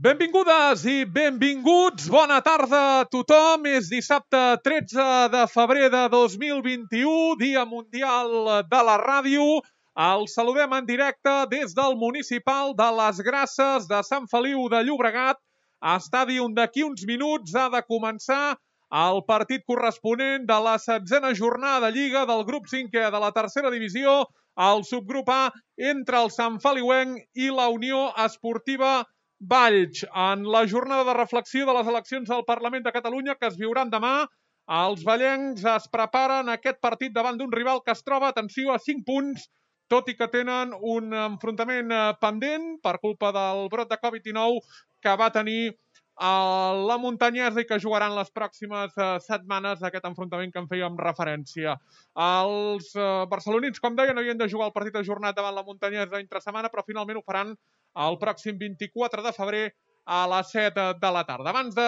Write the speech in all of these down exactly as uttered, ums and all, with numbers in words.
Benvingudes i benvinguts, bona tarda a tothom. És dissabte tretze de febrer de dos mil vint-i-u, Dia Mundial de la Ràdio. Els saludem en directe des del municipal de Les Grasses de Sant Feliu de Llobregat. Estadi on d'aquí uns minuts ha de començar el partit corresponent de la setzena jornada de Lliga del grup cinquè de la tercera divisió, el subgrup A, entre el Sant Feliuenc i la Unió Esportiva Valls. En la jornada de reflexió de les eleccions al Parlament de Catalunya que es viuran demà, els vallencs es preparen aquest partit davant d'un rival que es troba, atenció, a cinc punts, tot i que tenen un enfrontament pendent per culpa del brot de covid dinou que va tenir a la Muntanyesa i que jugaran les pròximes setmanes aquest enfrontament que en fèiem referència. Els barcelonins, com deia, no havien de jugar el partit ajornat davant la Muntanyesa entre setmana, però finalment ho faran el pròxim vint-i-quatre de febrer a les set de la tarda. Abans de,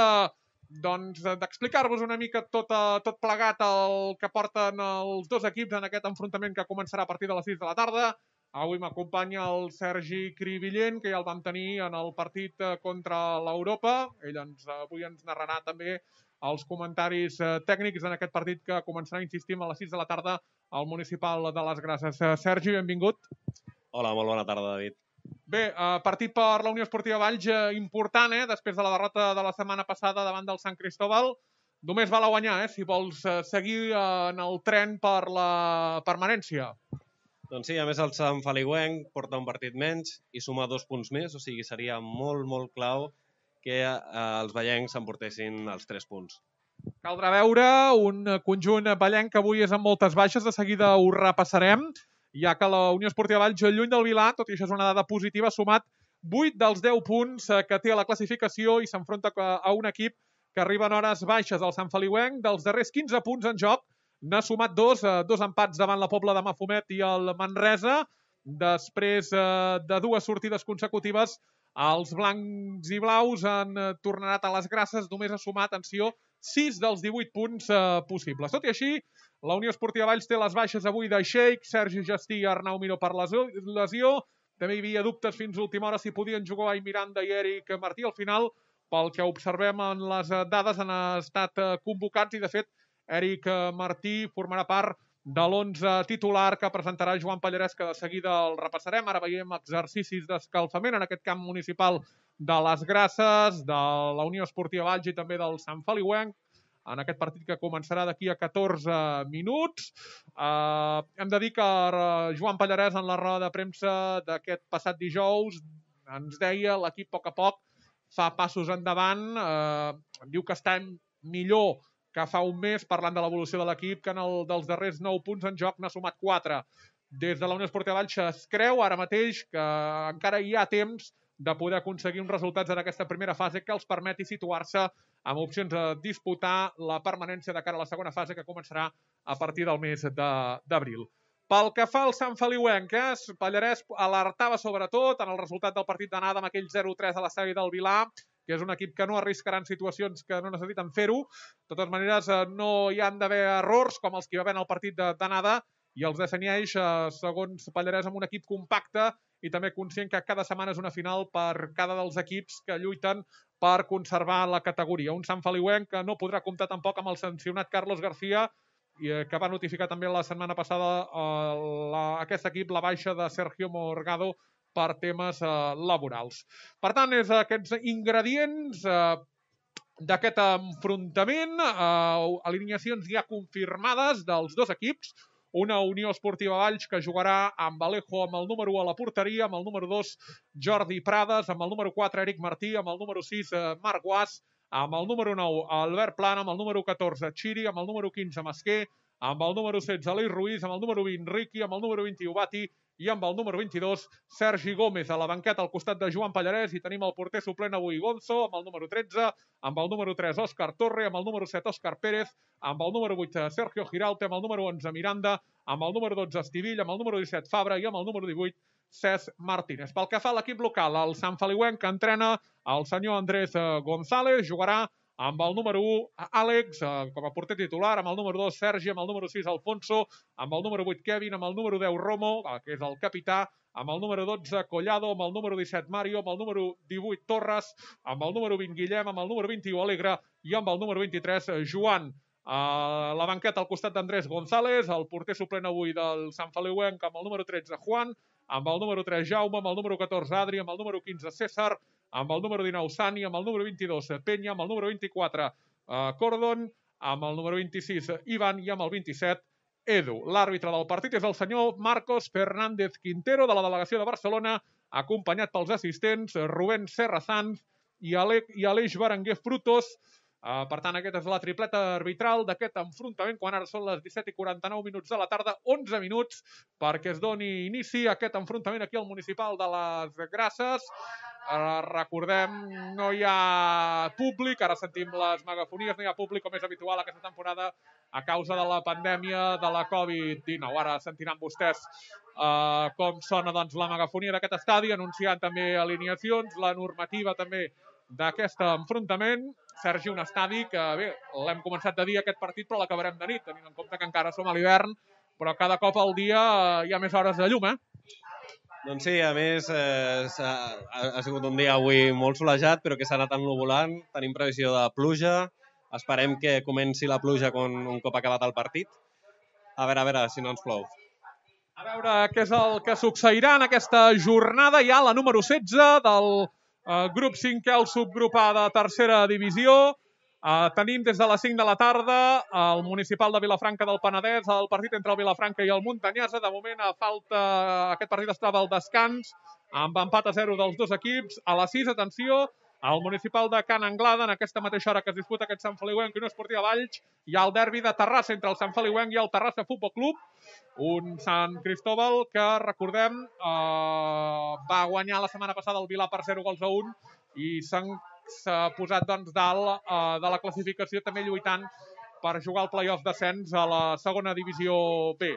doncs, d'explicar-vos una mica tot, tot plegat el que porten els dos equips en aquest enfrontament que començarà a partir de les sis de la tarda, avui m'acompanya el Sergi Cribillent, que ja el vam tenir en el partit contra l'Europa. Ell ens, avui ens narrarà també els comentaris tècnics en aquest partit que començarà, insistim, a les sis de la tarda al municipal de Les Grasses. Sergi, benvingut. Hola, molt bona tarda, David. Bé, partit per la Unió Esportiva Valls important, eh? Després de la derrota de la setmana passada davant del Sant Cristóbal. Només val a guanyar, eh? Si vols seguir en el tren per la permanència. Doncs sí, a més el Sant Feliuenc porta un partit menys i suma dos punts més, o sigui, seria molt, molt clau que els vallencs s'emportessin els tres punts. Caldrà veure un conjunt vallenc que avui és amb moltes baixes, de seguida ho repassarem, ja que la Unió Esportiva Valls, lluny del Vilà, tot i això és una dada positiva, ha sumat vuit dels deu punts que té a la classificació i s'enfronta a un equip que arriba en hores baixes. El Sant Feliuenc, dels darrers quinze punts en joc, n'ha sumat dos, dos empats davant la Pobla de Mafumet i el Manresa. Després de dues sortides consecutives, els blancs i blaus han tornat a Les Grasses, només ha sumat, atenció, sis dels divuit punts possibles. Tot i així, la Unió Esportiva Valls té les baixes avui de Sheik, Sergi Gestí i Arnau Miró per lesió. També hi havia dubtes fins a última hora si podien jugar i Miranda i Eric Martí. Al final, pel que observem en les dades, han estat convocats i, de fet, Eric Martí formarà part de l'onze titular que presentarà Joan Pallarès, que de seguida el repassarem. Ara veiem exercicis d'escalfament en aquest camp municipal de Les Grasses, de la Unió Esportiva Valls i també del Sant Feliuenc, en aquest partit que començarà d'aquí a catorze minuts. Eh, hem de dir que Joan Pallarès, en la roda de premsa d'aquest passat dijous, ens deia l'equip a poc a poc fa passos endavant. Eh, diu que està millor que fa un mes, parlant de l'evolució de l'equip, que en el dels darrers nou punts en joc n'ha sumat quatre. Des de la Unió Esportiva Valls es creu ara mateix que encara hi ha temps de poder aconseguir uns resultats en aquesta primera fase que els permeti situar-se amb opcions de disputar la permanència de cara a la segona fase, que començarà a partir del mes d'abril. Pel que fa al Sant Feliuenc, eh, Pallarès alertava sobretot en el resultat del partit d'anada amb aquell zero tres a l'estadi del Vilà, que és un equip que no arriscarà en situacions que no necessiten fer-ho. De totes maneres, no hi han d'haver errors com els que hi va haver en el partit d'anada, i els defineix, segons Pallarès, amb un equip compacte i també conscient que cada setmana és una final per cada dels equips que lluiten per conservar la categoria. Un Sant Feliuenc que no podrà comptar tampoc amb el sancionat Carlos García, que va notificar també la setmana passada a aquest equip la baixa de Sergio Morgado per temes laborals. Per tant, és aquests ingredients d'aquest enfrontament, alineacions ja confirmades dels dos equips. Una Unió Esportiva Valls que jugarà amb Alejo amb el número u a la porteria, amb el número dos Jordi Prades, amb el número quatre Eric Martí, amb el número sis Marc Guas, amb el número nou Albert Plana, amb el número catorze Chiri, amb el número quinze Masquer, amb el número setze Aleix Ruiz, amb el número vint Riqui, amb el número vint-i-u Bati i amb el número vint-i-dos Sergi Gómez. A la banqueta al costat de Joan Pallarès i tenim el porter suplent avui Gonzo, amb el número tretze, amb el número tres Òscar Torre, amb el número set Òscar Pérez, amb el número vuit Sergio Giralte, amb el número onze Miranda, amb el número dotze Estivill, amb el número disset Fabra i amb el número divuit Cesc Martínez. Pel que fa a l'equip local, el Sant Feliuenc que entrena el senyor Andrés González, jugarà amb el número u Àlex, eh, com a porter titular, amb el número dos Sergi, amb el número sis Alfonso, amb el número vuit Kevin, amb el número deu Romo, eh, que és el capità, amb el número dotze Collado, amb el número disset Mario, amb el número divuit Torres, amb el número vint Guillem, amb el número vint-i-u Alegre i amb el número vint-i-tres Joan. A la banqueta al costat d'Andrés González, el porter suplent avui del Sant Feliuenc amb el número tretze Juan, amb el número tres Jaume, amb el número catorze Adri, amb el número quinze César, amb el número dinou Sani, amb el número vint-i-dos Penya, amb el número vint-i-quatre eh, Cordon, amb el número vint-i-sis Ivan i amb el vint-i-set Edu. L'àrbitre del partit és el senyor Marcos Fernández Quintero, de la delegació de Barcelona, acompanyat pels assistents Rubén Serrazans i, Ale i Aleix Berenguer Frutos. Uh, per tant, aquesta és la tripleta arbitral d'aquest enfrontament, quan ara són les disset i quaranta-nou minuts de la tarda, onze minuts perquè es doni inici a aquest enfrontament aquí al Municipal de les Grasses. Uh, recordem, no hi ha públic, ara sentim les megafonies, no hi ha públic com és habitual aquesta temporada a causa de la pandèmia de la covid dinou. Ara sentiran vostès uh, com sona doncs, la megafonia d'aquest estadi, anunciant també alineacions, la normativa també d'aquest enfrontament. Sergi, un estadi que, bé, l'hem començat de dia aquest partit, però l'acabarem de nit, tenint en compte que encara som a l'hivern, però cada cop al dia hi ha més hores de llum, eh? Doncs sí, a més, eh, ha, ha sigut un dia avui molt solejat, però que s'ha anat ennuvolant. Tenim previsió de pluja. Esperem que comenci la pluja quan, un cop acabat el partit. A veure, a veure, si no ens plou. A veure què és el que succeirà en aquesta jornada. Hi ha la número setze del Uh, grup cinquè, el subgrup A de tercera divisió. Uh, tenim des de les cinc de la tarda el Municipal de Vilafranca del Penedès, el partit entre el Vilafranca i el Muntanyesa. De moment, a falta, aquest partit estava al descans, amb empat a zero dels dos equips. A les sis, atenció, al Municipal de Can Anglada, en aquesta mateixa hora que es disputa aquest Sant Feliuenc i Unió Esportiva Valls, hi ha el derbi de Terrassa entre el Sant Feliuenc i el Terrassa Futbol Club. Un Sant Cristóbal que, recordem, eh, va guanyar la setmana passada el Vilà per zero gols a un i s'ha posat doncs, dalt eh, de la classificació, també lluitant per jugar al play-off descens a la segona divisió B.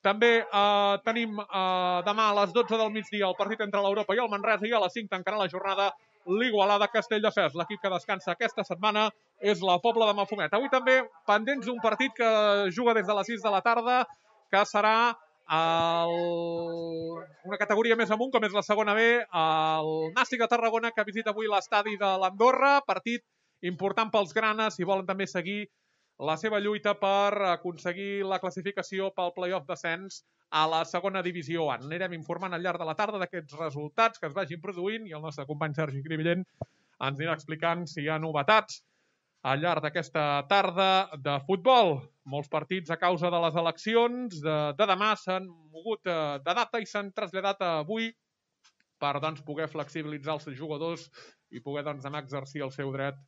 També eh, tenim eh, demà a les dotze del migdia el partit entre l'Europa i el Manresa, i a les cinc tancarà la jornada l'Igualada Castelldefels. L'equip que descansa aquesta setmana és la Pobla de Mafumet. Avui també pendents d'un partit que juga des de les sis de la tarda, que serà el... una categoria més amunt, com és la segona B, el Nàstic de Tarragona, que visita avui l'estadi de l'Andorra. Partit important pels granes, si volen també seguir la seva lluita per aconseguir la classificació pel play-off descens a la segona divisió A. Anirem informant al llarg de la tarda d'aquests resultats que es vagin produint i el nostre company Sergi Cribillent ens anirà explicant si hi ha novetats al llarg d'aquesta tarda de futbol. Molts partits a causa de les eleccions de, de demà s'han mogut de data i s'han traslladat a avui per doncs, poder flexibilitzar els jugadors i poder doncs, anar a exercir el seu dret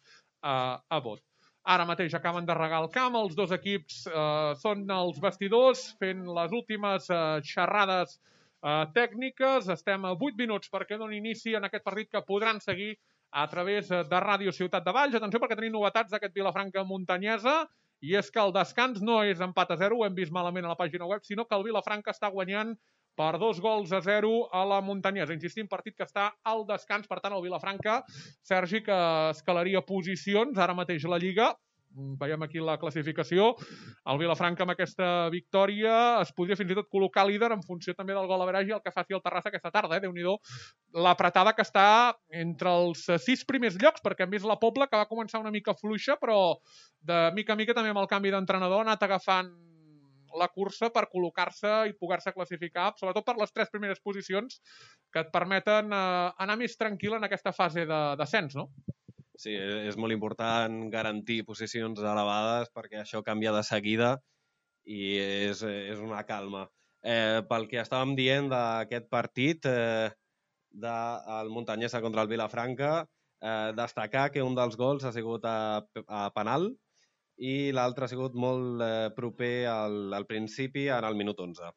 a, a vot. Ara mateix acaben de regar el camp, els dos equips eh, són els vestidors fent les últimes eh, xerrades eh, tècniques. Estem a vuit minuts perquè doni inici en aquest partit que podran seguir a través de Ràdio Ciutat de Valls. Atenció perquè tenim novetats d'aquest Vilafranca Muntanyesa, i és que el descans no és empat a zero, ho hem vist malament a la pàgina web, sinó que el Vilafranca està guanyant per dos gols a zero a la Muntanyesa. Insistim, partit que està al descans, per tant el Vilafranca, Sergi, que escalaria posicions ara mateix la Lliga. Veiem aquí la classificació. El Vilafranca amb aquesta victòria es podria fins i tot col·locar líder en funció també del gol average i el que faci el Terrassa aquesta tarda. Eh? Déu-n'hi-do l'apretada que està entre els sis primers llocs, perquè hem vist la Pobla que va començar una mica fluixa, però de mica a mica també amb el canvi d'entrenador ha anat agafant la cursa per col·locar-se i poder-se classificar, sobretot per les tres primeres posicions que et permeten eh, anar més tranquil en aquesta fase de descens, no? Sí, és molt important garantir posicions elevades perquè això canvia de seguida i és, és una calma. Eh, pel que estàvem dient d'aquest partit eh, del Muntanyesa contra el Vilafranca, eh, destacar que un dels gols ha sigut a, a penal i l'altre ha sigut molt eh, proper al, al principi, en el minut onze.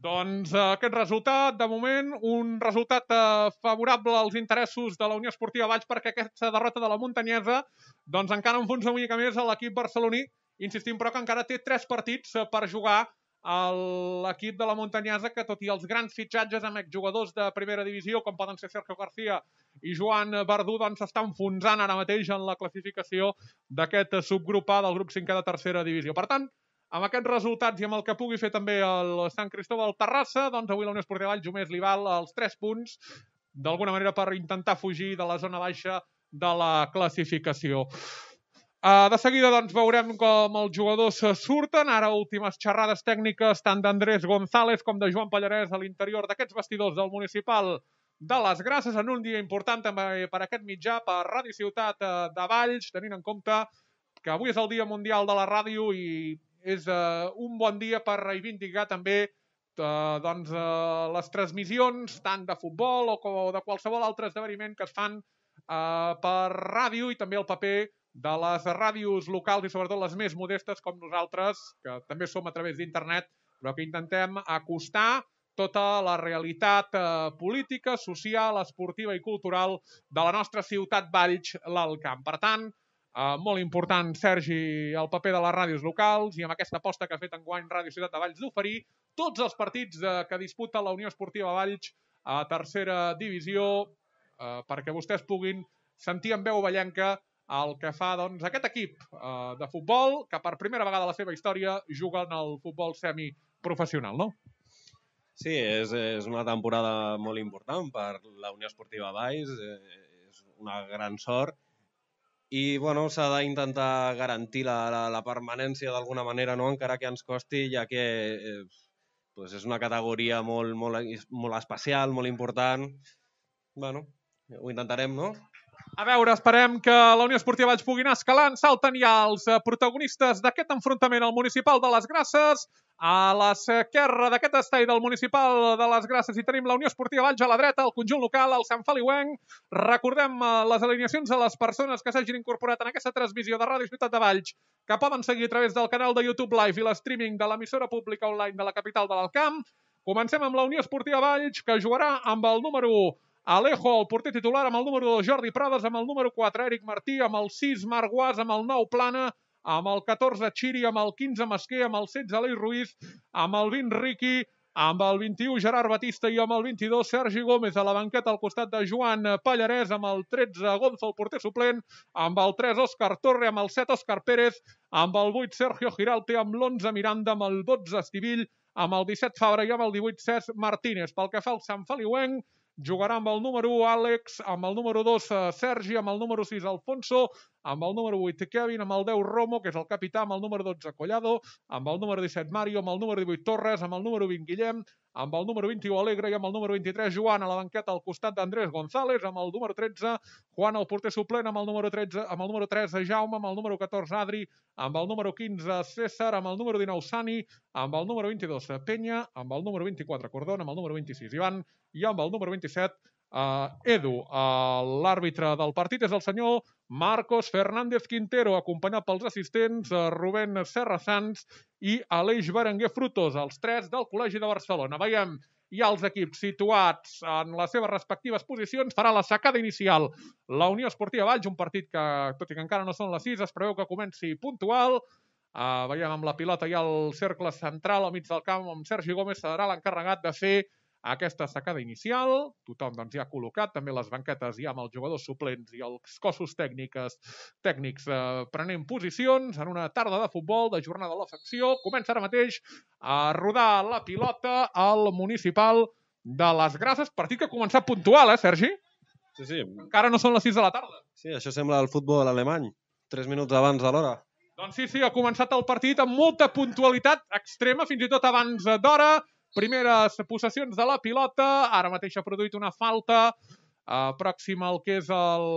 Doncs eh, aquest resultat, de moment, un resultat eh, favorable als interessos de la Unió Esportiva Valls, perquè aquesta derrota de la Muntanyesa doncs encara enfonsa una mica més a l'equip barceloní, insistim però que encara té tres partits eh, per jugar a l'equip de la Muntanyesa, que tot i els grans fitxatges amb exjugadors de primera divisió, com poden ser Sergio García i Joan Verdú, doncs s'està enfonsant ara mateix en la classificació d'aquest subgrup A del grup cinquè de tercera divisió. Per tant, amb aquests resultats i amb el que pugui fer també el Sant Cristóbal Terrassa, doncs avui la Unió Esportiva Valls només li val els tres punts, d'alguna manera per intentar fugir de la zona baixa de la classificació. Uh, de seguida doncs, veurem com els jugadors surten. Ara últimes xerrades tècniques tant d'Andrés González com de Joan Pallarès a l'interior d'aquests vestidors del municipal de les Grasses, en un dia important també per aquest mitjà, per Ràdio Ciutat de Valls, tenint en compte que avui és el Dia Mundial de la Ràdio i és uh, un bon dia per reivindicar també uh, doncs, uh, les transmissions tant de futbol o de qualsevol altre esdeveniment que es fan uh, per ràdio, i també el paper de les ràdios locals i sobretot les més modestes com nosaltres, que també som a través d'internet, però que intentem acostar tota la realitat eh, política, social, esportiva i cultural de la nostra ciutat Valls, l'Alt Camp. Per tant, eh, molt important, Sergi, el paper de les ràdios locals, i amb aquesta aposta que ha fet enguany Ràdio Ciutat de Valls d'oferir tots els partits eh, que disputa la Unió Esportiva Valls a tercera divisió, eh, perquè vostès puguin sentir en veu vallenca el que fa doncs, aquest equip eh, de futbol que per primera vegada a la seva història juga en el futbol semiprofessional, no? Sí, és, és una temporada molt important per la Unió Esportiva Valls, eh, és una gran sort i bueno, s'ha d'intentar garantir la, la, la permanència d'alguna manera, no? Encara que ens costi, ja que eh, pues és una categoria molt, molt, molt especial, molt important. Bueno, ho intentarem, no? A veure, esperem que la Unió Esportiva Valls pugui anar escalant. Salten ja els protagonistes d'aquest enfrontament al municipal de les Grasses. A l'esquerra d'aquest estadi del municipal de les Grasses hi tenim la Unió Esportiva Valls, a la dreta el conjunt local, el Sant Feliuenc. Recordem les alineacions de les persones que s'hagin incorporat en aquesta transmissió de Ràdio Ciutat de Valls, que poden seguir a través del canal de YouTube Live i l'streaming de l'emissora pública online de la capital de l'Alt Camp. Comencem amb la Unió Esportiva Valls, que jugarà amb el número u Alejo, el porter titular, amb el número dos Jordi Prades, amb el número quatre Eric Martí, amb el sis Marc Guas, amb el nou Plana, amb el catorze Xiri, amb el quinze Masquer, amb el setze Aleix Ruiz, amb el vint Riqui, amb el vint-i-u Gerard Batista i amb el vint-i-dos Sergi Gómez a la banqueta al costat de Joan Pallarès, amb el tretze Gonzo, el porter suplent, amb el tres Òscar Torre, amb el set Òscar Pérez, amb el vuit Sergio Giralte, amb l'onze Miranda, amb el dotze Estivill, amb el disset Fabra i amb el divuit Cesc Martínez. Pel que fa al Sant Feliuenc, jugarà amb el número u Àlex, amb el número dos Sergi, amb el número sis Alfonso, amb el número vuit Kevin, amb el deu Romo, que és el capità, amb el número dotze Collado, amb el número disset Mario, amb el número divuit Torres, amb el número vint Guillem, amb el número vint-i-u Alegre i amb el número vint-i-tres Joan a la banqueta al costat d'Andrés González, amb el número tretze Juan, el porter suplent, amb el número tretze, amb el número tres Jaume, amb el número catorze Adri, amb el número quinze César, amb el número dinou Sani, amb el número vint-i-dos Penya, amb el número vint-i-quatre Cordón, amb el número vint-i-sis Ivan i amb el número vint-i-set Uh, Edu. Uh, l'àrbitre del partit és el senyor Marcos Fernández Quintero, acompanyat pels assistents uh, Rubén Serra Sanz i Aleix Berenguer Frutos, els tres del Col·legi de Barcelona. Veiem ja els equips situats en les seves respectives posicions. Farà la sacada inicial la Unió Esportiva Valls, un partit que, tot i que encara no són les sis, es preveu que comenci puntual. Uh, veiem amb la pilota ja el cercle central al mig del camp, amb Sergi Gómez serà l'encarregat de fer aquesta sacada inicial. Tothom doncs, ja ha col·locat també les banquetes ja amb els jugadors suplents i els cossos tècnics, tècnics eh, prenent posicions en una tarda de futbol de jornada de l'afecció. Comença ara mateix a rodar la pilota al municipal de les Grasses. Partit que ha començat puntual, eh, Sergi? Sí, sí. Encara no són les sis de la tarda. Sí, això sembla el futbol alemany. Tres minuts abans de l'hora. Doncs sí, sí, ha començat el partit amb molta puntualitat extrema, fins i tot abans d'hora. Primeres possessions de la pilota, ara mateix ha produït una falta eh, pròxima al que és el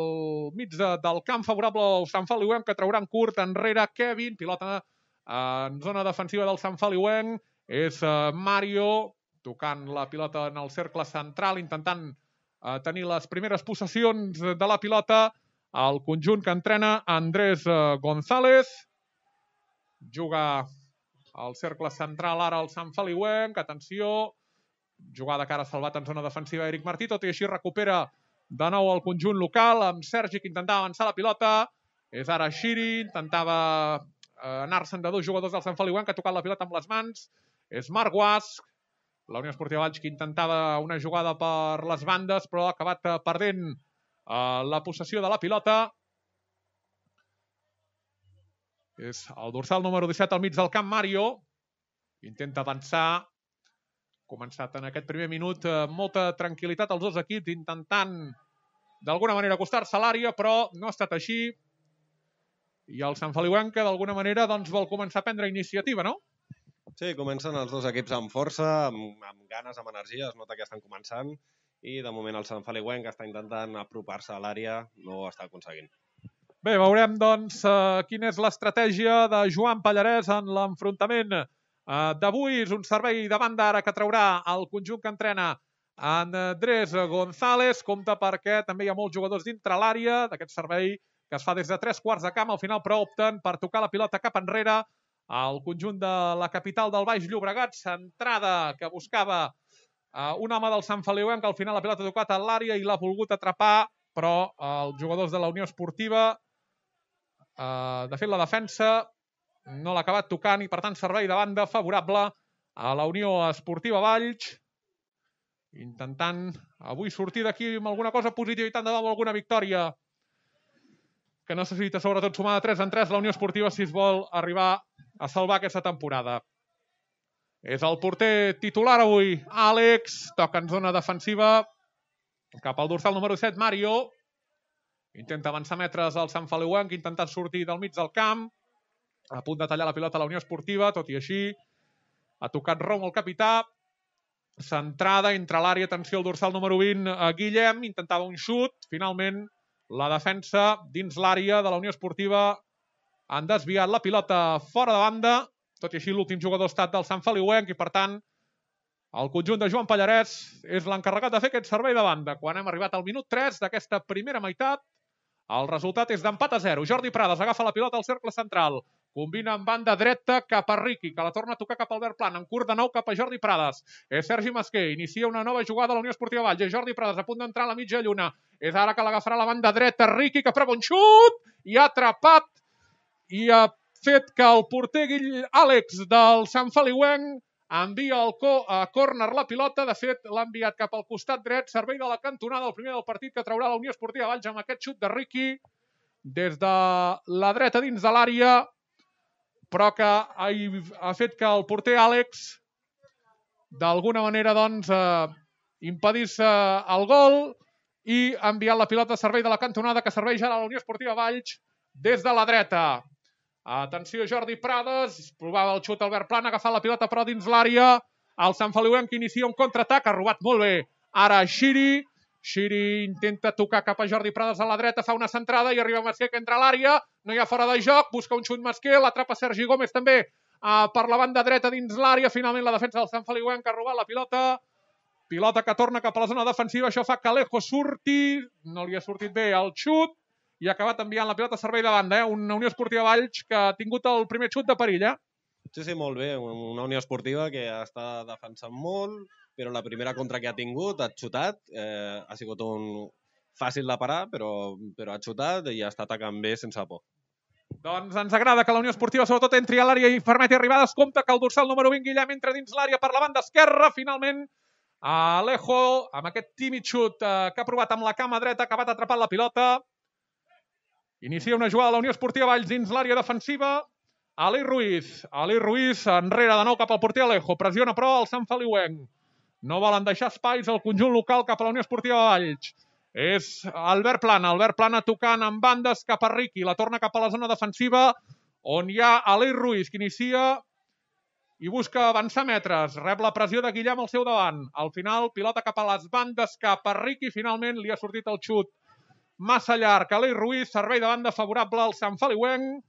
mig de, del camp favorable al Sant Feliuenc, que trauran curt enrere Kevin, pilota eh, en zona defensiva del Sant Feliuenc, és eh, Mario tocant la pilota en el cercle central, intentant eh, tenir les primeres possessions de la pilota al conjunt que entrena Andrés eh, González. juga al cercle central ara el Sant Feliuenc, atenció, jugada que ara ha salvat en zona defensiva Eric Martí, tot i així recupera de nou el conjunt local, amb Sergi que intentava avançar la pilota, és ara Xiri, intentava anar-se'n de dos jugadors del Sant Feliuenc, que ha tocat la pilota amb les mans, és Marc Guasc, la Unió Esportiva Valls que intentava una jugada per les bandes, però ha acabat perdent uh, la possessió de la pilota. És el dorsal número disset al mig del camp, Mario. Intenta avançar. Començat en aquest primer minut amb molta tranquil·litat els dos equips, intentant d'alguna manera acostar-se a l'àrea, però no ha estat així. I el Sant Feliuenc, que d'alguna manera doncs, vol començar a prendre iniciativa, no? Sí, comencen els dos equips amb força, amb, amb ganes, amb energia, es nota que estan començant, i de moment el Sant Feliuenc està intentant apropar-se a l'àrea, no ho està aconseguint. Bé, veurem doncs uh, quina és l'estratègia de Joan Pallarès en l'enfrontament uh, d'avui. És un servei de banda ara que traurà el conjunt que entrena Andrés González. Compte perquè també hi ha molts jugadors dintre l'àrea d'aquest servei que es fa des de tres quarts de camp. Al final, però, opten per tocar la pilota cap enrere al conjunt de la capital del Baix Llobregat. Centrada que buscava uh, un home del Sant Feliuenc, que al final la pilota ha tocat a l'àrea i l'ha volgut atrapar, però uh, els jugadors de la Unió Esportiva, uh, de fet la defensa, no l'ha acabat tocant i per tant servei de banda favorable a la Unió Esportiva Valls, intentant avui sortir d'aquí amb alguna cosa positiva i tant de dalt alguna victòria que necessita sobretot sumar de tres en tres la Unió Esportiva si es vol arribar a salvar aquesta temporada. És el porter titular avui, Àlex, toca en zona defensiva cap al dorsal número set, Mario. Intenta avançar metres al Sant Feliuenc, intentant sortir del mig del camp, a punt de tallar la pilota a la Unió Esportiva, tot i així ha tocat Romo, el capità, centrada entre l'àrea, atenció al dorsal número vint, a Guillem, intentava un xut, finalment la defensa dins l'àrea de la Unió Esportiva han desviat la pilota fora de banda, tot i així l'últim jugador ha estat del Sant Feliuenc i per tant el conjunt de Joan Pallarès és l'encarregat de fer aquest servei de banda. Quan hem arribat al minut tres d'aquesta primera meitat, el resultat és d'empat a zero. Jordi Prades agafa la pilota al cercle central, combina amb banda dreta cap a Riqui, que la torna a tocar cap a Albert Plana, en curt de nou cap a Jordi Prades. És Sergi Masquer, inicia una nova jugada a la Unió Esportiva Valls. És Jordi Prades a punt d'entrar a la mitja lluna. És ara que l'agafarà la banda dreta Riqui, que prova un xut i ha atrapat i ha fet que el porter Àlex del Sant Feliuenc envia al co a córner la pilota. De fet, l'ha enviat cap al costat dret, servei de la cantonada, el primer del partit que traurà la Unió Esportiva Valls amb aquest xut de Riqui des de la dreta dins de l'àrea, però que ha, ha fet que el porter Àlex d'alguna manera doncs eh, impedís eh, el gol i ha enviat la pilota a servei de la cantonada que serveix ara a la Unió Esportiva Valls des de la dreta. Atenció, Jordi Prades, provava el xut Albert Plana, agafar la pilota però dins l'àrea, el Sant Feliuenc que inicia un contraatac, ha robat molt bé ara Xiri, Xiri intenta tocar cap a Jordi Prades a la dreta, fa una centrada i arriba Masquer que entra a l'àrea, no hi ha fora de joc, busca un xut Masquer, l'atrapa Sergi Gómez també uh, per la banda dreta dins l'àrea, finalment la defensa del Sant Feliuenc ha robat la pilota, pilota que torna cap a la zona defensiva, això fa que Alejo surti, no li ha sortit bé el xut, i ha acabat enviant la pilota a servei de banda, eh? Una Unió Esportiva Valls que ha tingut el primer xut de perill, eh? Sí, sí, molt bé. Una Unió Esportiva que està defensant molt, però la primera contra que ha tingut ha xutat, eh, ha sigut un fàcil de parar, però, però ha xutat i ha estat atacant bé sense por. Doncs ens agrada que la Unió Esportiva sobretot entri a l'àrea i permeti arribades. Compte que el dorsal número vint, Guillem, entra dins l'àrea per la banda esquerra. Finalment, Alejo, amb aquest tímid xut eh, que ha provat amb la cama dreta, ha acabat atrapant la pilota. Inicia una jugada a la Unió Esportiva Valls dins l'àrea defensiva. Ali Ruiz. Ali Ruiz enrere de nou cap al porter Alejo. Pressiona però el Sant Feliuenc. No volen deixar espais al conjunt local cap a la Unió Esportiva Valls. És Albert Plana. Albert Plana tocant amb bandes cap a Riqui. La torna cap a la zona defensiva on hi ha Ali Ruiz que inicia i busca avançar metres. Rep la pressió de Guillem al seu davant. Al final, pilota cap a les bandes cap a Riqui. Finalment li ha sortit el xut massa llarg. Ali Ruiz, servei de banda favorable al Sant Feliuenc.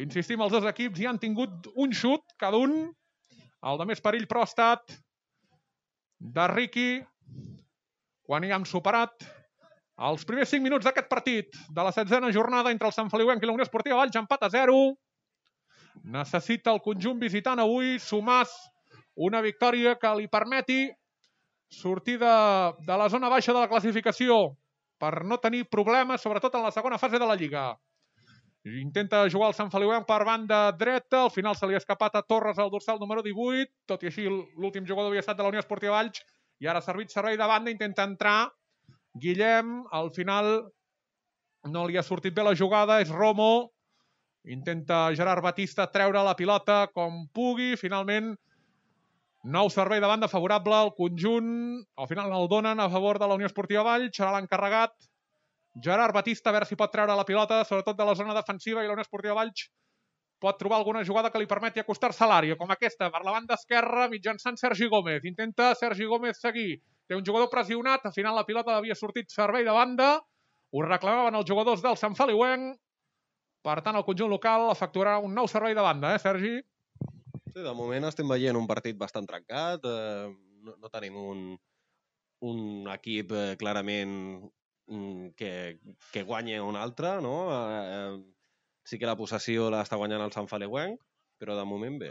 Insistim, els dos equips hi han tingut un xut, cada un. El de més perill, però, ha estat de Riqui, quan hi han superat els primers cinc minuts d'aquest partit de la setzena jornada entre el Sant Feliuenc i la Unió Esportiva Valls, empat a zero. Necessita el conjunt visitant avui sumar una victòria que li permeti sortir de, de la zona baixa de la classificació per no tenir problemes, sobretot en la segona fase de la Lliga. Intenta jugar el Sant Feliuenc per banda dreta, al final se li ha escapat a Torres el dorsal número divuit, tot i així l'últim jugador havia estat de la Unió Esportiva Valls i ara ha servit servei de banda, intenta entrar Guillem, al final no li ha sortit bé la jugada, és Romo, intenta Gerard Batista treure la pilota com pugui, finalment nou servei de banda favorable al conjunt, al final el donen a favor de la Unió Esportiva Valls, serà l'encarregat Gerard Batista, a veure si pot treure la pilota, sobretot de la zona defensiva, i la Unió Esportiva Valls pot trobar alguna jugada que li permeti acostar-se a l'àrea, com aquesta, per la banda esquerra, mitjançant Sergi Gómez. Intenta Sergi Gómez seguir. Té un jugador pressionat, al final la pilota havia sortit servei de banda, ho reclamaven els jugadors del Sant Feliuenc, per tant el conjunt local efectuarà un nou servei de banda, eh, Sergi? Sí, de moment estem veient un partit bastant trencat, eh, no, no tenim un, un equip eh, clarament que, que guanya un altre, no? Eh, sí que la possessió l'està guanyant el Sant Feliuenc, però de moment bé.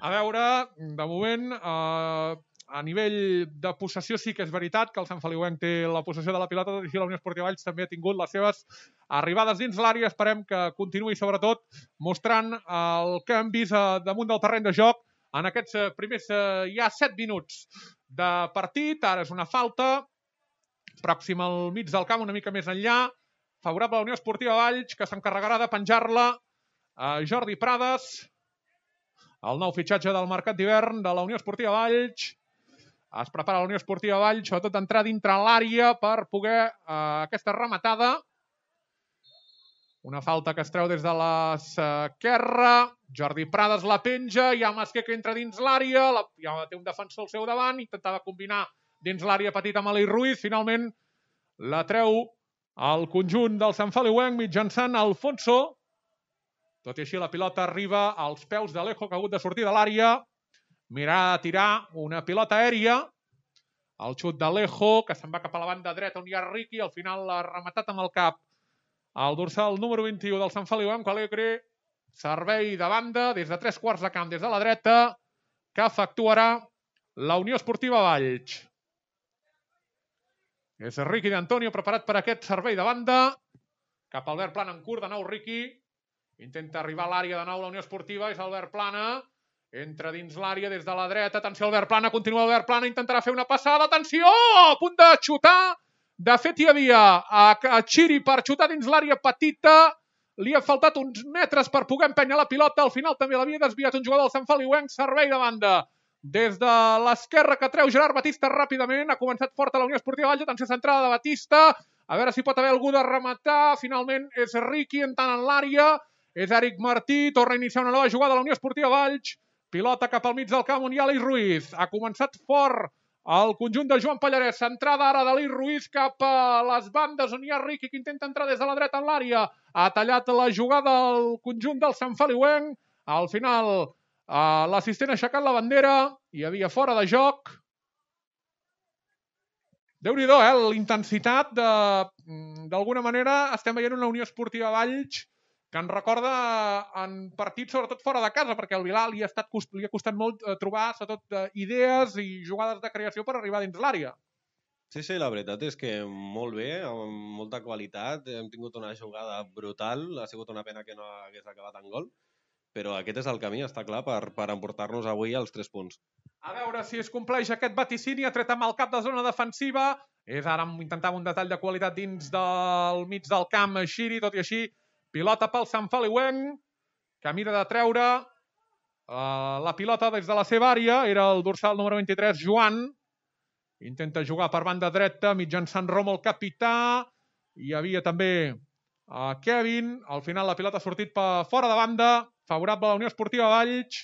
A veure, de moment, eh, a nivell de possessió sí que és veritat que el Sant Feliuenc té la possessió de la pilota, i la Unió Esportiva Valls també ha tingut les seves arribades dins l'àrea. Esperem que continuï, sobretot, mostrant el que hem vist damunt del terreny de joc en aquests primers ja set minuts de partit. Ara és una falta pròxim al mig del camp, una mica més enllà, favorable a la Unió Esportiva Valls, que s'encarregarà de penjar-la a Jordi Prades, el nou fitxatge del mercat d'hivern de la Unió Esportiva Valls. Es prepara la Unió Esportiva Valls, sobretot d'entrar dintre l'àrea per poder eh, aquesta rematada. Una falta que es treu des de l'esquerra, Jordi Prades la penja, hi ha Masquer que entra dins l'àrea, ja té un defensor al seu davant, intentava combinar dins l'àrea petita amb Aleix Ruiz, finalment la treu al conjunt del Sant Feliuenc mitjançant Alfonso. Tot i així la pilota arriba als peus d'Alejo, que ha hagut de sortir de l'àrea, mirar a tirar una pilota aèria, el xut d'Alejo, que se'n va cap a la banda dreta on hi ha Riqui, al final l'ha rematat amb el cap al dorsal número vint-i-u del Sant Feliuenc, Alegre, servei de banda des de tres quarts de camp des de la dreta, que efectuarà la Unió Esportiva Valls. És Riqui d'Antonio preparat per aquest servei de banda, cap a Albert Plana en curt, de nou Riqui, intenta arribar a l'àrea de nou la Unió Esportiva, és Albert Plana, entra dins l'àrea des de la dreta, atenció Albert Plana, continua Albert Plana, intentarà fer una passada, atenció, a punt de xutar, de fet hi havia a Chiri per xutar dins l'àrea petita, li ha faltat uns metres per poder empènyer la pilota, al final també l'havia desviat un jugador del Sant Feliuenc, servei de banda. Des de l'esquerra que treu Gerard Batista ràpidament, ha començat fort a la Unió Esportiva Valls, atenció centrada de Batista, a veure si pot haver algú de rematar, finalment és Riqui entrant en l'àrea, és Eric Martí, torna a iniciar una nova jugada a la Unió Esportiva Valls, pilota cap al mig del camp on hi ha Aleix Ruiz, ha començat fort el conjunt de Joan Pallarès, centrada ara d'Aleix Ruiz cap a les bandes on hi ha Riqui que intenta entrar des de la dreta en l'àrea, ha tallat la jugada al conjunt del Sant Feliuenc, al final Uh, l'assistent ha aixecat la bandera, hi havia fora de joc. Déu-n'hi-do, eh? L'intensitat de... D'alguna manera estem veient una Unió Esportiva Valls que ens recorda en partits sobretot fora de casa, perquè al Vilar li ha, estat, li ha costat molt trobar sobretot idees i jugades de creació per arribar dins l'àrea. Sí, sí, la veritat és que molt bé, amb molta qualitat, hem tingut una jugada brutal, ha sigut una pena que no hagués acabat en gol, però aquest és el camí, està clar, per, per emportar-nos avui als tres punts. A veure si es compleix aquest vaticini, ha tret amb el cap de zona defensiva, és ara intentava un detall de qualitat dins del mig del camp, Xiri, tot i així, pilota pel Sant Feliuenc, que mira de treure uh, la pilota des de la seva àrea, era el dorsal número vint-i-tres, Joan, intenta jugar per banda dreta, mitjançant Romo el capità, hi havia també uh, Kevin, al final la pilota ha sortit per fora de banda, favorable a la Unió Esportiva Valls,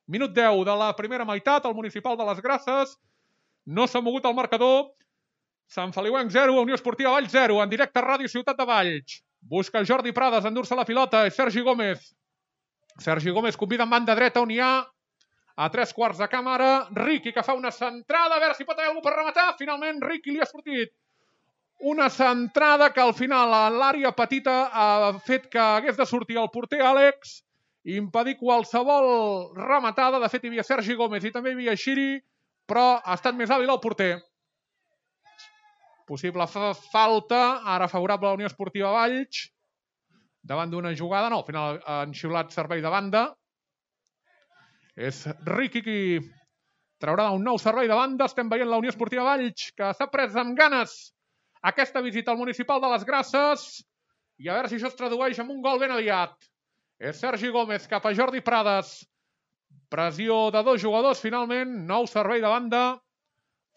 minut deu de la primera meitat, el municipal de les Grasses, no s'ha mogut el marcador, Sant Feliuenc zero, Unió Esportiva Valls zero, en directe a Ràdio Ciutat de Valls, busca Jordi Prades, endur-se la pilota, és Sergi Gómez, Sergi Gómez convida en banda dreta on hi ha, a tres quarts de camp ara, Riqui que fa una centrada, a veure si pot haver algú per rematar, finalment Riqui li ha sortit una centrada que al final a l'àrea petita ha fet que hagués de sortir el porter Àlex, impedir qualsevol rematada. De fet, hi havia Sergi Gómez i també hi havia Xiri, però ha estat més hàbil el porter. Possible falta, ara favorable a la Unió Esportiva Valls, davant d'una jugada. No, al final han xiulat servei de banda. És Riqui qui traurà un nou servei de banda. Estem veient la Unió Esportiva Valls, que s'ha pres amb ganes aquesta visita al municipal de les Grasses. I a veure si això es tradueix en un gol ben aviat. És Sergi Gómez cap a Jordi Prades. Pressió de dos jugadors, finalment. Nou servei de banda.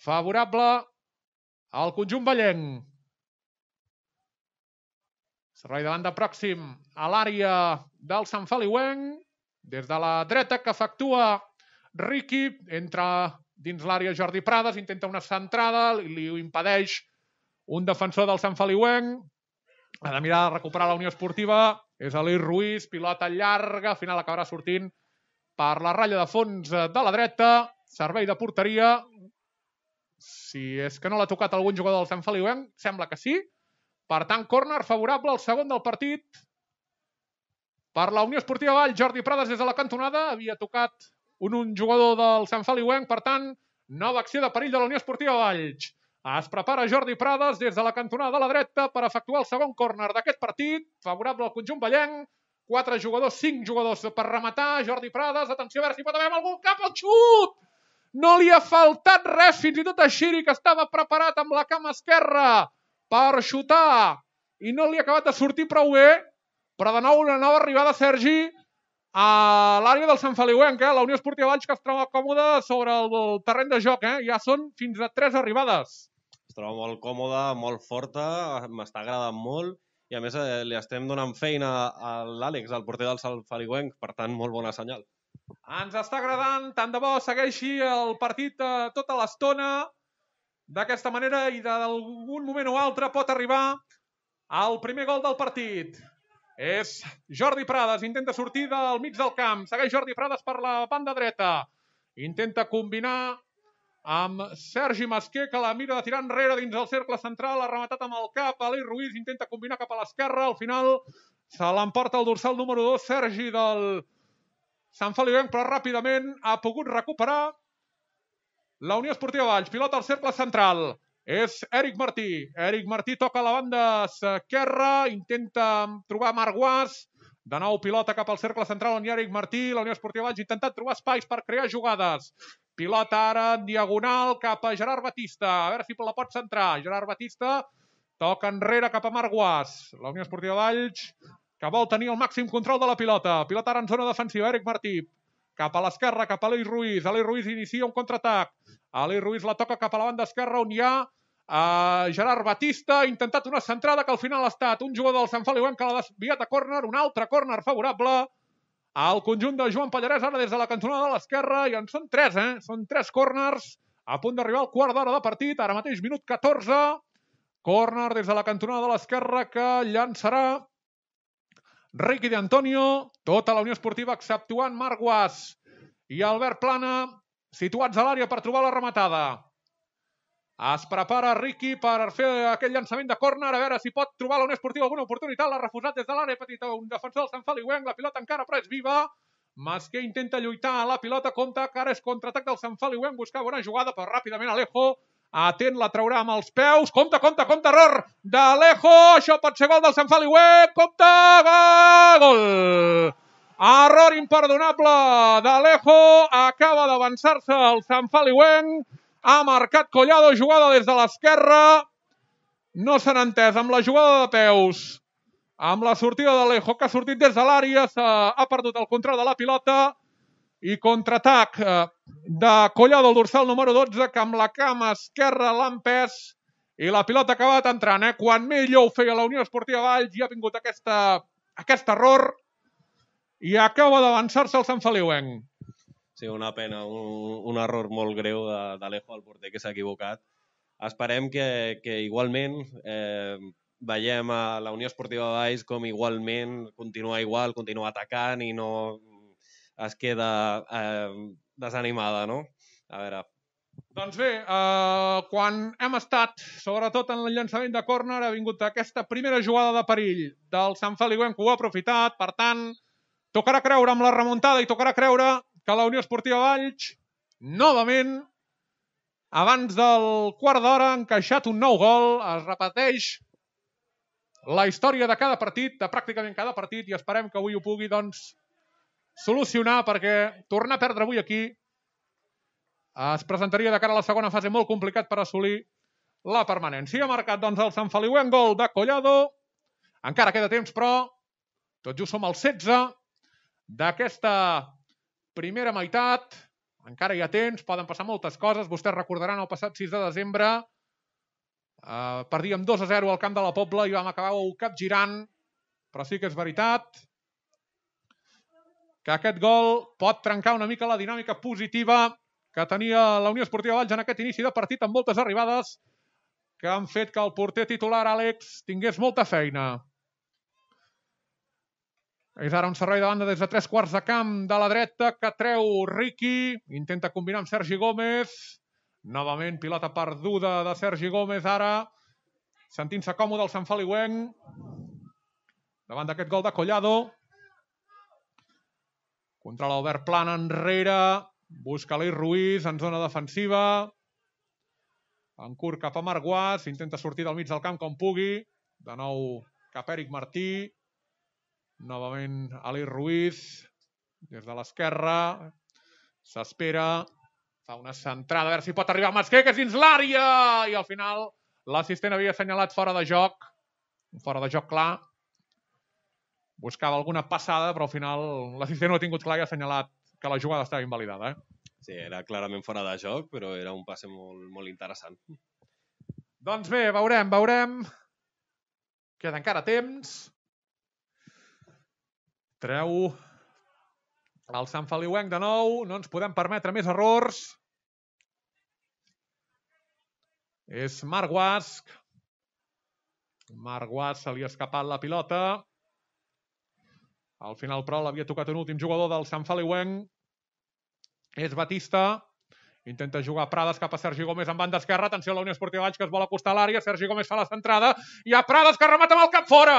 Favorable al conjunt vallenc. Servei de banda pròxim a l'àrea del Sant Feliuenc. Des de la dreta que efectua Riqui. Entra dins l'àrea Jordi Prades. Intenta una centrada. Li ho impedeix un defensor del Sant Feliuenc. Ha de mirar de recuperar la Unió Esportiva. És Elís Ruiz. Pilota llarga. Al final acabarà sortint per la ratlla de fons de la dreta. Servei de porteria. Si és que no l'ha tocat algun jugador del Sant Feliuenc, sembla que sí. Per tant, córner favorable al segon del partit. Per la Unió Esportiva Valls, Jordi Prades des de la cantonada. Havia tocat un, un jugador del Sant Feliuenc. Per tant, nova acció de perill de la Unió Esportiva Valls. Es prepara Jordi Prades des de la cantonada de la dreta per efectuar el segon córner d'aquest partit. Favorable al conjunt vallenc. Quatre jugadors, cinc jugadors per rematar. Jordi Prades, atenció a veure si pot haver algun cap al xut! No li ha faltat res, fins i tot a Xiri, que estava preparat amb la cama esquerra per xutar i no li ha acabat de sortir prou bé, però de nou una nova arribada, Sergi, a l'àrea del Sant Feliuenc. Eh? La Unió Esportiva Valls, que es troba còmoda sobre el terreny de joc. Eh? Ja són fins a tres arribades. Es troba molt còmoda, molt forta, m'està agradant molt i a més eh, li estem donant feina a l'Àlex, el porter del Sant Feliuenc, per tant, molt bona senyal. Ens està agradant, tant de bo segueixi el partit eh, tota l'estona. D'aquesta manera i d'algun moment o altre pot arribar al primer gol del partit. És Jordi Prades, intenta sortir del mig del camp. Segueix Jordi Prades per la banda dreta. Intenta combinar amb Sergi Masquer, que la mira de tirar enrere dins el cercle central. Ha rematat amb el cap. Elís Ruiz intenta combinar cap a l'esquerra. Al final se l'emporta el dorsal número dos, Sergi del Sant Feliuenc, però ràpidament ha pogut recuperar la Unió Esportiva Valls. Pilota al cercle central. És Eric Martí. Eric Martí toca a la banda esquerra. Intenta trobar Marc Guas. De nou pilota cap al cercle central on hi ha Eric Martí. La Unió Esportiva Valls ha intentat trobar espais per crear jugades. Pilota ara en diagonal cap a Gerard Batista. A veure si la pot centrar. Gerard Batista toca enrere cap a Marc Guas. La Unió Esportiva Valls, que vol tenir el màxim control de la pilota. Pilota ara en zona defensiva. Eric Martí cap a l'esquerra, cap a Elís Ruiz. Elís Ruiz inicia un contraatac. Elís Ruiz la toca cap a la banda esquerra on hi ha uh, Gerard Batista. Ha intentat una centrada que al final ha estat un jugador del Sant Feliuenc que l'ha desviat a córner. Un altre córner favorable al conjunt de Joan Pallarès, ara des de la cantonada de l'esquerra. I en són tres, eh? Són tres córners a punt d'arribar al quart d'hora de partit. Ara mateix minut catorze. Córner des de la cantonada de l'esquerra que llançarà Riqui de Antonio, tota la Unió Esportiva exceptuant Marc Guas i Albert Plana, situats a l'àrea per trobar la rematada. Es prepara Riqui per fer aquell llançament de córner, a veure si pot trobar la Unió Esportiva alguna oportunitat. L'ha refusat des de l'àrea petita, un defensor del Sant Feliuenc. La pilota encara però és viva. Masquer intenta lluitar a la pilota, compta que ara és contraatac del Sant Feliuenc, buscava una jugada, però ràpidament Alejo atent, la traurà amb els peus. Compte, compte, compte, error d'Alejo. Això pot ser gol del Sant Feliuenc. Compte, gol! Error imperdonable d'Alejo. Acaba d'avançar-se el Sant Feliuenc. Ha marcat Collado, jugada des de l'esquerra. No s'han entès amb la jugada de peus. Amb la sortida d'Alejo, que ha sortit des de l'àrea, ha perdut el control de la pilota. I contraatac de Collado, el dorsal número dotze, que amb la cama esquerra l'ha empès i la pilota ha acabat entrant. Eh? Quan millor ho feia la Unió Esportiva Valls, hi ha vingut aquesta, aquest error i acaba d'avançar-se el Sant Feliuenc. Sí, una pena, un, un error molt greu d'Alejo, el porter, que s'ha equivocat. Esperem que, que igualment eh, veiem a la Unió Esportiva Valls com igualment continua igual, continua atacant i no es queda eh, desanimada, no? A veure... Doncs bé, eh, quan hem estat, sobretot en el llançament de córner, ha vingut aquesta primera jugada de perill del Sant Feliuenc, que ho ha aprofitat. Per tant, Tocarà creure amb la remuntada i tocarà creure que la Unió Esportiva Valls, novament, abans del quart d'hora, ha encaixat un nou gol. Es repeteix la història de cada partit, de pràcticament cada partit, i esperem que avui ho pugui, doncs, solucionar, perquè tornar a perdre avui aquí es presentaria de cara a la segona fase molt complicat per assolir la permanència. Ha marcat, doncs, el Sant Feliuenc, gol de Collado. Encara queda temps, però tot just som al setze d'aquesta primera meitat. Encara hi ha temps, poden passar moltes coses. Vostès recordaran el passat sis de desembre. Eh, perdíem dos a zero al camp de la Pobla i vam acabar capgirant. Però sí que és veritat que aquest gol pot trencar una mica la dinàmica positiva que tenia la Unió Esportiva Valls en aquest inici de partit, amb moltes arribades que han fet que el porter titular, Àlex, tingués molta feina. És ara un servei de banda des de tres quarts de camp de la dreta que treu Riqui. Intenta combinar amb Sergi Gómez. Novament pilota perduda de Sergi Gómez ara. Sentint-se còmode el Sant Feliuenc davant d'aquest gol de Collado. Controla Albert Plana enrere. Busca l'Eix Ruiz en zona defensiva. En curt cap a Marc Guas. Intenta sortir del mig del camp com pugui. De nou cap a Eric Martí. Novament Aleix Ruiz. Des de l'esquerra. S'espera. Fa una centrada. A veure si pot arribar Masqué, que és dins l'àrea. I al final l'assistent havia assenyalat fora de joc. Un fora de joc clar. Buscava alguna passada, però al final l'assistent no ha tingut clar i ha assenyalat que la jugada estava invalidada. Eh? Sí, era clarament fora de joc, però era un passe molt, molt interessant. Doncs bé, veurem, veurem. Queda encara temps. Treu el Sant Feliuenc de nou. No ens podem permetre més errors. És Marc Guas. Marc Guas se li ha escapat la pilota. Al final, però, l'havia tocat un últim jugador del Sant Feliuenc. És Batista. Intenta jugar Prades cap a Sergi Gómez en banda esquerra. Atenció a la Unió Esportiva Valls, que es vol acostar a l'àrea. Sergi Gómez fa la centrada. Hi ha Prades, que remata amb el cap fora.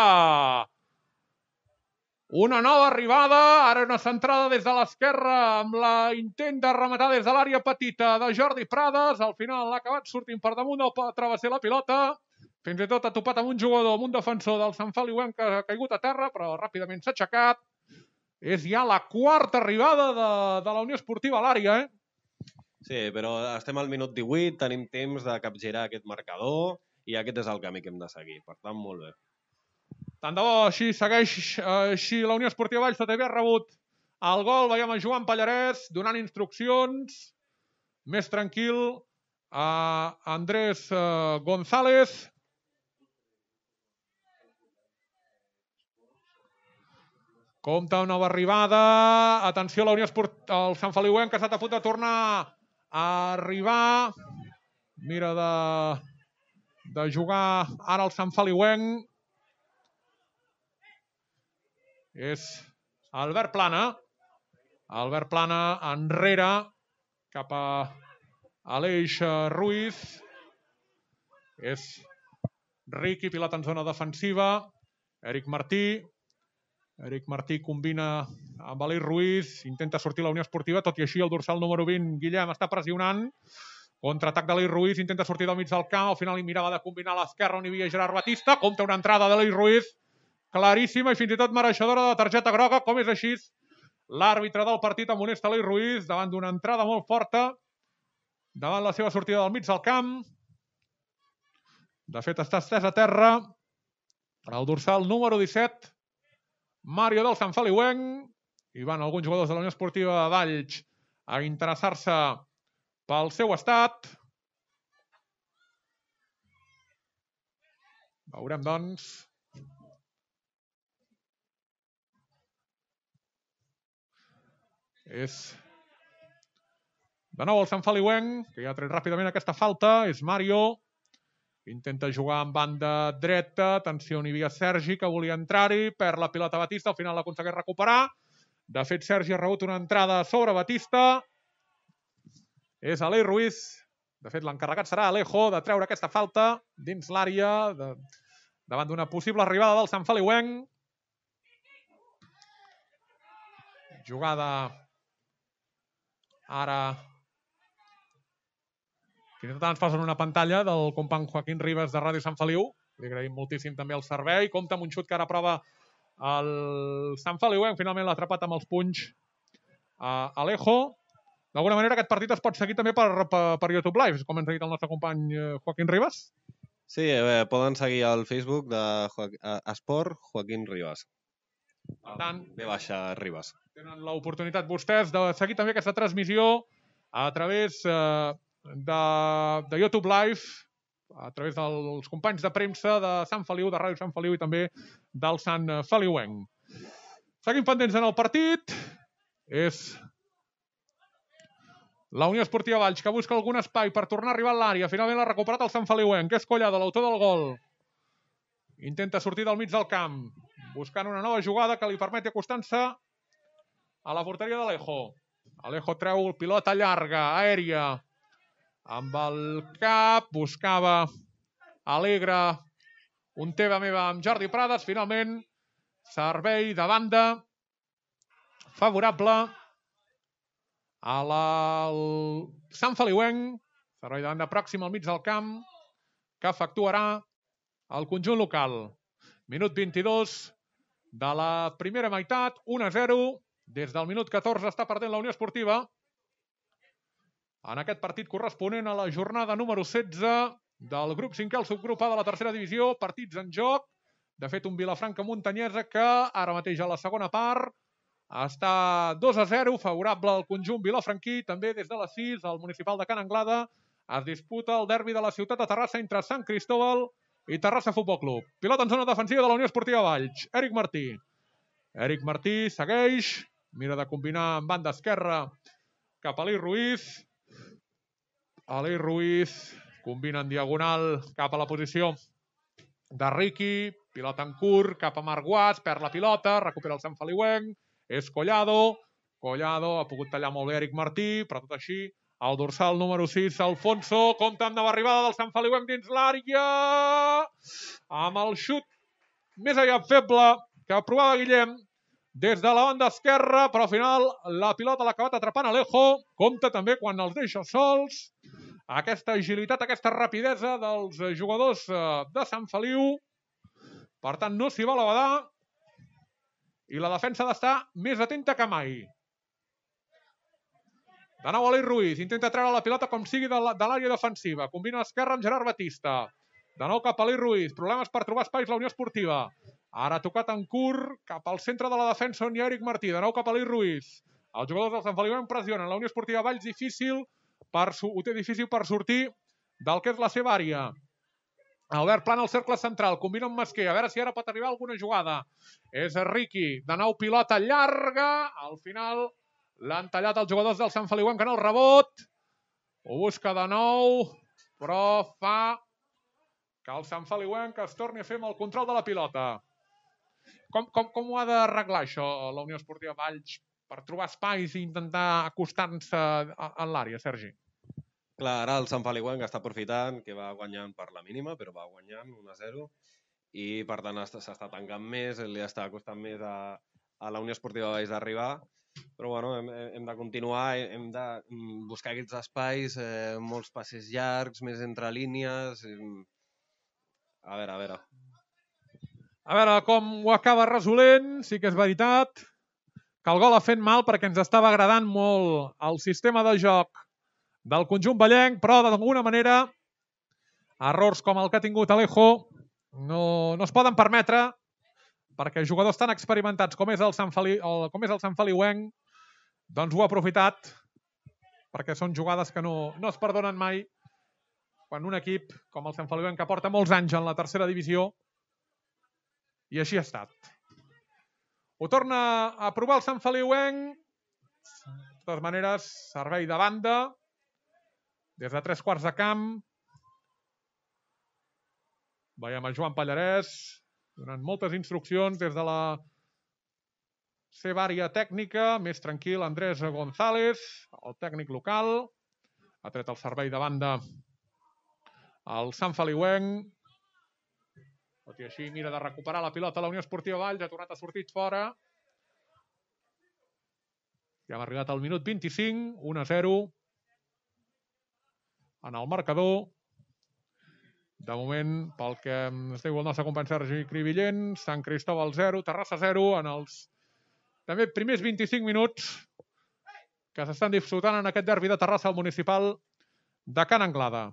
Una nova arribada. Ara una centrada des de l'esquerra amb la intent de rematar des de l'àrea petita de Jordi Prades. Al final l'ha acabat sortint per damunt del travesser la pilota. Fins i tot ha topat amb un jugador, amb un defensor del Sant Feliuenc que ha caigut a terra, però ràpidament s'ha aixecat. És ja la quarta arribada de, de la Unió Esportiva a l'àrea, eh? Sí, però estem al minut divuit, tenim temps de capgirar aquest marcador i aquest és el camí que hem de seguir. Per tant, molt bé. Tant de bo així segueix així la Unió Esportiva Valls, tot havia rebut el gol. Veiem a Joan Pallarès donant instruccions. Més tranquil a Andrés González. Compte una nova arribada. Atenció a la Unió Esportiva, el Sant Feliuenc, que ha estat a punt de tornar a arribar. Mira de, de jugar ara el Sant Feliuenc. És Albert Plana. Albert Plana enrere cap a Aleix Ruiz. És Riqui, pilota en zona defensiva. Eric Martí. Eric Martí combina amb Aleix Ruiz, intenta sortir la Unió Esportiva, tot i així el dorsal número vint, Guillem, està pressionant. Contraatac d'Aleix Ruiz, intenta sortir del mig del camp, al final hi mirava de combinar a l'esquerra on hi havia Gerard Batista, compta una entrada d'Aleix Ruiz, claríssima i fins i tot mereixedora de targeta groga, com és així. L'àrbitre del partit amonesta Aleix Ruiz davant d'una entrada molt forta, davant la seva sortida del mig del camp. De fet, està estès a terra el dorsal número disset, Mario del Sant Feliuenc. Hi van alguns jugadors de la Unió Esportiva Valls a interessar-se pel seu estat. Veurem, doncs. És de nou el Sant Feliuenc, que ja ha tret ràpidament aquesta falta. És Mario. Intenta jugar en banda dreta. Atenció, on hi havia Sergi, que volia entrar-hi. Perd la pilota Batista, al final l'aconsegueix recuperar. De fet, Sergi ha rebut una entrada sobre Batista. És Aleix Ruiz. De fet, l'encarregat serà Alejo de treure aquesta falta dins l'àrea de... davant d'una possible arribada del Sant Feliuenc. Jugada ara que ens posen una pantalla del company Joaquín Ribas de Ràdio Sant Feliu. Li agraïm moltíssim també el servei. Compte amb un xut que ara prova el Sant Feliu. Finalment l'ha atrapat amb els punys a Alejo. D'alguna manera aquest partit es pot seguir també per, per, per YouTube Live, com ens ha dit el nostre company Joaquín Ribas. Sí, eh, poden seguir al Facebook de jo Esport Joaquín Ribas. Per tant, ve baixa Ribas. Tenen l'oportunitat vostès de seguir també aquesta transmissió a través eh, de, de YouTube Live, a través dels companys de premsa de Sant Feliu, de Ràdio Sant Feliu i també del Sant Feliuenc. Seguim pendents en el partit. És la Unió Esportiva Valls, que busca algun espai per tornar a arribar a l'àrea. Finalment l'ha recuperat el Sant Feliuenc, que és Collado, l'autor del gol. Intenta sortir del mig del camp, buscant una nova jugada que li permeti acostar-se a la porteria d'Alejo. Alejo treu pilota llarga, aèria, amb el cap, buscava Alegre, un teva meva amb Jordi Prades. Finalment, servei de banda favorable a la Sant Feliuenc, servei de banda pròxim al mig del camp, que efectuarà el conjunt local. Minut vint-i-dos de la primera meitat, un a zero. Des del minut catorze està perdent la Unió Esportiva en aquest partit corresponent a la jornada número setze del grup cinquè, el subgrup A de la tercera divisió. Partits en joc. De fet, un Vilafranca Montanyesa que ara mateix a la segona part està dos a zero, favorable al conjunt vilafranquí. També des de les sis, al municipal de Can Anglada, es disputa el derbi de la ciutat de Terrassa entre Sant Cristóbal i Terrassa Futbol Club. Pilota en zona defensiva de la Unió Esportiva Valls. Eric Martí. Eric Martí segueix, mira de combinar en banda esquerra cap a Aleix Ruiz. Aleix Ruiz combina en diagonal cap a la posició de Riqui. Pilota en curt cap a Marc Guas, perd la pilota, recupera el Sant Feliuenc. És Collado. Collado ha pogut tallar molt bé Eric Martí, però tot així el dorsal número sis, Alfonso, compta amb nova arribada del Sant Feliuenc dins l'àrea, amb el xut més aviat feble que provava Guillem des de la banda esquerra, però al final la pilota l'ha acabat atrapant Alejo. Compta també quan els deixa sols, aquesta agilitat, aquesta rapidesa dels jugadors de Sant Feliu. Per tant, no s'hi va a badar i la defensa ha d'estar més atenta que mai. De nou Aleix Ruiz, intenta treure la pilota com sigui de l'àrea defensiva. Combina l'esquerra amb Gerard Batista. De nou cap a Aleix Ruiz, problemes per trobar espais la Unió Esportiva. Ara ha tocat en curt cap al centre de la defensa on hi ha Eric Martí. De nou cap a Aleix Ruiz. Els jugadors del Sant Feliuenc pressionen. La Unió Esportiva Valls difícil per, ho té difícil per sortir del que és la seva àrea. Albert Plana al cercle central, combina amb Masquer, a veure si ara pot arribar alguna jugada. És Riqui, de nou pilota llarga, al final l'han tallat els jugadors del Sant Feliuenc en el rebot. Ho busca de nou, però fa que el Sant Feliuenc es torni a fer amb el control de la pilota. Com, com, com ho ha d'arreglar això la Unió Esportiva Valls per trobar espais i intentar acostar-se a l'àrea, Sergi? Clar, ara el Sant Feliuenc està aprofitant que va guanyant per la mínima, però va guanyant un a zero i per tant s'està tancant més, li està costant més a, a la Unió Esportiva Valls d'arribar, però bueno, hem, hem de continuar, hem de buscar aquests espais, eh, molts passes llargs, més entre línies. A veure, a veure. A veure com ho acaba resolent. Sí que és veritat que el gol ha fet mal perquè ens estava agradant molt el sistema de joc del conjunt vallenc, però d'alguna manera errors com el que ha tingut Alejo no, no es poden permetre perquè jugadors tan experimentats com és el Sant Feli, el, com és el Sant Feliuenc doncs ho ha aprofitat perquè són jugades que no, no es perdonen mai quan un equip com el Sant Feliuenc, que porta molts anys en la tercera divisió, i així ha estat. Ho torna a provar el Sant Feliuenc. De totes maneres, servei de banda des de tres quarts de camp. Veiem a Joan Pallarès donant moltes instruccions des de la seva àrea tècnica. Més tranquil, Andrés González, el tècnic local. Ha tret el servei de banda al Sant Feliuenc. Tot i així mira de recuperar la pilota a la Unió Esportiva Valls. Ha tornat a sortir fora. Ja hem arribat al minut vint-i-cinc, un a zero en el marcador. De moment, pel que ens diu el nostre company Sergi Cribillent, Sant Cristóbal zero, Terrassa zero, en els també primers vint-i-cinc minuts que s'estan disfrutant en aquest derbi de Terrassa al municipal de Can Anglada.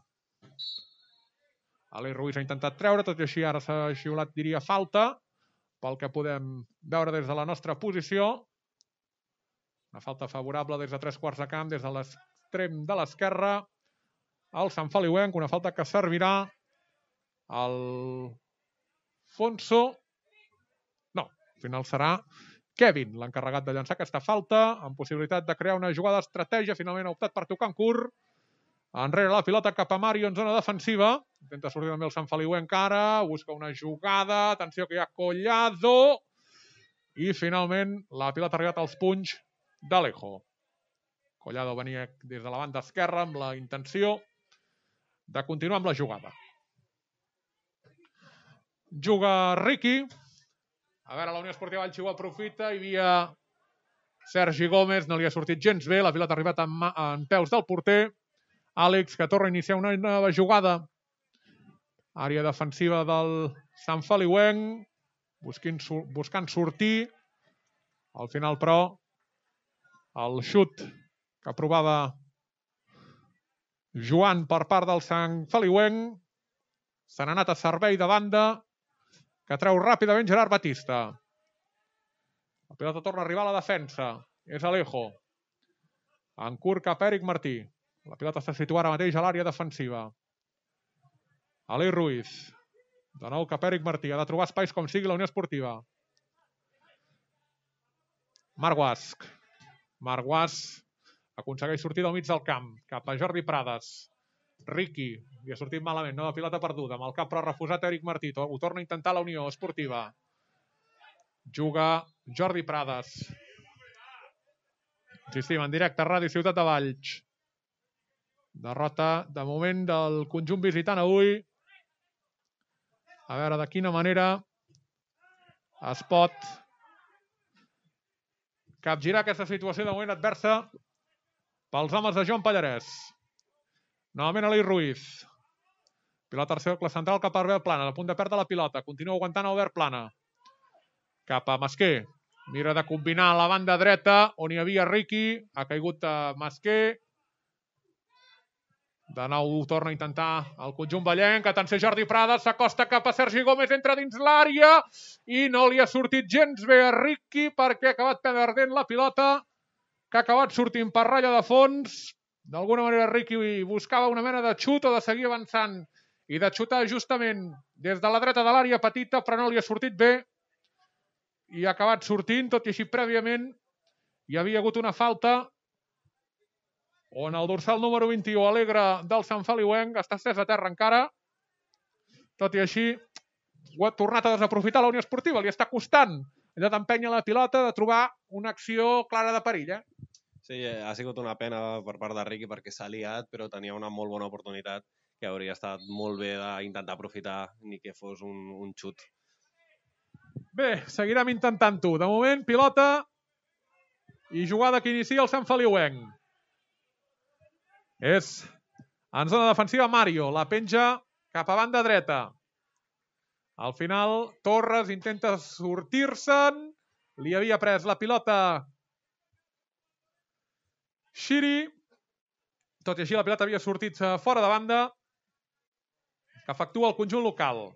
Aleix Ruiz ha intentat treure, tot i així ara s'ha xiulat, diria, falta, pel que podem veure des de la nostra posició. Una falta favorable des de tres quarts de camp, des de l'extrem de l'esquerra, al Sant Feliuenc, una falta que servirà al Fonso. No, al final serà Kevin, l'encarregat de llançar aquesta falta, amb possibilitat de crear una jugada d'estratègia. Finalment ha optat per tocar en curt. Enrere la pilota cap a Mario en zona defensiva. Intenta sortir també el Sant Feliuenc ara. Busca una jugada. Atenció que hi ha Collado. I finalment la pilota ha arribat als punys d'Alejo. Collado venia des de la banda esquerra amb la intenció de continuar amb la jugada. Juga Riqui. A veure, la Unió Esportiva Valls ho aprofita. Hi havia Sergi Gómez, no li ha sortit gens bé. La pilota ha arribat en, en peus del porter. Àlex, que torna a iniciar una nova jugada. Àrea defensiva del Sant Feliuenc. Busquint, buscant sortir. Al final, però, el xut que aprovava Joan per part del Sant Feliuenc. Se n'ha anat a servei de banda, que treu ràpidament Gerard Batista. La pilota torna a arribar a la defensa. És Alejo. En curt cap Eric Martí. La pilota està situada ara mateix a l'àrea defensiva. Aleix Ruiz. De nou cap Eric Martí. Ha de trobar espais com sigui la Unió Esportiva. Marc Guasc. Marc Guasc aconsegueix sortir del mig del camp. Cap a Jordi Prades. Riqui. Li ha sortit malament. Nova pilota perduda. Amb el cap però refusat Eric Martí. Ho torna a intentar la Unió Esportiva. Juga Jordi Prades. Insistim, en directe a Ràdio Ciutat de Valls. Derrota, de moment, del conjunt visitant avui. A veure de quina manera es pot capgirar aquesta situació de moment adversa pels homes de Joan Pallarès. Novament Aleix Ruiz. Pilota al cercle central cap a Albert Plana. A punt de perdre la pilota. Continua aguantant Albert Plana. Cap a Masquer. Mira de combinar a la banda dreta on hi havia Riqui. Ha caigut a Masquer. De nou torna a intentar el conjunt vallenc. Atenció, Jordi Prades s'acosta cap a Sergi Gómez, entra dins l'àrea i no li ha sortit gens bé a Riqui perquè ha acabat perdent la pilota, que ha acabat sortint per ratlla de fons. D'alguna manera Riqui buscava una mena de xut o de seguir avançant i de xutar justament des de la dreta de l'àrea petita, però no li ha sortit bé i ha acabat sortint, tot i així prèviament hi havia hagut una falta on el dorsal número vint-i-u, Alegre, del Sant Feliuenc, està estès a terra encara. Tot i així, ho ha tornat a desaprofitar la Unió Esportiva. Li està costant allò d'empènyer la pilota, de trobar una acció clara de perill. Eh? Sí, ha sigut una pena per part de Riqui perquè s'ha liat, però tenia una molt bona oportunitat que hauria estat molt bé d'intentar aprofitar, ni que fos un, un xut. Bé, seguirem intentant-ho. De moment, pilota i jugada que inicia el Sant Feliuenc. És en zona defensiva Mario, la penja cap a banda dreta. Al final, Torres intenta sortir-se'n, li havia pres la pilota Xiri, tot i així la pilota havia sortit fora de banda, que efectua el conjunt local.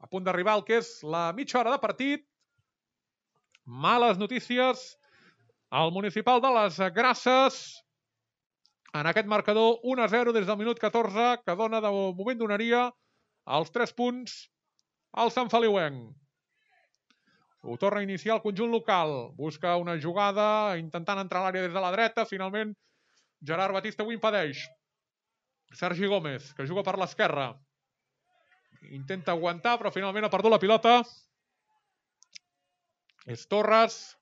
A punt d'arribar al que és la mitja hora de partit. Males notícies al municipal de les Grasses. En aquest marcador un a zero des del minut catorze, que dona de moment donaria els tres punts al Sant Feliuenc. Ho torna a iniciar el conjunt local. Busca una jugada, intentant entrar a l'àrea des de la dreta. Finalment, Gerard Batista ho impedeix. Sergi Gómez, que juga per l'esquerra. Intenta aguantar, però finalment ha perdut la pilota. És Torres,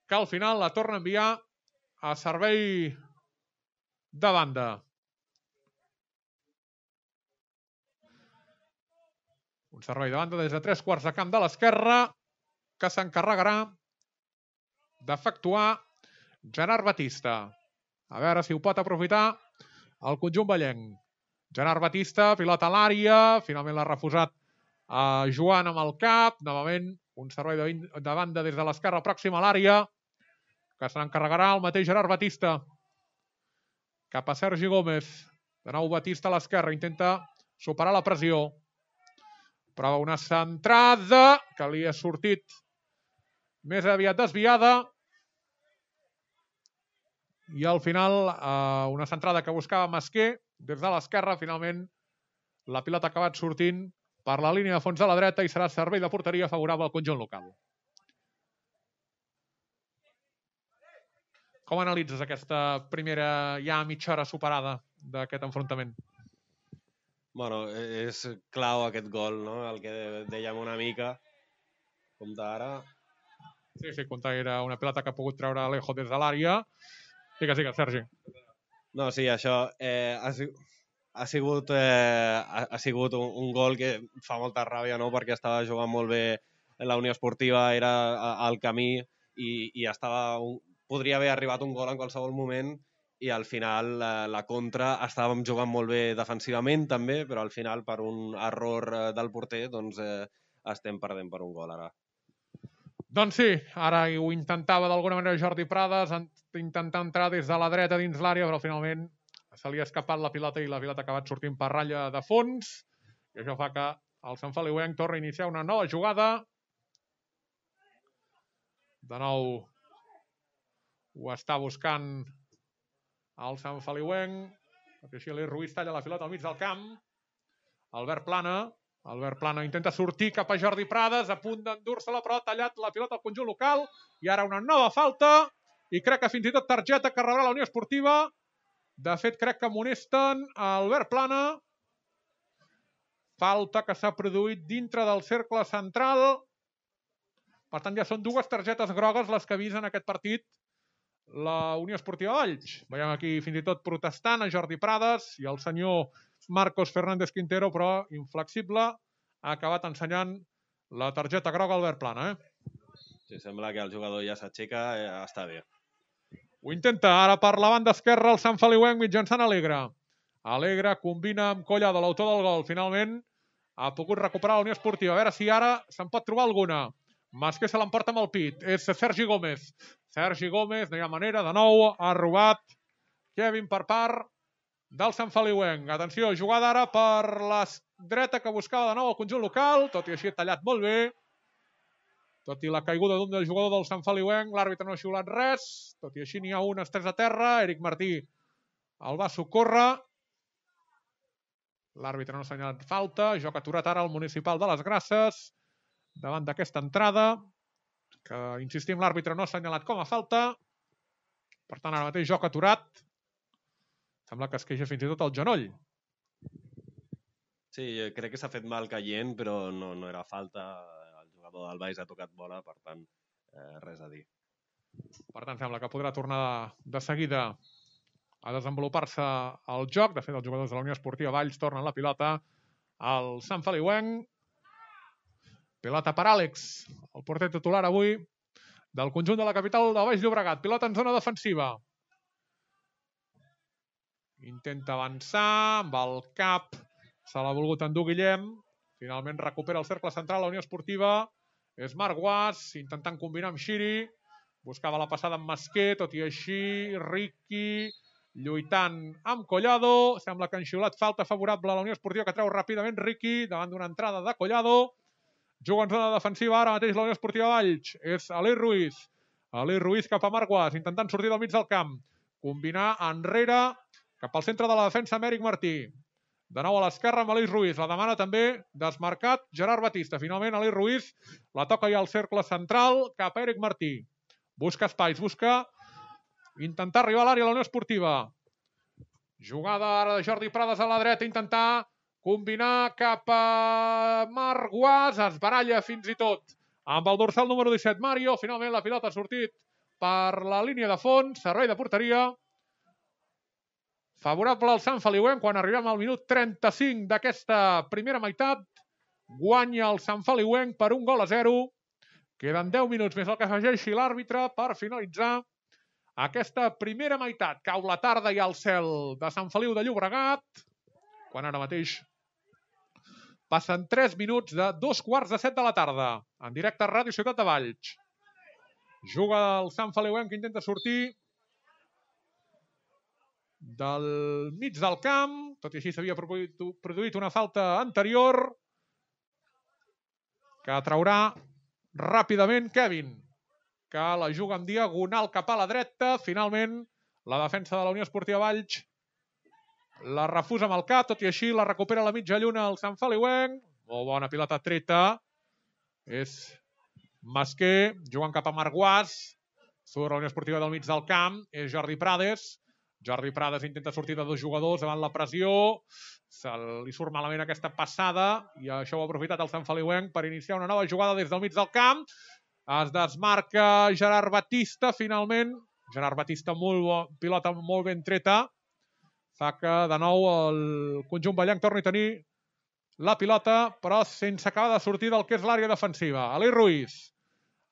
que al final la torna a enviar a servei de banda. Un servei de banda des de tres quarts de camp de l'esquerra, que s'encarregarà d'efectuar Gerard Batista. A veure si ho pot aprofitar el conjunt ballenc. Gerard Batista, pilota a l'àrea, finalment l'ha refusat a Joan amb el cap. Novament, un servei de, de banda des de l'esquerra pròxima a l'àrea, que se n'encarregarà el mateix Gerard Batista. Cap a Sergi Gómez. De nou Batista a l'esquerra, intenta superar la pressió. Prova una centrada que li ha sortit més aviat desviada. I al final, eh, una centrada que buscava Masquer des de l'esquerra. Finalment, la pilota ha acabat sortint per la línia de fons de la dreta i serà servei de porteria favorable al conjunt local. Com analitzes aquesta primera ja mitja hora superada d'aquest enfrontament? Bueno, és clau aquest gol, no? El que dèiem una mica. Compte ara. Sí, sí, compte era una pilota que ha pogut treure Alejo des de l'àrea. Digues, digues, Sergi. No, sí, això eh, ha, ha sigut, eh, ha, ha sigut un, un gol que fa molta ràbia, no? Perquè estava jugant molt bé la Unió Esportiva, era al camí i, i estava un, podria haver arribat un gol en qualsevol moment i al final la, la contra estàvem jugant molt bé defensivament també, però al final per un error del porter doncs eh, estem perdent per un gol ara. Doncs sí, ara ho intentava d'alguna manera Jordi Prades, intentar entrar des de la dreta dins l'àrea, però finalment se li ha escapat la pilota i la pilota ha acabat sortint per ratlla de fons. I això fa que el Sant Feliuenc torna a iniciar una nova jugada. De nou ho està buscant el Sant Feliuenc. Així l'I Ruiz talla la pilota al mig del camp. Albert Plana. Albert Plana intenta sortir cap a Jordi Prades, a punt d'endur-se-la, però ha tallat la pilota al conjunt local. I ara una nova falta. I crec que fins i tot targeta que rebrà la Unió Esportiva. De fet, crec que amonesten Albert Plana. Falta que s'ha produït dintre del cercle central. Per tant, ja són dues targetes grogues les que ha vist en aquest partit la Unió Esportiva Valls. Veiem aquí fins i tot protestant a Jordi Prades i el senyor Marcos Fernández Quintero, però inflexible, ha acabat ensenyant la targeta groga Albert Plana. Eh? Sí, sembla que el jugador ja s'aixeca, eh, està bé. Ho intenta ara per la banda esquerra el Sant Feliuenc mitjançant Alegre. Alegre combina amb Collado, l'autor del gol. Finalment ha pogut recuperar la Unió Esportiva. A veure si ara se'n pot trobar alguna. Masquer se l'emporta amb el pit. És Sergi Gómez. Sergi Gómez, no hi ha manera. De nou ha robat Kevin per part del Sant Feliuenc. Atenció, jugada ara per la dreta que buscava de nou el conjunt local. Tot i així ha tallat molt bé. Tot i la caiguda d'un del jugador del Sant Feliuenc, l'àrbitre no ha xiulat res. Tot i així n'hi ha un estès a terra. Eric Martí el va socórrer. L'àrbitre no ha assenyalat falta. Joc aturat ara al municipal de les Grasses davant d'aquesta entrada, que, insistim, l'àrbitre no ha assenyalat com a falta. Per tant, ara mateix joc aturat. Sembla que es queixa fins i tot el genoll. Sí, crec que s'ha fet mal caient, però no, no era falta. El jugador del Valls ha tocat bola, per tant, eh, res a dir. Per tant, sembla que podrà tornar de seguida a desenvolupar-se el joc. De fet, els jugadors de la Unió Esportiva Valls tornen la pilota al Sant Feliuenc. Pilota per Àlex, el porter titular avui del conjunt de la capital del Baix Llobregat. Pilota en zona defensiva. Intenta avançar amb el cap. Se l'ha volgut endur Guillem. Finalment recupera el cercle central la Unió Esportiva. És Marc Guas, intentant combinar amb Xiri. Buscava la passada amb Masquer, tot i així Ricky lluitant amb Collado. Sembla que han xiulat falta favorable a la Unió Esportiva, que treu ràpidament Ricky davant d'una entrada de Collado. Juga en zona defensiva ara mateix la Unió Esportiva Valls. És Alí Ruiz. Alí Ruiz cap a Marc Guas, intentant sortir del mig del camp. Combinar enrere cap al centre de la defensa amb Eric Martí. De nou a l'esquerra amb Alí Ruiz. La demana també desmarcat Gerard Batista. Finalment Alí Ruiz la toca ja al cercle central cap a Eric Martí. Busca espais, busca intentar arribar a l'àrea de la Unió Esportiva. Jugada ara de Jordi Prades a la dreta, intentar combinar cap a Marc Guas, es baralla fins i tot amb el dorsal número disset, Mario. Finalment la pilota ha sortit per la línia de fons, servei de porteria. Favorable al Sant Feliuenc quan arribem al minut trenta-cinc d'aquesta primera meitat. Guanya el Sant Feliuenc per un gol a zero, Queden deu minuts més el que afegeixi l'àrbitre per finalitzar aquesta primera meitat. Cau la tarda i al cel de Sant Feliu de Llobregat, quan ara mateix passen tres minuts de dos quarts de set de la tarda. En directe a Ràdio Ciutat de Valls. Juga el Sant Feliuenc que intenta sortir del mig del camp. Tot i així s'havia produït una falta anterior que traurà ràpidament Kevin, que la juga en diagonal cap a la dreta. Finalment, la defensa de la Unió Esportiva Valls la refusa amb el cap, tot i així la recupera a la mitja lluna el Sant Feliuenc. Molt bona pilota treta. És Masquer, jugant cap a Marguàs. Surt la Unió Esportiva del mig del camp. És Jordi Prades. Jordi Prades intenta sortir de dos jugadors davant la pressió. Se li surt malament aquesta passada i això ho ha aprofitat el Sant Feliuenc per iniciar una nova jugada des del mig del camp. Es desmarca Gerard Batista, finalment. Gerard Batista, molt bo, pilota molt ben treta. Fa que de nou el conjunt ballenc torni a tenir la pilota, però sense acabar de sortir del que és l'àrea defensiva. Aleix Ruiz.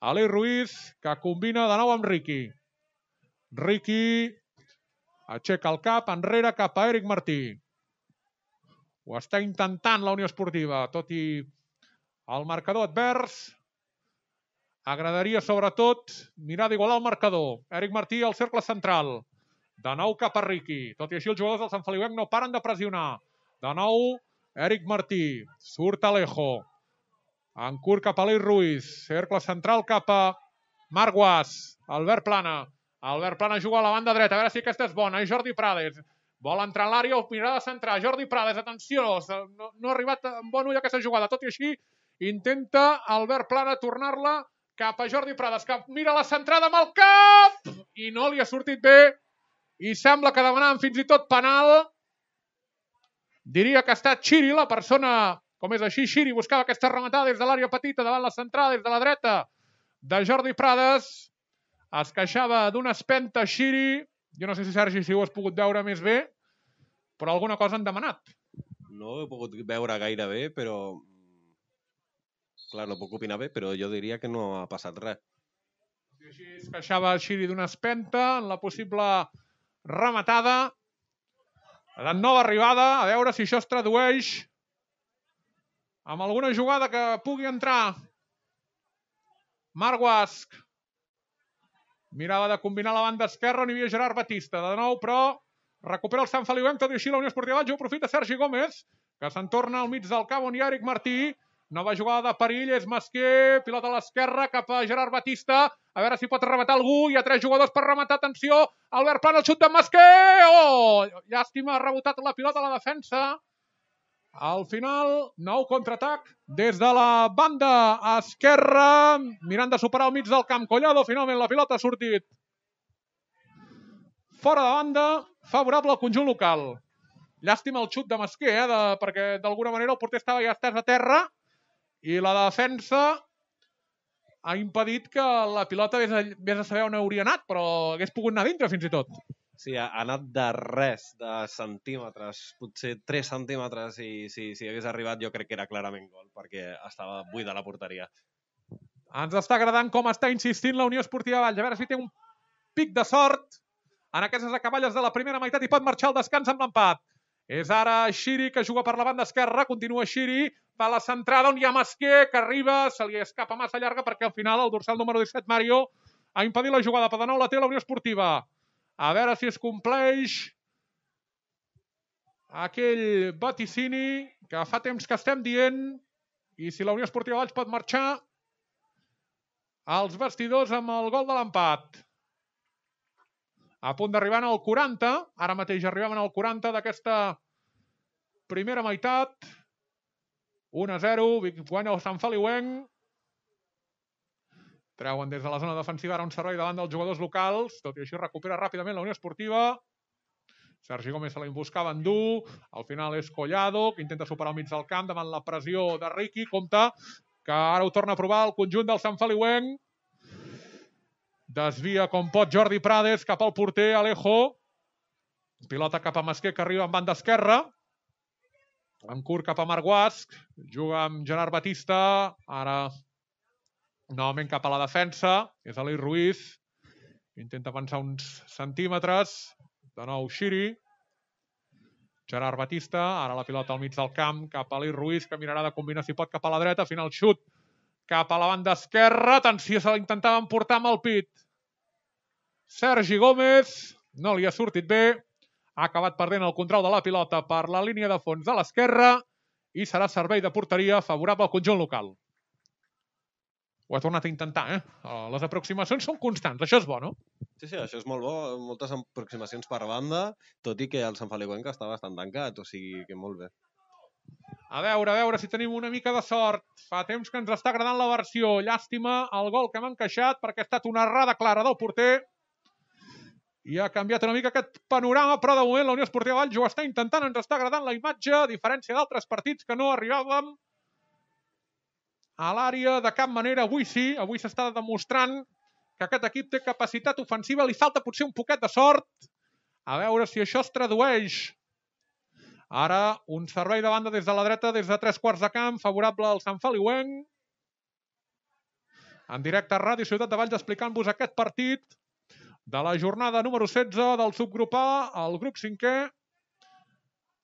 Aleix Ruiz, que combina de nou amb Riqui. Riqui aixeca el cap enrere cap a Eric Martí. Ho està intentant la Unió Esportiva, tot i el marcador advers. Agradaria, sobretot, mirar d'igualar el marcador. Eric Martí al cercle central. De nou cap a Riqui. Tot i així, els jugadors del Sant Feliuenc no paren de pressionar. De nou, Eric Martí. Surt Alejo. En curt cap a Aleix Ruiz. Cercle central cap a Marguàs. Albert Plana. Albert Plana juga a la banda dreta. A veure si aquesta és bona. És Jordi Prades. Vol entrar a l'àrea o mirar de centrar. Jordi Prades, atenció. No, no ha arribat amb bon ull aquesta jugada. Tot i així, intenta Albert Plana tornar-la cap a Jordi Prades, que mira la centrada amb el cap i no li ha sortit bé. I sembla que demanaven fins i tot penal. Diria que ha estat Xiri, la persona, com és així, Xiri buscava aquesta rematada des de l'àrea petita davant la centrada, des de la dreta de Jordi Prades. Es queixava d'una espenta Xiri. Jo no sé si, Sergi, si ho has pogut veure més bé, però alguna cosa han demanat. No ho he pogut veure gaire bé, però... Clar, no puc opinar bé, però jo diria que no ha passat res. I així es queixava Xiri d'una espenta en la possible rematada. La nova arribada, a veure si això es tradueix amb alguna jugada que pugui entrar. Marguàs mirava de combinar la banda esquerra on hi havia Gerard Batista. De nou, però, recupera el Sant Feliuenc, tot i així la Unió Esportiva Valls ho aprofita Sergi Gómez, que se'n torna al mig del camp on hi ha Eric Martí. Nova jugada de perill, és Masquer, pilota a l'esquerra cap a Gerard Batista. A veure si pot rematar algú. Hi ha tres jugadors per rematar. Atenció, Albert Plana, el xut de Masquer. Oh! Llàstima, ha rebotat la pilota a la defensa. Al final, nou contraatac des de la banda esquerra. Mirant de superar al mig del camp. Collado, finalment la pilota ha sortit fora de banda, favorable al conjunt local. Llàstima el xut de Masquer, eh, de, perquè d'alguna manera el porter estava ja estès a terra i la defensa ha impedit que la pilota vés a, vés a saber on hauria anat, però hagués pogut anar dintre fins i tot. Sí, ha anat de res, de centímetres, potser tres centímetres, i si, si hagués arribat jo crec que era clarament gol, perquè estava buida la porteria. Ens està agradant com està insistint la Unió Esportiva Valls. A veure si té un pic de sort en aquestes acaballes de la primera meitat i pot marxar al descans amb l'empat. És ara Xiri, que juga per la banda esquerra. Continua Xiri, fa la centrada on hi ha Masquer, que arriba, se li escapa massa llarga perquè al final el dorsal número disset, Mario, ha impedit la jugada. Per de nou la té la Unió Esportiva. A veure si es compleix aquell vaticini que fa temps que estem dient i si la Unió Esportiva Valls pot marxar als vestidors amb el gol de l'empat. A punt d'arribar al quaranta, ara mateix arribem al quaranta d'aquesta primera meitat. un a zero, guanya el Sant Feliuenc. Treuen des de la zona defensiva ara un servei davant dels jugadors locals, tot i així recupera ràpidament la Unió Esportiva. Sergi Gómez se la buscava en dur, al final és Collado, que intenta superar al mig del camp davant la pressió de Riqui. Compte que ara ho torna a provar el conjunt del Sant Feliuenc. Desvia com pot Jordi Prades cap al porter Alejo. Pilota cap a Masquer, que arriba en banda esquerra. En curt cap a Marguàs. Juga amb Gerard Batista. Ara Novament cap a la defensa. És Ali Ruiz. Intenta avançar uns centímetres. De nou Xiri. Gerard Batista. Ara la pilota al mig del camp. Cap a Ali Ruiz, que mirarà de combinar si pot cap a la dreta. Final xut cap a la banda esquerra. Atenció, se l'intentaven portar amb el pit. Sergi Gómez. No li ha sortit bé. Ha acabat perdent el control de la pilota per la línia de fons de l'esquerra i serà servei de porteria favorable al conjunt local. Ho ha tornat a intentar, eh? Les aproximacions són constants, això és bo, no? Sí, sí, això és molt bo. Moltes aproximacions per banda, tot i que el Sant Feliuenc està bastant tancat, o sigui que molt bé. A veure, a veure si tenim una mica de sort. Fa temps que ens està agradant la versió. Llàstima el gol que hem encaixat perquè ha estat una errada clara del porter. I ha canviat una mica aquest panorama, però de moment la Unió Esportiva Valls ho està intentant, ens està agradant la imatge, a diferència d'altres partits que no arribàvem a l'àrea de cap manera. Avui sí, avui s'està demostrant que aquest equip té capacitat ofensiva, li falta potser un poquet de sort. A veure si això es tradueix. Ara un servei de banda des de la dreta, des de tres quarts de camp, favorable al Sant Feliuenc. En directe a Ràdio Ciutat de Valls explicant-vos aquest partit de la jornada número setze del subgrup A, el grup cinquè,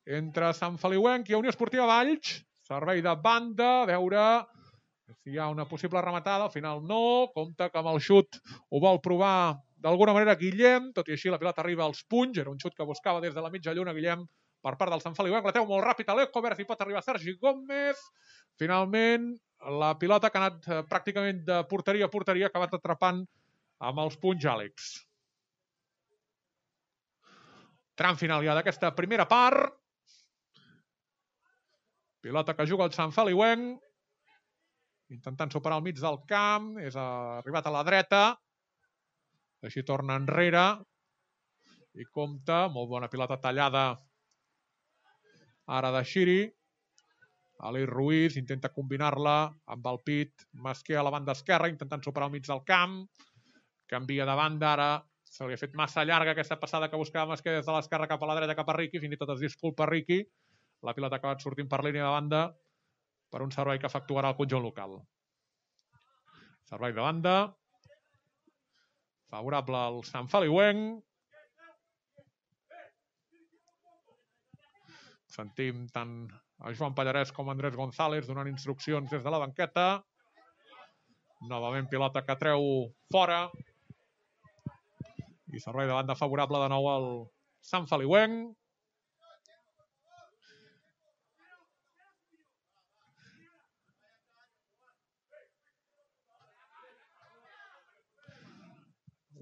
entre Sant Feliuenc i Unió Esportiva Valls. Servei de banda, a veure si hi ha una possible rematada. Al final no, compte que amb el xut ho vol provar d'alguna manera Guillem, tot i així la pilota arriba als punys. Era un xut que buscava des de la mitja lluna Guillem per part del Sant Feliuenc. La treu molt ràpid a l'Eco, a veure si pot arribar Sergi Gómez. Finalment, la pilota que ha anat pràcticament de porteria a porteria ha acabat atrapant amb els punys Àlex. Tram final ja d'aquesta primera part. Pilota que juga el Sant Feliuenc. Intentant superar al mig del camp. És arribat a la dreta. Així torna enrere. I compta. Molt bona pilota tallada. Ara de Xiri. Ali Ruiz intenta combinar-la amb el pit. Masquer a la banda esquerra. Intentant superar al mig del camp. Canvia de banda ara. Se li ha fet massa llarga aquesta passada que buscava Masquer des de l'esquerra cap a la dreta cap a Riqui. Fins i tot es disculpa Riqui. La pilota ha acabat sortint per línia de banda per un servei que efectuarà el conjunt local. Servei de banda. Favorable al Sant Feliuenc. Sentim tant a Joan Pallarès com a Andrés González donant instruccions des de la banqueta. Novament pilota que treu fora. I servei de banda favorable de nou al Sant Feliuenc.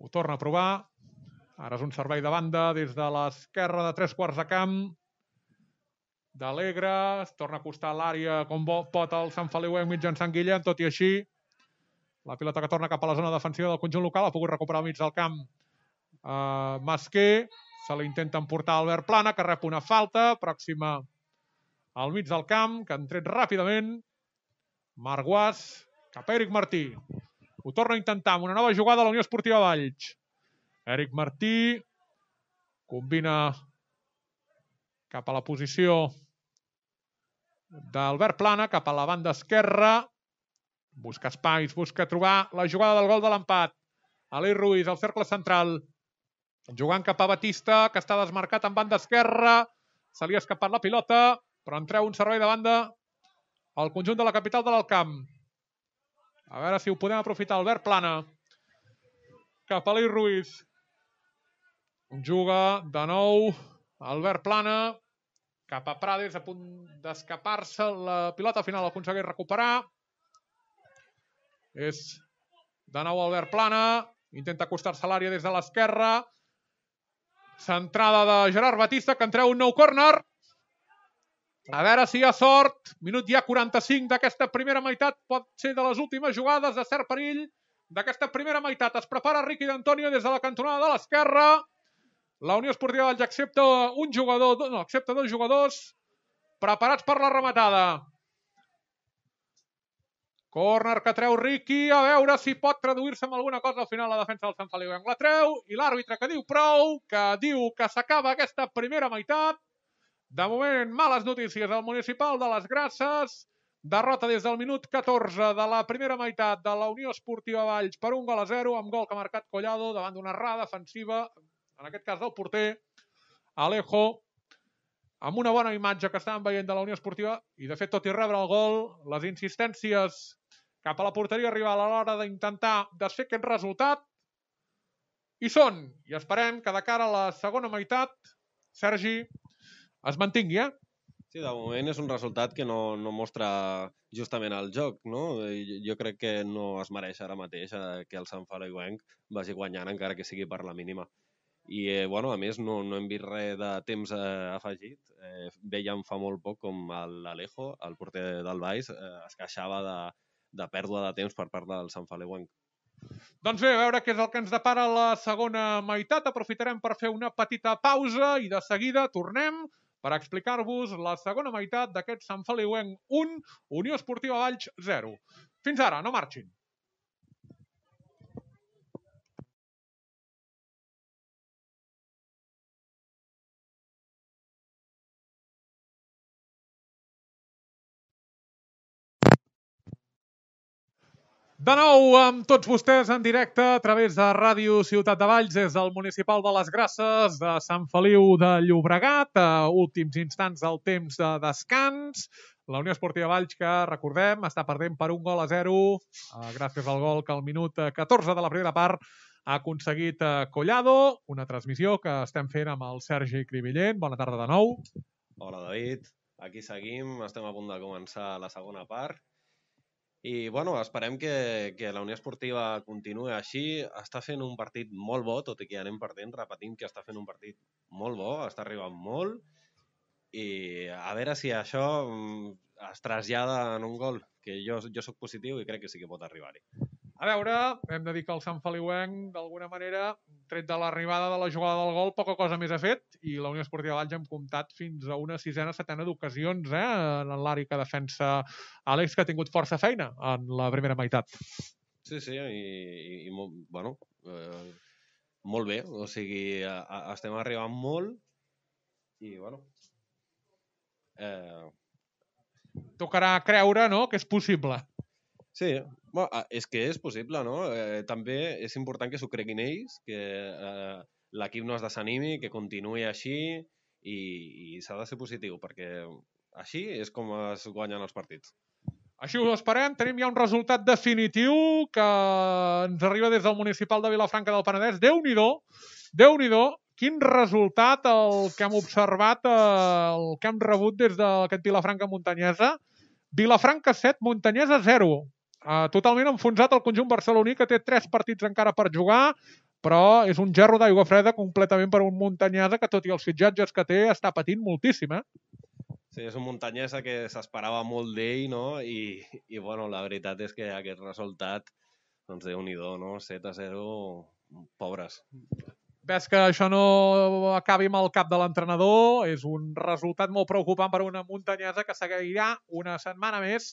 Ho torna a provar. Ara és un servei de banda des de l'esquerra de tres quarts de camp. D'Alegre. Es torna a acostar a l'àrea com pot el Sant Feliuenc mitjançant Guillem. Tot i així, la pilota que torna cap a la zona defensiva del conjunt local ha pogut recuperar al mig del camp. Uh, Masquer, se l'intenta emportar Albert Plana, que rep una falta pròxima al mig del camp, que han tret ràpidament Marc Guas cap a Eric Martí. Ho torna a intentar amb una nova jugada a la Unió Esportiva Valls. Eric Martí combina cap a la posició d'Albert Plana, cap a la banda esquerra. Busca espais, busca trobar la jugada del gol de l'empat. Ali Ruiz, al cercle central. Jugant cap a Batista, que està desmarcat en banda esquerra. Se li ha escapat la pilota, però en treu un servei de banda al conjunt de la capital de l'Alcamp. A veure si ho podem aprofitar. Albert Plana. Cap a Ali Ruiz. Juga de nou Albert Plana. Cap a Prades, a punt d'escapar-se. La pilota final aconsegueix recuperar. És de nou Albert Plana. Intenta acostar-se a l'àrea des de l'esquerra. Centrada de Gerard Batista, que en treu un nou córner. A veure si hi ha sort. Minut ja quaranta-cinc d'aquesta primera meitat. Pot ser de les últimes jugades de cert perill d'aquesta primera meitat. Es prepara Riqui d'Antonio des de la cantonada de l'esquerra. La Unió Esportiva Valls accepta un jugador, no, accepta dos jugadors preparats per la rematada. Córner que treu Riqui, a veure si pot traduir-se en alguna cosa al final la defensa del Sant Feliuenc. La treu i l'àrbitre que diu prou, que diu que s'acaba aquesta primera meitat. De moment, males notícies al Municipal de les Grasses. Derrota des del minut catorze de la primera meitat de la Unió Esportiva Valls per un gol a zero, amb gol que ha marcat Collado davant d'una errada defensiva, en aquest cas del porter, Alejo, amb una bona imatge que estàvem veient de la Unió Esportiva, i de fet, tot i rebre el gol, les insistències cap a la porteria rival a l'hora d'intentar desfer aquest resultat hi són, i esperem que de cara a la segona meitat, Sergi, es mantingui, eh? Sí, de moment és un resultat que no, no mostra justament el joc, no? Jo crec que no es mereix ara mateix que el Sant Feliuenc vagi guanyant, encara que sigui per la mínima. I, eh, bueno, a més, no, no hem vist res de temps eh, afegit. Eh, veiem fa molt poc com l'Alejo, el porter del Valls, eh, es queixava de, de pèrdua de temps per part del Sant Feliuenc. Doncs bé, a veure què és el que ens depara la segona meitat. Aprofitarem per fer una petita pausa i de seguida tornem per explicar-vos la segona meitat d'aquest Sant Feliuenc un, Unió Esportiva Valls zero. Fins ara, no marxin. De nou amb tots vostès en directe a través de Ràdio Ciutat de Valls des del Municipal de les Grasses de Sant Feliu de Llobregat, a últims instants del temps de descans. La Unió Esportiva Valls, que recordem, està perdent per un gol a zero, gràcies al gol que al minut catorze de la primera part ha aconseguit Collado, una transmissió que estem fent amb el Sergi Cribillent. Bona tarda de nou. Hola, David. Aquí seguim, estem a punt de començar la segona part. I, bueno, esperem que, que la Unió Esportiva continuï així. Està fent un partit molt bo, tot i que anem perdent, repetint que està fent un partit molt bo, està arribant molt, i a veure si això es trasllada en un gol, que jo, jo sóc positiu i crec que sí que pot arribar-hi. A veure, hem de dir que el Sant Feliuenc, d'alguna manera, tret de l'arribada de la jugada del gol, poca cosa més ha fet, i la Unió Esportiva Valls hem comptat fins a una sisena, setena d'ocasions, eh, en l'àrea que defensa Àlex, que ha tingut força feina en la primera meitat. Sí, sí, i, i, i bueno, eh, molt bé, o sigui, a, a, estem arribant molt, i, bueno... Eh... Tocarà creure, no?, que és possible. Sí, bueno, és que és possible, no? Eh, també és important que s'ho creguin ells, que eh, l'equip no es desanimi, que continuï així, i, i s'ha de ser positiu, perquè així és com es guanyen els partits. Així ho esperem. Tenim ja un resultat definitiu que ens arriba des del Municipal de Vilafranca del Penedès. Déu-n'hi-do, Déu-n'hi-do, quin resultat el que hem observat, el que hem rebut des d'aquest Vilafranca Muntanyesa. Vilafranca set, Muntanyesa zero. Uh, totalment enfonsat el conjunt barceloní, que té tres partits encara per jugar, però és un gerro d'aigua freda completament per un Muntanyesa que, tot i els fitxatges que té, està patint moltíssim, eh? Sí, és un Muntanyesa que s'esperava molt d'ell, no? I, i bueno, la veritat és que aquest resultat, doncs Déu-n'hi-do, no? set a zero, pobres. Ves que això no acabi amb el cap de l'entrenador. És un resultat molt preocupant per una Muntanyesa que seguirà una setmana més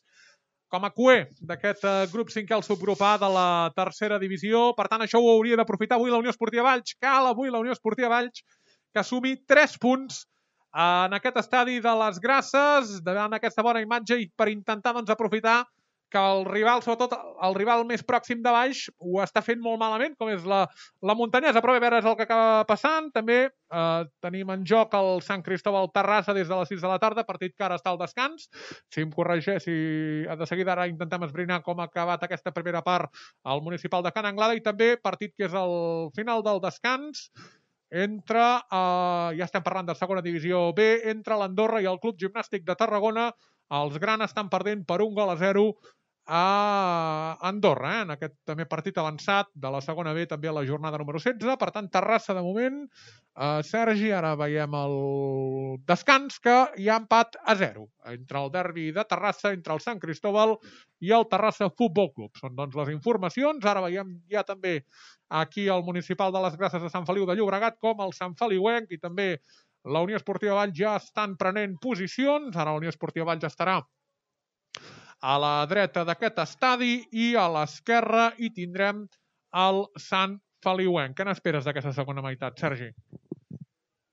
com a cuer d'aquest grup cinquè al subgrup A de la tercera divisió. Per tant, això ho hauria d'aprofitar avui la Unió Esportiva Valls. Cal avui la Unió Esportiva Valls que assumi tres punts en aquest estadi de les Grasses, davant aquesta bona imatge, i per intentar doncs, aprofitar que el rival, sobretot el rival més pròxim de baix, ho està fent molt malament, com és la, la Muntanyesa, però a veure és el que acaba passant. També eh, tenim en joc el Sant Cristóbal Terrassa des de les sis de la tarda, partit que ara està al descans. Si em corregeix, si de seguida ara intentem esbrinar com ha acabat aquesta primera part al Municipal de Can Anglada, i també partit que és el final del descans, entre, eh, ja estem parlant de segona divisió B, entre l'Andorra i el Club Gimnàstic de Tarragona. Els grans estan perdent per un gol a zero a Andorra, eh? En aquest també partit avançat de la segona B, també a la jornada número setze. Per tant, Terrassa de moment. Eh, Sergi, ara veiem el descans, que hi ha empat a zero entre el derbi de Terrassa, entre el Sant Cristóbal i el Terrassa Futbol Club. Són doncs les informacions. Ara veiem ja també aquí el Municipal de les Grasses de Sant Feliu de Llobregat, com el Sant Feliuenc i també la Unió Esportiva Valls ja estan prenent posicions. Ara la Unió Esportiva Valls estarà a la dreta d'aquest estadi, i a l'esquerra hi tindrem el Sant Feliuenc. Què n'esperes d'aquesta segona meitat, Sergi?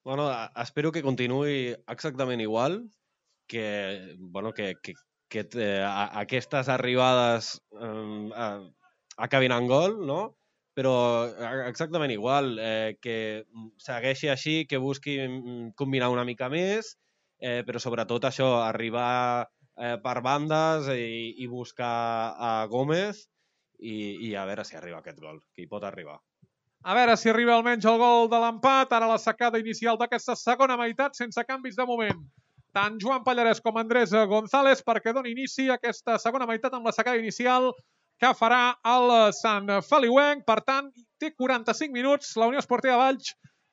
Bueno, espero que continuï exactament igual, que, bueno, que, que, que eh, aquestes arribades eh, eh, acabin en gol, no? Però exactament igual, eh, que segueixi així, que busqui combinar una mica més, eh, però sobretot això, arribar eh, per bandes i, i buscar a Gómez i, i a veure si arriba aquest gol, que hi pot arribar. A veure si arriba almenys el gol de l'empat, ara la secada inicial d'aquesta segona meitat, sense canvis de moment. Tant Joan Pallarès com Andrés González perquè doni inici a aquesta segona meitat amb la secada inicial que farà el Sant Feliuenc. Per tant, té quaranta-cinc minuts la Unió Esportiva Valls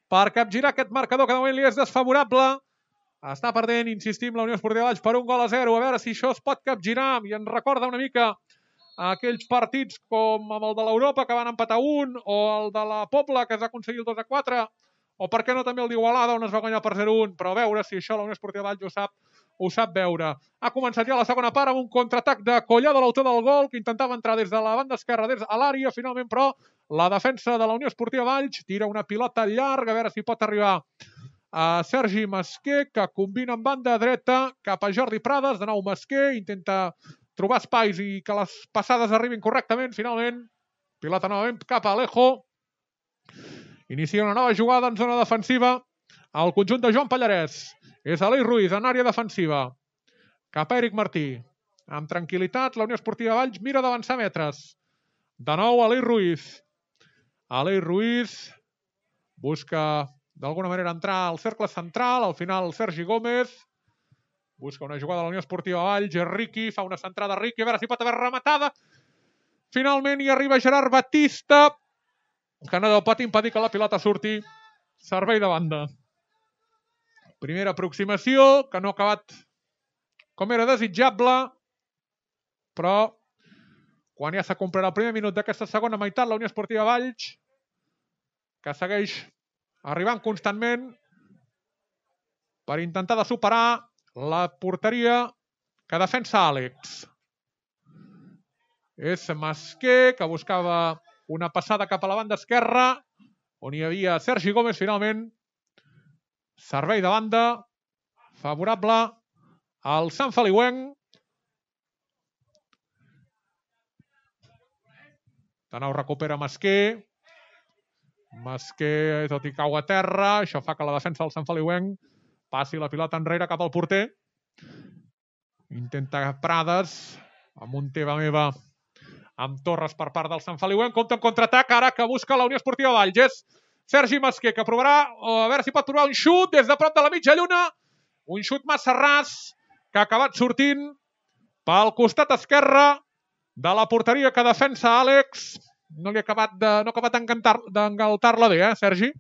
per capgirar aquest marcador que de moment li és desfavorable. Està perdent, insistim, la Unió Esportiva Valls per un gol a zero. A veure si això es pot capgirar i ens recorda una mica aquells partits com amb el de l'Europa que van empatar un, o el de la Pobla que es va aconseguir el dos a quatre, o per què no també el d'Igualada on es va guanyar per zero a un, però a veure si això la Unió Esportiva Valls ho sap, ho sap veure. Ha començat ja la segona part amb un contraatac de Collado, l'autor del gol, que intentava entrar des de la banda esquerra, des a l'àrea, finalment però la defensa de la Unió Esportiva Valls tira una pilota llarga, a veure si pot arribar a Sergi Masquer, que combina amb banda dreta cap a Jordi Prades, de nou Masquer, intenta trobar espais i que les passades arribin correctament, finalment, pilota novament cap a Alejo, inicia una nova jugada en zona defensiva al conjunt de Joan Pallarès. És Aleix Ruiz en àrea defensiva. Cap a Eric Martí. Amb tranquil·litat, la Unió Esportiva Valls mira d'avançar metres. De nou, Aleix Ruiz. Aleix Ruiz busca d'alguna manera entrar al cercle central. Al final, Sergi Gómez busca una jugada de la Unió Esportiva Valls. Riqui fa una centrada a Riqui. A veure si pot haver rematada. Finalment hi arriba Gerard Batista, que no pot impedir que la pilota surti. Servei de banda. Primera aproximació, que no ha acabat com era desitjable, però quan ja s'ha comprat el primer minut d'aquesta segona meitat, la Unió Esportiva Valls, que segueix arribant constantment per intentar de superar la porteria que defensa Àlex. És Masquer, que buscava una passada cap a la banda esquerra, on hi havia Sergi Gómez, finalment. Servei de banda, favorable al Sant Feliuenc. De nou recupera Masquer. Masquer, tot i cau a terra, això fa que la defensa del Sant Feliuenc passi la pilota enrere cap al porter. Intenta Prades, amb un teva meva amb Torres per part del Sant Feliuenc. Compte amb contraatac, ara que busca la Unió Esportiva Valls. És Sergi Masquer, que provarà, a veure si pot provar un xut des de prop de la mitja lluna. Un xut massa ras, que ha acabat sortint pel costat esquerre de la porteria que defensa Àlex. No li ha acabat de, no ha acabat d'engaltar-la bé, eh, Sergi?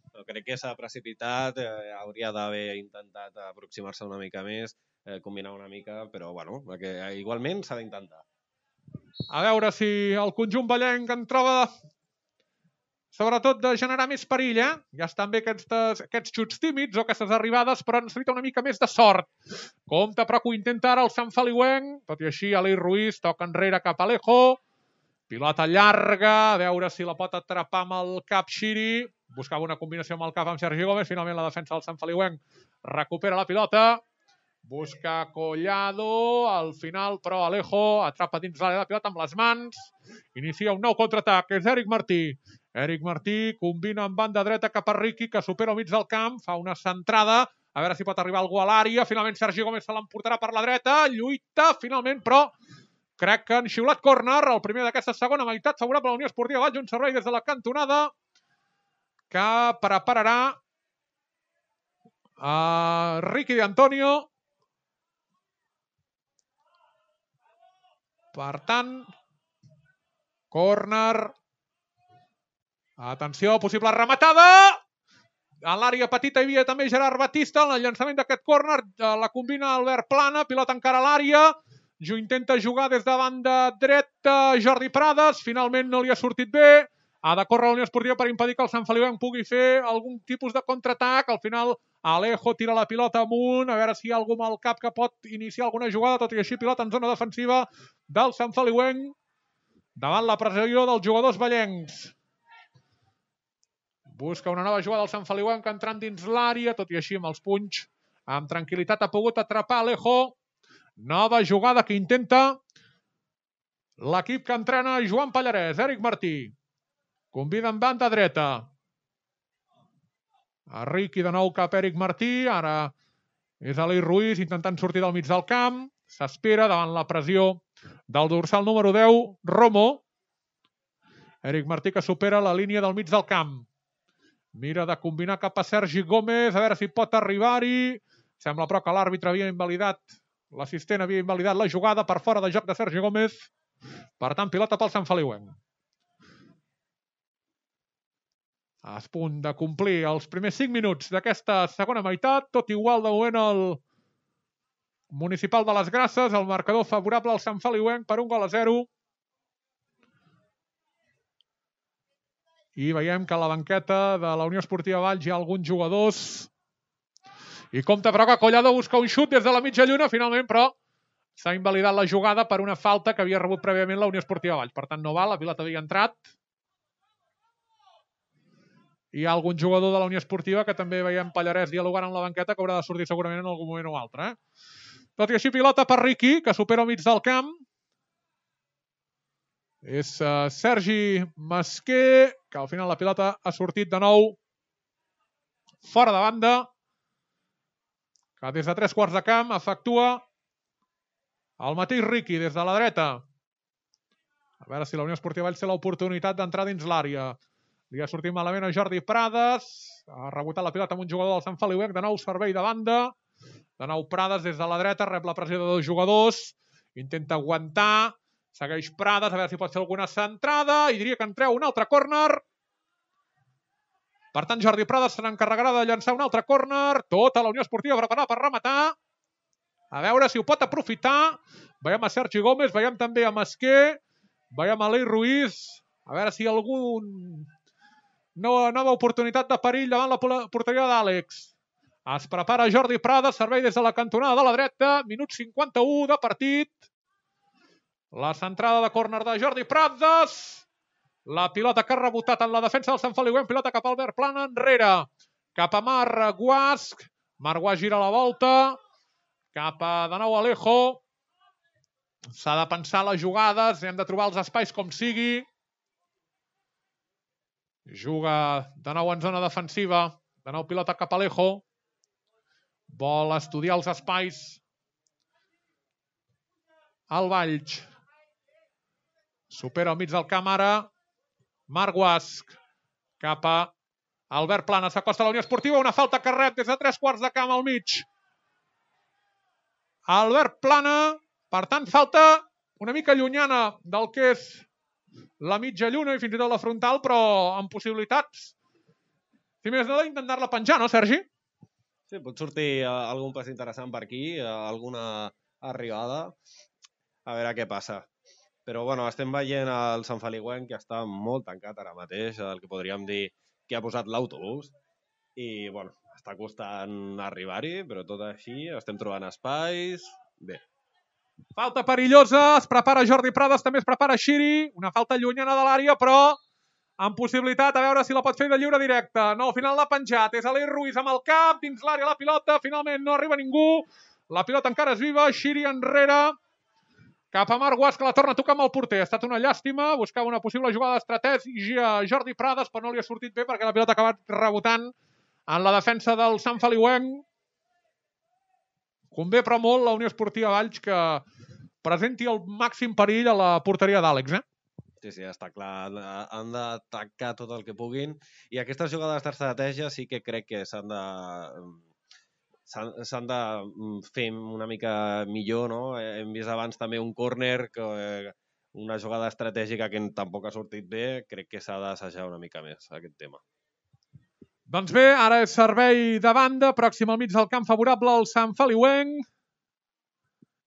No, crec que s'ha precipitat, eh, hauria d'haver intentat aproximar-se una mica més, eh, combinar una mica, però bueno, que, eh, igualment s'ha d'intentar. A veure si el conjunt vallenc en troba sobretot de generar més perill, eh? Ja estan bé aquests, aquests xuts tímids o aquestes arribades, però necessita una mica més de sort. Compte, però que ho intenta ara el Sant Feliuenc. Tot i així, Aleix Ruiz toca enrere cap a Alejo. Pilota llarga, a veure si la pot atrapar amb el cap Xiri. Buscava una combinació amb el cap amb Sergi Gómez. Finalment la defensa del Sant Feliuenc recupera la pilota. Busca Collado, al final, però Alejo atrapa dins l'àrea de pilota amb les mans. Inicia un nou contraatac, és Eric Martí. Eric Martí combina amb banda dreta cap a Riqui, que supera al mig del camp, fa una centrada, a veure si pot arribar algú a l'àrea. Finalment Sergi Gómez se l'emportarà per la dreta, lluita finalment, però crec que han xiulat córner, el primer d'aquesta segona meitat, favorable a la Unió Esportiva Valls, un servei des de la cantonada que prepararà a Riqui d'Antonio. Per tant, córner. Atenció, possible rematada. En l'àrea petita hi havia també Gerard Batista. En el llançament d'aquest córner la combina Albert Plana. Pilota encara a l'àrea. Jo intenta jugar des de banda dreta Jordi Prades. Finalment no li ha sortit bé. Ha de córrer la Unió Esportiva per impedir que el Sant Feliuenc pugui fer algun tipus de contraatac. Al final Alejo tira la pilota amunt. A veure si hi ha algú amb el cap que pot iniciar alguna jugada. Tot i així, pilota en zona defensiva del Sant Feliuenc davant la pressió dels jugadors vallencs. Busca una nova jugada del Sant Feliuenc entrant dins l'àrea, tot i així amb els punys. Amb tranquil·litat ha pogut atrapar Alejo. Nova jugada que intenta l'equip que entrena Joan Pallarès. Eric Martí. Convida en banda dreta. A Riqui de nou cap a Eric Martí. Ara és Aleix Ruiz intentant sortir del mig del camp. S'espera davant la pressió del dorsal número deu, Romo. Eric Martí que supera la línia del mig del camp. Mira de combinar cap a Sergi Gómez, a veure si pot arribar-hi. Sembla però que l'àrbitre havia invalidat, l'assistent havia invalidat la jugada per fora de joc de Sergi Gómez. Per tant, pilota pel Sant Feliuenc. A punt de complir els primers cinc minuts d'aquesta segona meitat, tot igual de moment el Municipal de les Grasses, el marcador favorable al Sant Feliuenc per un gol a zero. I veiem que a la banqueta de la Unió Esportiva Valls hi ha alguns jugadors. I compte però que Collado busca un xut des de la mitja lluna, finalment, però s'ha invalidat la jugada per una falta que havia rebut prèviament la Unió Esportiva Valls. Per tant, no val, la pilota havia entrat. Hi ha algun jugador de la Unió Esportiva que també veiem Pallarès dialogant amb la banqueta que haurà de sortir segurament en algun moment o altre. Eh? Tot i així, pilota per Riqui, que supera el mig del camp. És uh, Sergi Masquer, que al final la pilota ha sortit de nou fora de banda, que des de tres quarts de camp efectua el mateix Riqui des de la dreta. A veure si la Unió Esportiva Valls té l'oportunitat d'entrar dins l'àrea. Li ha sortit malament a Jordi Prades, ha rebotat la pilota amb un jugador del Sant Feliuenc, de nou servei de banda, de nou Prades des de la dreta, rep la pressió de dos jugadors, intenta aguantar, segueix Prades, a veure si pot fer alguna centrada, i diria que en treu un altre córner. Per tant, Jordi Prades se n'encarregarà de llançar un altre córner. Tota la Unió Esportiva preparada per rematar. A veure si ho pot aprofitar. Veiem a Sergi Gómez, veiem també a Masquer, veiem a Aleix Ruiz. A veure si algun nova, nova oportunitat de perill davant la porteria d'Àlex. Es prepara Jordi Prades, servei des de la cantonada de la dreta. Minut cinquanta-u de partit. La centrada de córner de Jordi Prades. La pilota que ha rebotat en la defensa del Sant Feliuenc. Pilota cap a Albert Plana, enrere. Cap a Marc Guasc. Marc Guasc gira la volta. Cap a de nou Alejo. S'ha de pensar les jugades. Hem de trobar els espais com sigui. Juga de nou en zona defensiva. De nou pilota cap a Alejo. Vol estudiar els espais. El Valls. Supera al mig del camp ara. Marc Guasc. Cap a Albert Plana. S'acosta a la Unió Esportiva. Una falta que rep des de tres quarts de camp al mig. Albert Plana. Per tant, falta una mica llunyana del que és la mitja lluna i fins i tot la frontal, però amb possibilitats. Si més no, d'intentar-la penjar, no, Sergi? Sí, pot sortir algun pas interessant per aquí, alguna arribada, a veure què passa. Però, bueno, estem veient el Sant Feliuenc, que està molt tancat ara mateix, el que podríem dir que ha posat l'autobús, i, bueno, està costant arribar-hi, però tot així, estem trobant espais, bé. Falta perillosa, es prepara Jordi Prades, també es prepara Xiri, una falta llunyana de l'àrea, però amb possibilitat, a veure si la pot fer de lliure directe. No, al final l'ha penjat, és Aleix Ruiz amb el cap, dins l'àrea la pilota, finalment no arriba ningú, la pilota encara és viva, Xiri enrere, cap a Marc Guasc, que la torna a tocar amb el porter. Ha estat una llàstima, buscava una possible jugada d'estratègia Jordi Prades, però no li ha sortit bé perquè la pilota ha acabat rebotant en la defensa del Sant Feliuenc. Convé però molt la Unió Esportiva Valls que presenti el màxim perill a la porteria d'Àlex, eh? Sí, sí, està clar. Han d'atacar tot el que puguin. I aquestes jugades d'estratègia sí que crec que s'han de... s'han de fer una mica millor, no? Hem vist abans també un córner, una jugada estratègica que tampoc ha sortit bé. Crec que s'ha d'assajar una mica més aquest tema. Doncs bé, ara és servei de banda, pròxim al mig del camp favorable al Sant Feliuenc,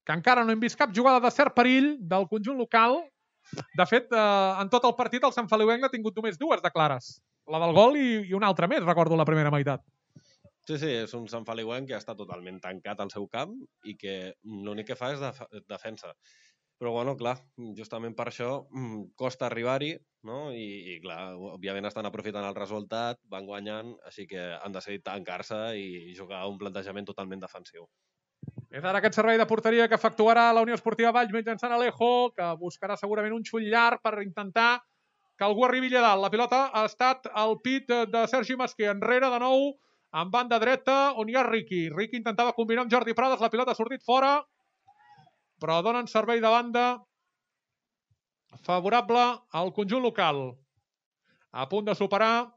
que encara no hem vist cap jugada de cert perill del conjunt local. De fet, en tot el partit el Sant Feliuenc ha tingut només dues de clares. La del gol i una altra més, recordo la primera meitat. Sí, sí, és un Sant Feliuenc que està totalment tancat al seu camp i que l'únic que fa és defensa. Però, bueno, clar, justament per això costa arribar-hi, no? I, i, clar, òbviament estan aprofitant el resultat, van guanyant, així que han decidit tancar-se i jugar un plantejament totalment defensiu. És ara aquest servei de porteria que efectuarà la Unió Esportiva Valls mitjançant Alejo, que buscarà segurament un xull llarg per intentar que algú arribi allà dalt. La pilota ha estat al pit de Sergi Masquer. Enrere de nou, en banda dreta, on hi ha Riqui. Riqui intentava combinar amb Jordi Prades, la pilota ha sortit fora, però donen servei de banda favorable al conjunt local. A punt de superar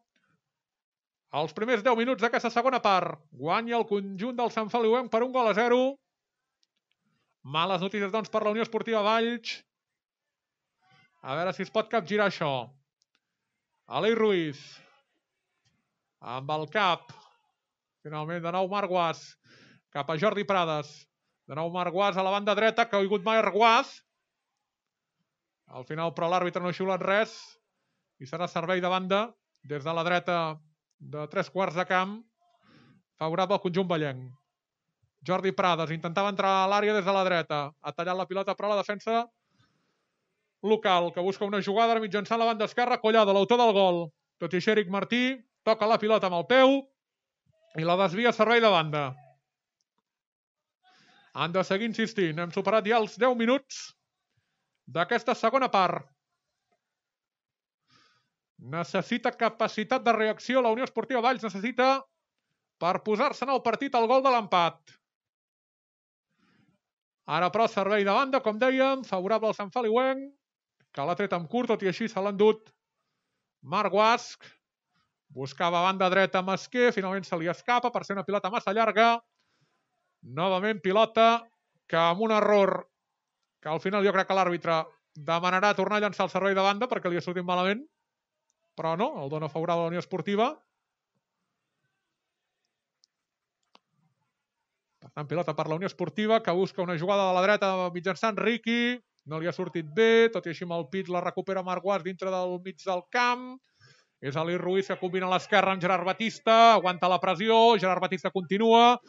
els primers deu minuts d'aquesta segona part. Guanya el conjunt del Sant Feliuenc per un gol a zero. Males notícies, doncs, per la Unió Esportiva Valls. A veure si es pot capgirar això. Aleix Ruiz. Amb el cap. Finalment, de nou Marc Guas. Cap a Jordi Prades. De nou Marc Guas a la banda dreta, que ha caigut Marc Guas. Al final, però, l'àrbitre no ha xiulat res. I serà servei de banda des de la dreta de tres quarts de camp. Favorable al conjunt vallenc. Jordi Prades intentava entrar a l'àrea des de la dreta. Ha tallat la pilota, però la defensa local, que busca una jugada mitjançant la banda esquerra. Collado, l'autor del gol. Tot i així, Eric Martí toca la pilota amb el peu i la desvia a servei de banda. Han de seguir insistint. Hem superat ja els deu minuts d'aquesta segona part. Necessita capacitat de reacció. La Unió Esportiva Valls necessita per posar-se en el partit el gol de l'empat. Ara, però, servei de banda, com dèiem, favorable al Sant Feliuenc, que l'ha tret amb curt, tot i així se l'ha endut Marc Guasc. Buscava banda dreta Masquer, finalment se li escapa per ser una pilota massa llarga. Novament pilota que amb un error que al final jo crec que l'àrbitre demanarà tornar a llançar el servei de banda perquè li ha sortit malament, però no, el dona favorable a la Unió Esportiva. Per tant, pilota per la Unió Esportiva, que busca una jugada de la dreta mitjançant Riqui. No li ha sortit bé, tot i així amb el pit la recupera Marc Guas dintre del mig del camp. És Aleix Ruiz que combina a l'esquerra amb Gerard Batista, aguanta la pressió, Gerard Batista continua,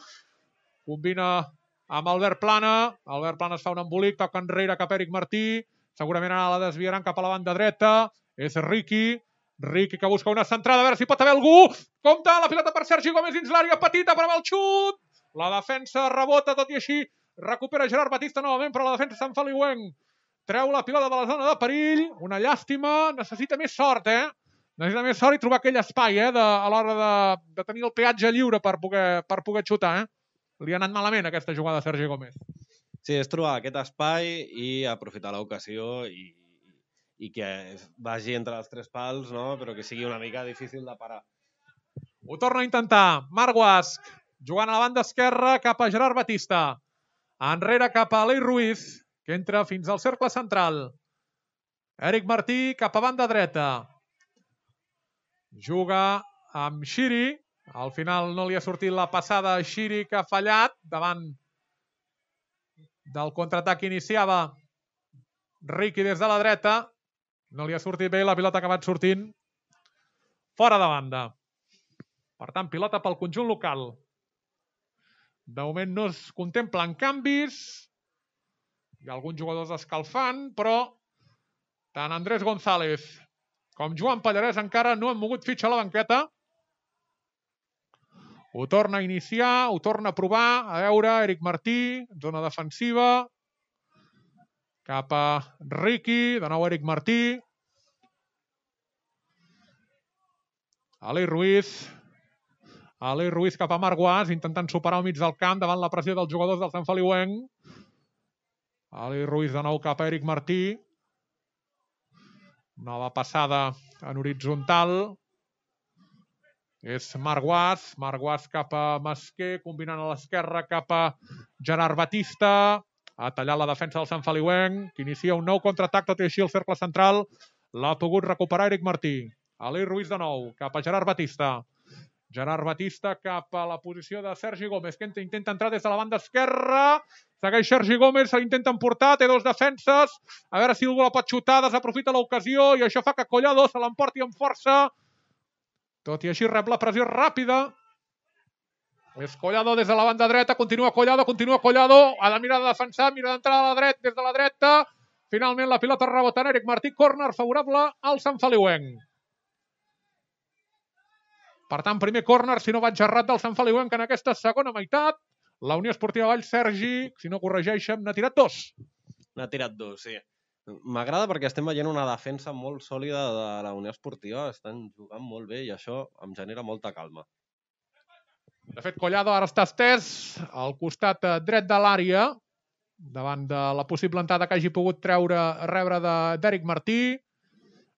combina amb Albert Plana, Albert Plana es fa un embolic, toca enrere cap a Eric Martí, segurament ara la desviaran cap a la banda dreta, és Riqui, Riqui que busca una centrada, a veure si pot haver algú, compta la pilota per Sergi Gómez dins l'àrea petita, però amb el xut, la defensa rebota, tot i així recupera Gerard Batista novament, però la defensa Sant Feliuenc treu la pilota de la zona de perill, una llàstima, necessita més sort, eh? Necessita més sort i trobar aquell espai, eh? De, a l'hora de, de tenir el peatge lliure per poder, per poder xutar, eh? Li ha anat malament aquesta jugada a Sergi Gómez. Sí, és trobar aquest espai i aprofitar l'ocasió i, i que vagi entre els tres pals, no? Però que sigui una mica difícil de parar. Ho torna a intentar. Marc Guasc, jugant a la banda esquerra cap a Gerard Batista. Enrere cap a Aleix Ruiz, que entra fins al cercle central. Eric Martí cap a banda dreta. Juga amb Xiri. Al final no li ha sortit la passada a Xiri, que ha fallat davant del contraatac que iniciava Riqui des de la dreta. No li ha sortit bé, la pilota ha acabat sortint fora de banda. Per tant, pilota pel conjunt local. De moment no es contemplen canvis. Hi ha alguns jugadors escalfant, però tant Andrés González com Joan Pallarès encara no han mogut fitxa a la banqueta. Ho torna a iniciar, ho torna a provar. A veure, Eric Martí, zona defensiva. Cap a Riqui, de nou Eric Martí. Aleix Ruiz. Aleix Ruiz cap a Marc Guas, intentant superar al mig del camp davant la pressió dels jugadors del Sant Feliuenc. Aleix Ruiz de nou cap a Eric Martí. Nova passada en horitzontal. És Marc Guas. Marc Guas cap a Masquer, combinant a l'esquerra cap a Gerard Batista. Ha tallat la defensa del Sant Feliuenc, que inicia un nou contraatac, tot i així el cercle central l'ha pogut recuperar Eric Martí. Aleix Ruiz de nou, cap a Gerard Batista. Gerard Batista cap a la posició de Sergi Gómez, que intenta entrar des de la banda esquerra. Segueix Sergi Gómez, se l'intenta emportar, té dos defenses. A veure si algú la pot xutar, desaprofita l'ocasió i això fa que Collado se l'emporti amb força. Tot i així rep la pressió ràpida. És Collado des de la banda dreta, continua Collado, continua Collado. Ha de mirar de defensar, mira d'entrar a la dreta, des de la dreta. Finalment la pilota rebota en Eric Martí, córner favorable al Sant Feliuenc. Per tant, primer córner, si no vaig errat, del Sant Feliuenc en aquesta segona meitat. La Unió Esportiva Valls, Sergi, si no corregeixen, n'ha tirat dos. N'ha tirat dos, sí. M'agrada perquè estem veient una defensa molt sòlida de la Unió Esportiva, estan jugant molt bé i això em genera molta calma. De fet, Collado ara està estès al costat dret de l'àrea, davant de la possible entrada que hagi pogut treure rebre d'Eric Martí.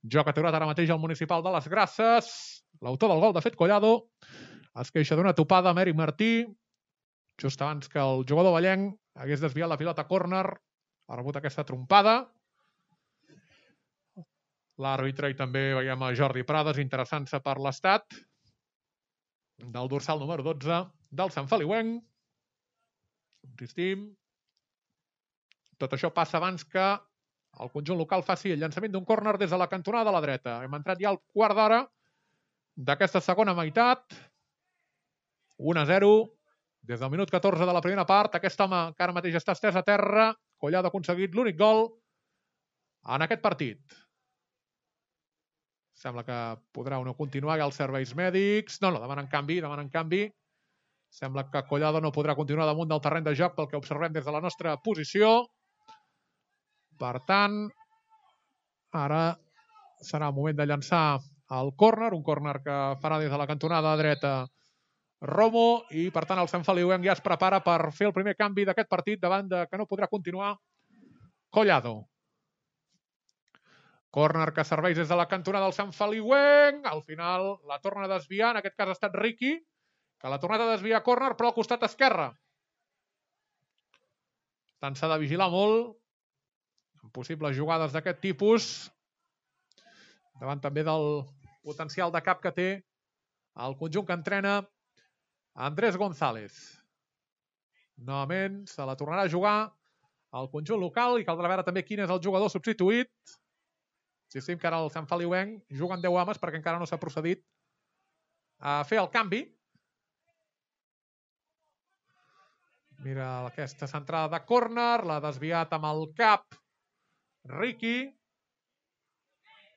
Joc aturat ara mateix al municipal de les Grasses. L'autor del gol, de fet, Collado, es queixa d'una topada amb Eric Martí, just abans que el jugador vallenc hagués desviat la pilota a córner, ha rebut aquesta trompada. L'àrbitre i també veiem a Jordi Prades interessant-se per l'estat del dorsal número dotze del Sant Feliuenc. Insistim. Tot això passa abans que el conjunt local faci el llançament d'un córner des de la cantonada de la dreta. Hem entrat ja al quart d'hora d'aquesta segona meitat. un a zero. Des del minut catorze de la primera part, aquest home que ara mateix està estès a terra, Collado ha aconseguit l'únic gol en aquest partit. Sembla que podrà o no continuar, hi ha els serveis mèdics. No, no, demanen canvi, demanen canvi. Sembla que Collado no podrà continuar damunt del terreny de joc pel que observem des de la nostra posició. Per tant, ara serà el moment de llançar el córner, un córner que farà des de la cantonada dreta Romo, i per tant el Sant Feliuenc ja es prepara per fer el primer canvi d'aquest partit davant de que no podrà continuar Collado. Córner que serveix des de la cantonada del Sant Feliuenc. Al final la torna a desviar, en aquest cas ha estat Riqui, que l'ha tornat a desviar a córner, però al costat esquerre. Per tant, s'ha de vigilar molt en possibles jugades d'aquest tipus, davant també del potencial de cap que té el conjunt que entrena Andrés González. Novament se la tornarà a jugar al conjunt local i caldrà veure també quin és el jugador substituït. Si estem que ara el Sant Feliuenc juguen deu homes perquè encara no s'ha procedit a fer el canvi. Mira aquesta centrada de córner, l'ha desviat amb el cap Riqui.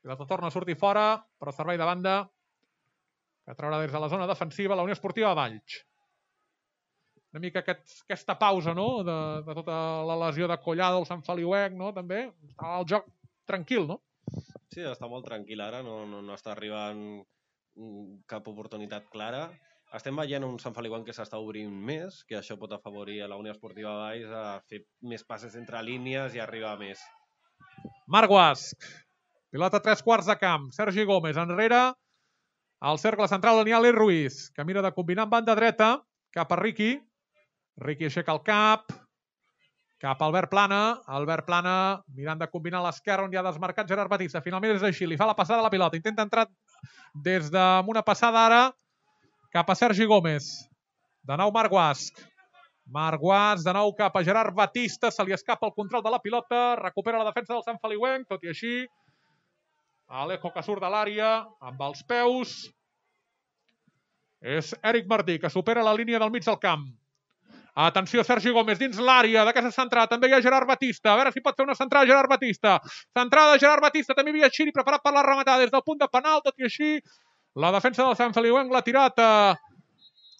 La torna a sortir fora, però servei de banda que traurà des de la zona defensiva la Unió Esportiva Valls. Una mica aquest, aquesta pausa, no?, de, de tota la lesió de Collado al Sant Feliuenc, no?, també. Està el joc tranquil, no? Sí, està molt tranquil ara, no, no, no està arribant cap oportunitat clara. Estem veient un Sant Feliuenc que s'està obrint més, que això pot afavorir a la Unió Esportiva Valls a fer més passes entre línies i arribar més. Marc Guasch. Pilota tres quarts de camp. Sergi Gómez enrere. Al cercle central Daniel Ruiz, que mira de combinar amb banda dreta cap a Riqui. Riqui aixeca el cap. Cap a Albert Plana. Albert Plana mirant de combinar a l'esquerra on hi ha desmarcat Gerard Batista. Finalment és així. Li fa la passada a la pilota. Intenta entrar des d'una passada ara cap a Sergi Gómez. De nou Marc Guasch. Marc Guasch de nou cap a Gerard Batista. Se li escapa el control de la pilota. Recupera la defensa del Sant Feliuenc. Tot i així, Alejo que surt de l'àrea amb els peus. És Eric Martí que supera la línia del mig del camp. Atenció, Sergi Gómez dins l'àrea d'aquesta centrada. També hi ha Gerard Batista. A veure si pot fer una centrada Gerard Batista. Centrada de Gerard Batista. També hi havia Xiri preparat per la rematada des del punt de penal. Tot i així, la defensa del Sant Feliuenc l'ha tirat a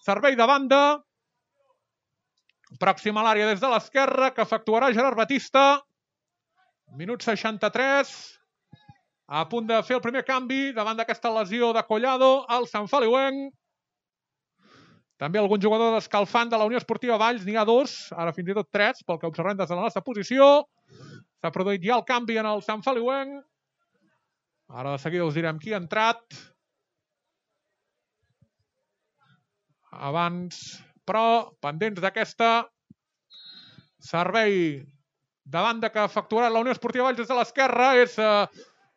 servei de banda. Pròxima a l'àrea des de l'esquerra que efectuarà Gerard Batista. Minut seixanta-tres. A punt de fer el primer canvi davant d'aquesta lesió de Collado al Sant Feliuenc. També algun jugador descalfant de la Unió Esportiva Valls. N'hi ha dos, ara fins i tot tres, pel que observem des de la nostra posició. S'ha produït ja el canvi en el Sant Feliuenc. Ara de seguida us direm qui ha entrat. Abans, però, pendents d'aquesta servei de banda que ha efectuat la Unió Esportiva Valls des de l'esquerra és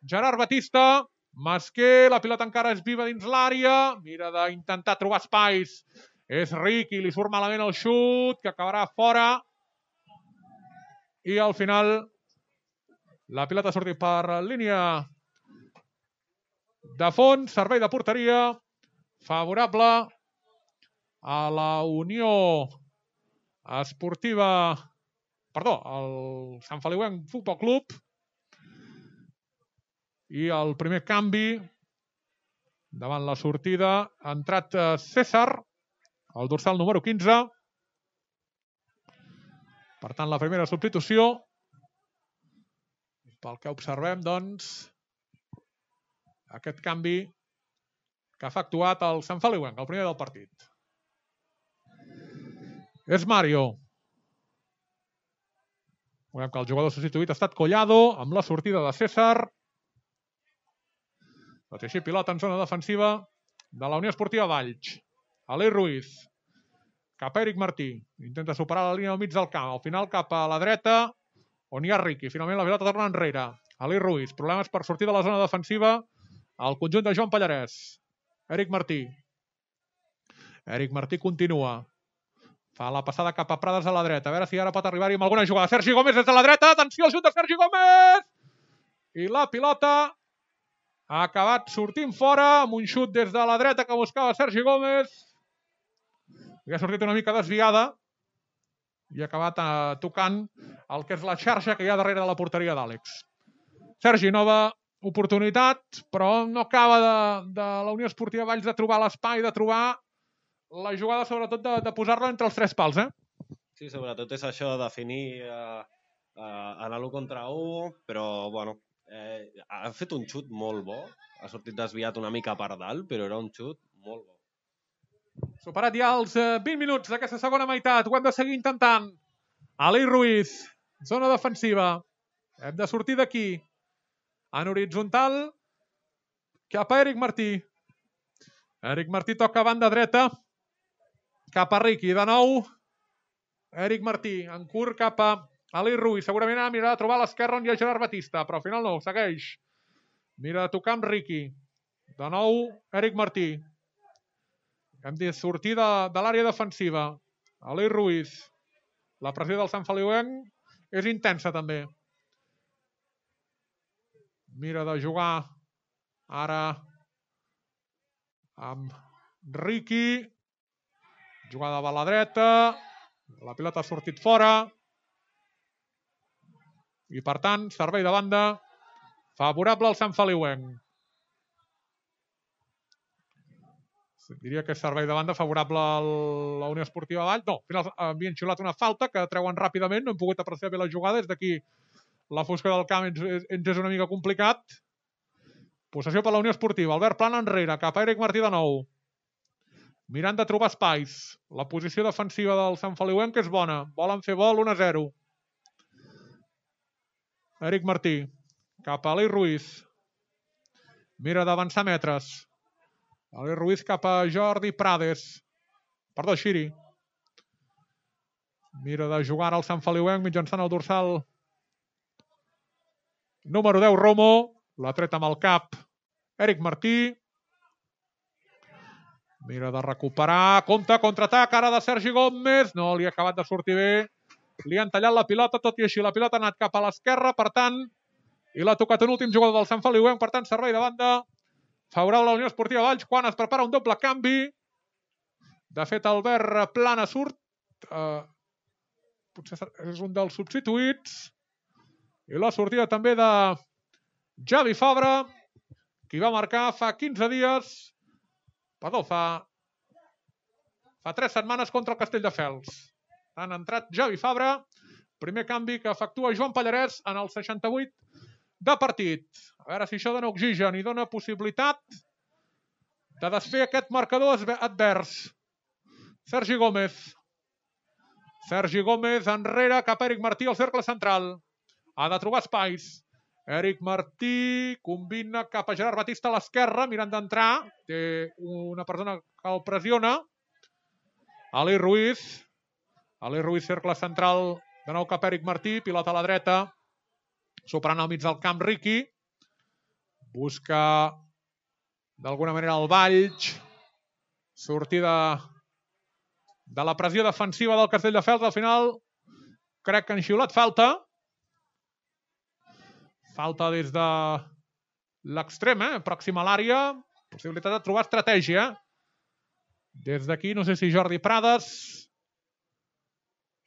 Gerard Batista. Masquer, la pilota encara és viva dins l'àrea. Mira d'intentar trobar espais. És Riqui, li surt malament el xut, que acabarà fora. I al final la pilota ha sortit per línia de fons. Servei de porteria favorable a la Unió Esportiva... Perdó, al Sant Feliuenc Futbol Club. I el primer canvi davant la sortida ha entrat César, el dorsal número quinze. Per tant, la primera substitució, pel que observem, doncs, aquest canvi que ha efectuat el Sant Feliuenc, el primer del partit. És Mario. Veiem que el jugador substituït ha estat Collado, amb la sortida de César. Tot i així, pilota en zona defensiva de la Unió Esportiva Valls. Aleix Ruiz. Cap a Eric Martí. Intenta superar la línia al mig del camp. Al final cap a la dreta, on hi ha Riqui. Finalment la pilota torna enrere. Aleix Ruiz. Problemes per sortir de la zona defensiva al conjunt de Joan Pallarès. Eric Martí. Eric Martí continua. Fa la passada cap a Prades a la dreta. A veure si ara pot arribar-hi amb alguna jugada. Sergi Gómez des de la dreta. Atenció al xut de Sergi Gómez! I la pilota ha acabat sortint fora amb un xut des de la dreta que buscava Sergi Gómez. I ha sortit una mica desviada i ha acabat eh, tocant el que és la xarxa que hi ha darrere de la porteria d'Àlex. Sergi, nova oportunitat, però no acaba de, de la Unió Esportiva Valls de trobar l'espai, de trobar la jugada, sobretot de, de posar-la entre els tres pals, eh? Sí, sobretot és això de definir eh, eh, en l'u contra u, però, bueno, eh, ha fet un xut molt bo, ha sortit desviat una mica per dalt, però era un xut molt bo. Superat ja els eh, vint minuts d'aquesta segona meitat, ho hem de seguir intentant. Aleix Ruiz, zona defensiva, hem de sortir d'aquí. En horitzontal, cap a Eric Martí. Eric Martí toca a banda dreta, cap a Riqui, de nou. Eric Martí, en curt cap a Aleix Ruiz. Segurament ara mirarà de trobar a l'esquerra on hi ha Gerard Batista, però al final no, segueix. Mira de tocar amb Riqui. De nou, Eric Martí. Hem de sortir de, de l'àrea defensiva. Aleix Ruiz. La pressió del Sant Feliuenc és intensa també. Mira de jugar ara amb Riqui. Jugada a la dreta. La pilota ha sortit fora. I per tant, servei de banda favorable al Sant Feliuenc. Diria que és servei de banda favorable a la Unió Esportiva Valls. No, al final havien xiulat una falta que treuen ràpidament. No hem pogut apreciar bé la jugada. Des d'aquí la fosca del camp ens, ens és una mica complicat. Possessió per la Unió Esportiva. Albert Plana enrere, cap a Eric Martí de nou. Mirant de trobar espais. La posició defensiva del Sant Feliuenc és bona. Volen fer vol, un a zero. Eric Martí. Cap a Aleix Ruiz. Mira d'avançar metres. Aleix Ruiz cap a Jordi Prades. Perdó, Xiri. Mira de jugar al Sant Feliuenc mitjançant el dorsal número deu, Romo. La treta amb el cap. Eric Martí. Mira de recuperar. Compte, contraatac ara de Sergi Gómez. No li ha acabat de sortir bé. Li han tallat la pilota, tot i així la pilota ha anat cap a l'esquerra, per tant, i l'ha tocat un últim jugador del Sant Feliuenc, per tant, servei de banda favorable a la Unió Esportiva Valls quan es prepara un doble canvi. De fet, Albert Plana surt. Uh, potser és un dels substituïts. I la sortida també de Javi Fabra, qui va marcar fa quinze dies, perdó, fa, fa tres setmanes contra el Castelldefels. Han entrat Javi Fabra, primer canvi que efectua Joan Pallarès en el seixanta-vuit de partit. A veure si això dona oxigen i dona possibilitat de desfer aquest marcador advers. Sergi Gómez. Sergi Gómez enrere cap a Eric Martí al cercle central. Ha de trobar espais. Eric Martí combina cap a Gerard Batista a l'esquerra, mirant d'entrar. Té una persona que el pressiona. Aleix Ruiz. Aleix Ruiz, cercle central, de nou cap a Eric Martí, pilota a la dreta, superant al mig del camp Riqui, busca d'alguna manera el Valls, sortida de la pressió defensiva del Castelldefels, al final crec que han xiulat falta, falta des de l'extrem, eh? Pròxima a l'àrea, possibilitat de trobar estratègia, des d'aquí no sé si Jordi Prades,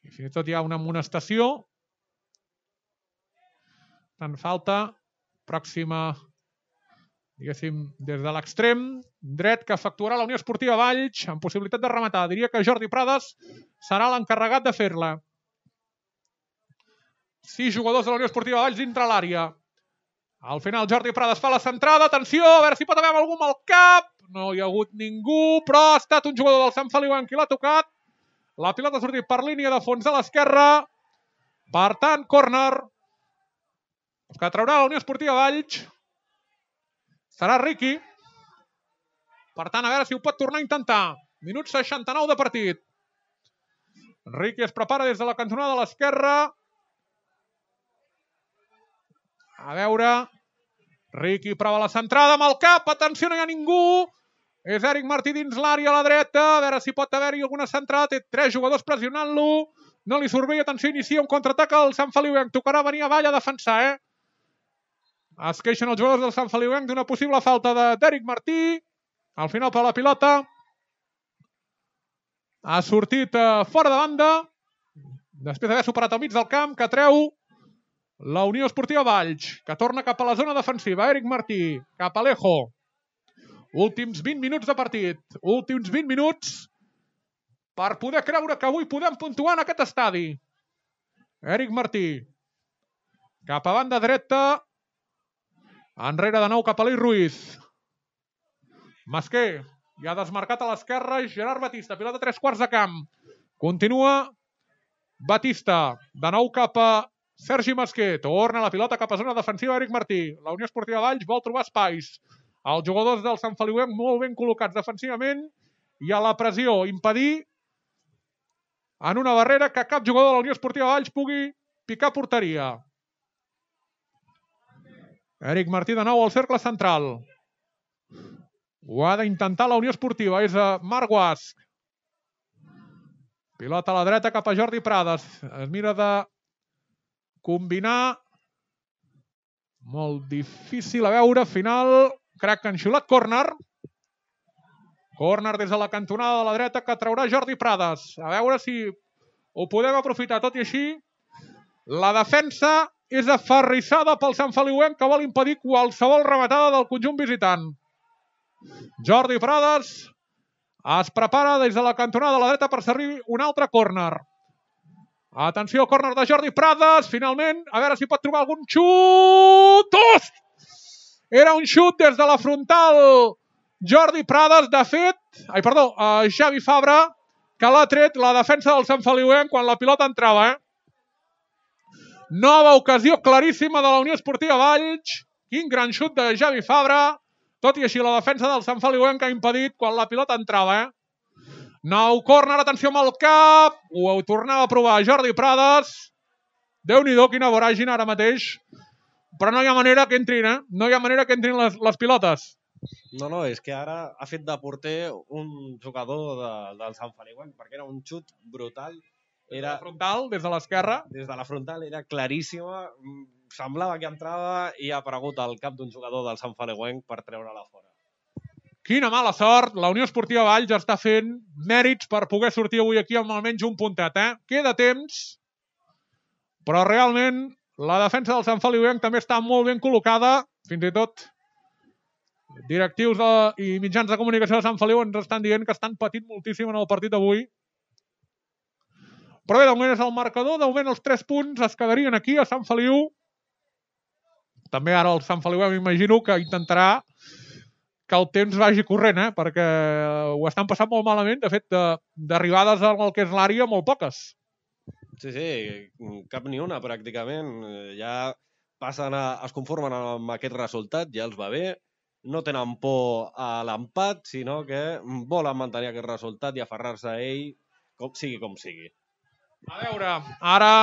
i fins i tot hi ha una amonestació. Tant falta. Pròxima, diguéssim, des de l'extrem dret que efectuarà la Unió Esportiva Valls amb possibilitat de rematar. Diria que Jordi Prades serà l'encarregat de fer-la. sis jugadors de la Unió Esportiva Valls dintre l'àrea. Al final Jordi Prades fa la centrada. Atenció, a veure si pot haver algú amb el cap. No hi ha hagut ningú, però ha estat un jugador del Sant Feliuenc qui l'ha tocat. La pilota ha sortit per línia de fons a l'esquerra. Per tant, córner que traurà la Unió Esportiva Valls. Serà Riqui. Per tant, a veure si ho pot tornar a intentar. Minut seixanta-nou de partit. Riqui es prepara des de la cantonada de l'esquerra. A veure... Riqui prova la centrada amb el cap. Atenció, no hi ha ningú. És Eric Martí dins l'àrea a la dreta. A veure si pot haver-hi alguna centrada. Té tres jugadors pressionant-lo. No li surt bé. Atenció, inicia un contraatac al Sant Feliuenc. Tocarà venir avall a defensar, eh? Es queixen els jugadors del Sant Feliuenc d'una possible falta d'Eric Martí. Al final per la pilota. Ha sortit eh, fora de banda. Després d'haver superat al mig del camp, que treu la Unió Esportiva Valls, que torna cap a la zona defensiva. Eric Martí, cap a Alejo. Últims vint minuts de partit. Últims vint minuts per poder creure que avui podem puntuar en aquest estadi. Eric Martí. Cap a banda dreta. Enrere de nou cap a l'Ei Ruiz. Masquer. Ja ha desmarcat a l'esquerra Gerard Batista. Pilota tres quarts de camp. Continua Batista. De nou cap a Sergi Masquer. Torna la pilota cap a zona defensiva Eric Martí. La Unió Esportiva Valls vol trobar espais. Els jugadors del Sant Feliuenc molt ben col·locats defensivament i a la pressió impedir en una barrera que cap jugador de la Unió Esportiva Valls pugui picar porteria. Eric Martí de nou al cercle central. Ho ha d'intentar la Unió Esportiva. És a Marc Guasc. Pilota a la dreta cap a Jordi Prades. Es mira de combinar. Molt difícil a veure. Final, crec que han xiulat córner. Córner des de la cantonada de la dreta que traurà Jordi Prades. A veure si ho podem aprofitar. Tot i així, la defensa és aferrissada pel Sant Feliuenc, que vol impedir qualsevol rematada del conjunt visitant. Jordi Prades es prepara des de la cantonada de la dreta per servir un altre córner. Atenció, córner de Jordi Prades. Finalment, a veure si pot trobar algun xut. Ost! Era un xut des de la frontal. Jordi Prades, de fet, ai, perdó, uh, Xavi Fabra, que l'ha tret la defensa del Sant Feliuenc quan la pilota entrava, eh? Nova ocasió claríssima de la Unió Esportiva Valls. Quin gran xut de Xavi Fabra. Tot i així, la defensa del Sant Feliuenc ha impedit quan la pilota entrava, eh? Nou córner, atenció amb el cap. Ho tornava a provar Jordi Prades. Déu-n'hi-do, quina voràgina ara mateix. Però no hi ha manera que entrin, eh? No hi ha manera que entrin les, les pilotes. No, no, és que ara ha fet de porter un jugador de, del Sant Feliuenc, perquè era un xut brutal. Era... Des de la frontal, des de l'esquerra. Des de la frontal, era claríssima. Semblava que entrava i ha aparegut al cap d'un jugador del Sant Feliuenc per treure-la fora. Quina mala sort. La Unió Esportiva Valls està fent mèrits per poder sortir avui aquí amb almenys un puntet, eh? Queda temps, però realment la defensa del Sant Feliuenc també està molt ben col·locada. Fins i tot directius de, i mitjans de comunicació de Sant Feliu ens estan dient que estan patint moltíssim en el partit d'avui. Però bé, de moment és el marcador. De moment els tres punts es quedarien aquí a Sant Feliu. També ara el Sant Feliu m'imagino que intentarà que el temps vagi corrent, eh? Perquè ho estan passant molt malament. De fet, d'arribades al que és l'àrea, molt poques. Sí, sí, cap ni una, pràcticament. Ja passen a, es conformen amb aquest resultat, ja els va bé. No tenen por a l'empat, sinó que volen mantenir aquest resultat i aferrar-se a ell, com sigui com sigui. A veure, ara,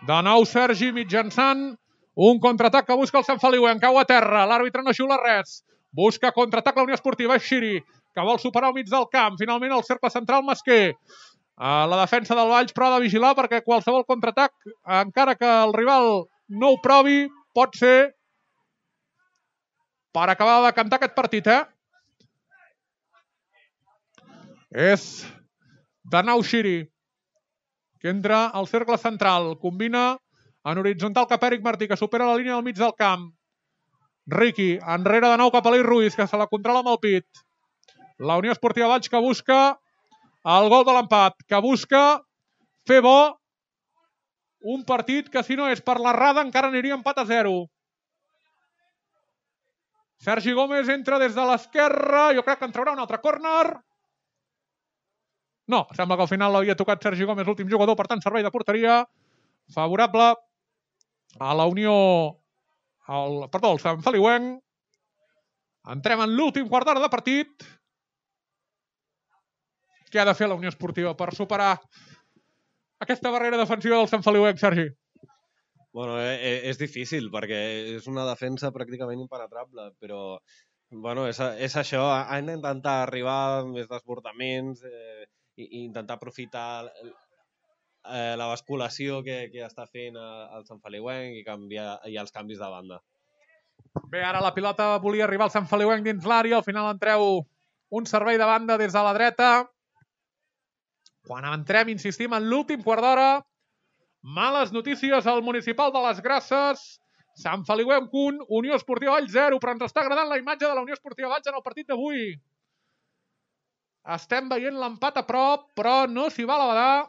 de nou Sergi mitjançant un contraatac que busca el Sant Feliuenc, cau a terra, l'àrbitre no xiula res. Busca contraatac la Unió Esportiva, és Xiri, que vol superar al mig del camp. Finalment el cercle central Masquer. Uh, la defensa del Valls però ha de vigilar perquè qualsevol contraatac, encara que el rival no ho provi, pot ser per acabar de cantar aquest partit, eh? És de nou Xiri, que entra al cercle central. Combina en horitzontal cap a Eric Martí, que supera la línia del mig del camp. Riqui, enrere de nou cap a l'Ei Ruiz, que se la controla amb el pit. La Unió Esportiva Valls que busca el gol de l'empat, que busca fer bo Un partit que, si no és per l'errada, encara aniria empat a zero. Sergi Gómez entra des de l'esquerra. Jo crec que en traurà un altre córner. No, sembla que al final l'havia tocat Sergi Gómez, l'últim jugador, per tant, servei de porteria favorable a la Unió, al, perdó, al Sant Feliuenc. Entrem en l'últim quart d'hora de partit. Què ha de fer la Unió Esportiva per superar aquesta barrera defensiva del Sant Feliuenc, Sergi? Bueno, eh, és difícil perquè és una defensa pràcticament impenetrable, però bueno, és, és això, han d'intentar arribar amb més desbordaments eh, i, i intentar aprofitar eh, la basculació que, que està fent el Sant Feliuenc i, canviar, i els canvis de banda. Bé, ara la pilota volia arribar al Sant Feliuenc dins l'àrea, al final entreu un servei de banda des de la dreta. Quan entrem, insistim, en l'últim quart d'hora, males notícies al municipal de les Grasses. Sant Feliuenc un, Unió Esportiva Valls zero, però ens està agradant la imatge de la Unió Esportiva Valls en el partit d'avui. Estem veient l'empat a prop, però no s'hi va a la badar,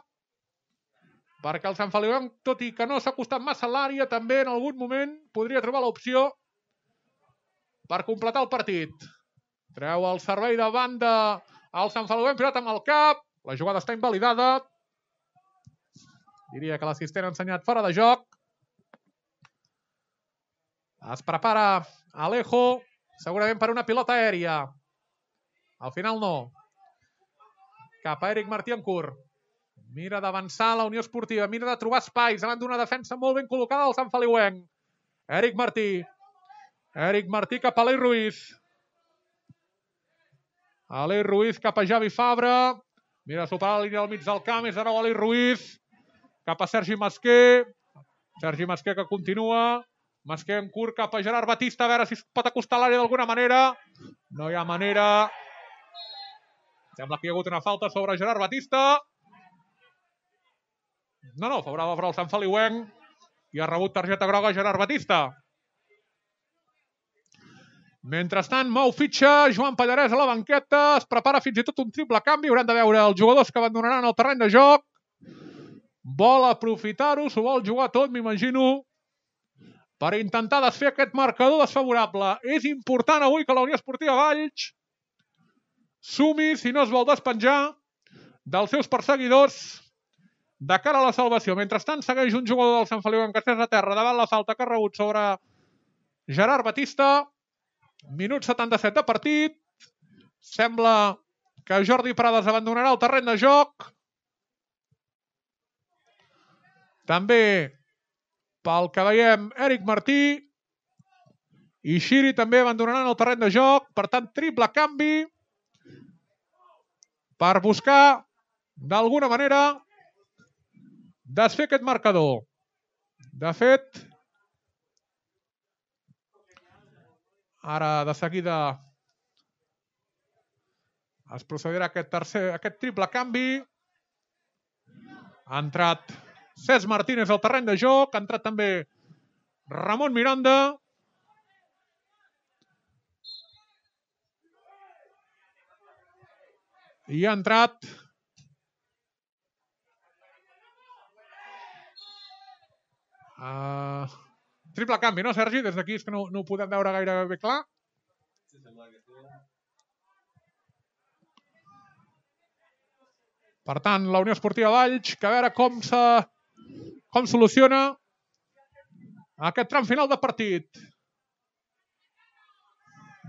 perquè el Sant Feliuenc, tot i que no s'ha acostat massa a l'àrea, també en algun moment podria trobar l'opció per completar el partit. Treu el servei de banda al Sant Feliuenc, pilota amb el cap, la jugada està invalidada. Diria que l'assistent ha ensenyat fora de joc. Es prepara Alejo, segurament per una pilota aèria. Al final no. Cap a Eric Martí en curt. Mira d'avançar la Unió Esportiva, mira de trobar espais davant d'una defensa molt ben col·locada del Sant Feliuenc. Eric Martí. Eric Martí cap a Aleix Ruiz. Aleix Ruiz cap a Javi Fabra. Mira de superar la línia del mig del camp, és de nou Aleix Ruiz. Cap a Sergi Masquer. Sergi Masquer que continua. Masquer en curt cap a Gerard Batista. A veure si es pot acostar a l'àrea d'alguna manera. No hi ha manera. Sembla que hi ha hagut una falta sobre Gerard Batista. No, no, favorable per al Sant Feliuenc. I ha rebut targeta groga Gerard Batista. Mentrestant, mou fitxa Joan Pallarès a la banqueta. Es prepara fins i tot un triple canvi. Haurem de veure els jugadors que abandonaran el terreny de joc. Vol aprofitar-ho, s'ho vol jugar tot, m'imagino, per intentar desfer aquest marcador desfavorable. És important avui que la Unió Esportiva Valls sumi, si no es vol despenjar, dels seus perseguidors de cara a la salvació. Mentrestant, segueix un jugador del Sant Feliuenc que estès a terra davant la falta que ha rebut sobre Gerard Batista. Minut setanta-set de partit. Sembla que Jordi Prades abandonarà el terreny de joc. També, pel que veiem, Eric Martí i Xiri també abandonaran el terreny de joc. Per tant, triple canvi per buscar, d'alguna manera, desfer aquest marcador. De fet, ara de seguida es procedirà a aquest, tercer, aquest triple canvi. Ha entrat Cesc Martínez al terreny de joc, ha entrat també Ramon Miranda. I ha entrat uh, triple canvi, no, Sergi? Des d'aquí és que no, no ho podem veure gaire bé clar. Sí, sembla que sí. Per tant, la Unió Esportiva Valls, que a veure com se... com soluciona aquest tram final de partit.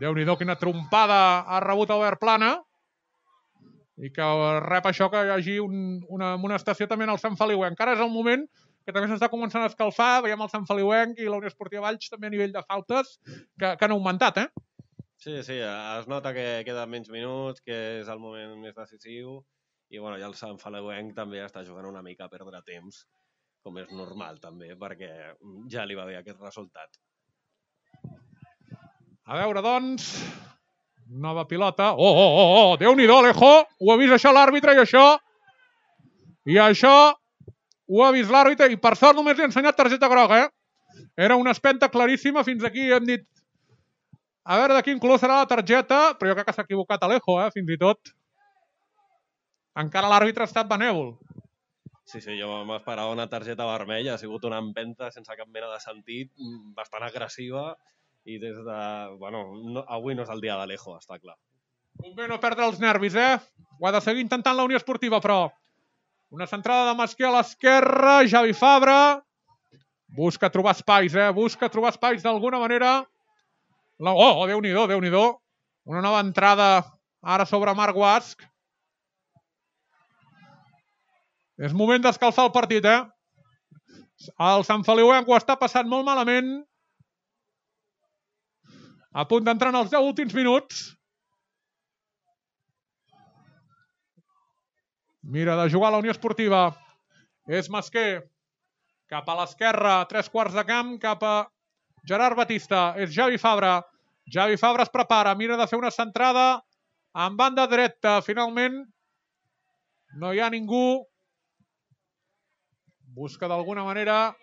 Déu-n'hi-do, quina trompada ha rebut Albert Plana. I que rep això que hi hagi un, una amonestació també en el Sant Feliuenc. Encara és el moment que també s'està començant a escalfar. Veiem el Sant Feliuenc i la Unió Esportiva Valls també a nivell de faltes que, que han augmentat, eh? Sí, sí, es nota que queden menys minuts, que és el moment més decisiu. I bueno, ja el Sant Feliuenc també està jugant una mica a perdre temps, com és normal també, perquè ja li va bé aquest resultat. A veure, doncs, nova pilota. Oh, oh, oh, oh, Déu-n'hi-do, Alejo. Ho ha vist això l'àrbitre i això. I això ho ha vist l'àrbitre i per sort només li ha ensenyat targeta groga, eh? Era una espenta claríssima. Fins aquí hem dit a veure de quin color serà la targeta, però jo crec que s'ha equivocat Alejo, eh? Fins i tot. Encara l'àrbitre ha estat benèvol. Sí, sí, jo m'esperava una targeta vermella, ha sigut una empenta sense cap mena de sentit, bastant agressiva, i des de... Bueno, no, avui no és el dia d'Alejo, està clar. Convé no perdre els nervis, eh? Ho ha de seguir intentant la Unió Esportiva, però... Una centrada de Masquer a l'esquerra, Javi Fabra. Busca trobar espais, eh? Busca trobar espais d'alguna manera. La... Oh, Déu-n'hi-do, Déu-n'hi-do. Una nova entrada ara sobre Marc Guasc. És moment d'escalfar el partit, eh? El Sant Feliuenc ho està passant molt malament. A punt d'entrar en els deu últims minuts. Mira de jugar a la Unió Esportiva. És Masquer. Cap a l'esquerra, tres quarts de camp, cap a Gerard Batista. És Javi Fabra. Javi Fabra es prepara, mira de fer una centrada en banda dreta. Finalment no hi ha ningú. Busca d'alguna manera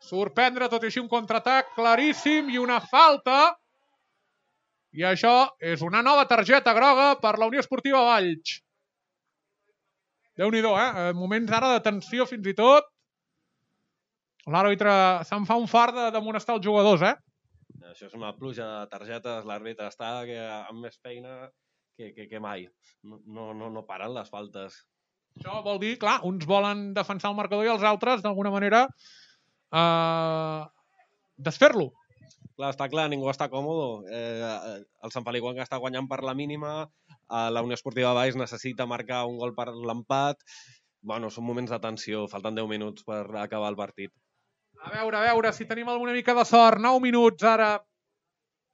sorprendre, tot i així un contraatac claríssim i una falta. I això és una nova targeta groga per la Unió Esportiva Valls. Déu-n'hi-do, eh? Moments ara de tensió fins i tot. L'àrbitre se'n fa un fart de, de molestar els jugadors, eh? Això és una pluja de targetes, l'àrbitre està que, amb més feina que, que, que mai. No, no, no paren les faltes. Això vol dir, clar, uns volen defensar el marcador i els altres, d'alguna manera, eh, desfer-lo. Clar, està clar, ningú està còmode. Eh, el Sant Feliuenc està guanyant per la mínima, eh, la Unió Esportiva Valls necessita marcar un gol per l'empat. Bueno, són moments de tensió, falten deu minuts per acabar el partit. A veure, a veure, si tenim alguna mica de sort. nou minuts ara.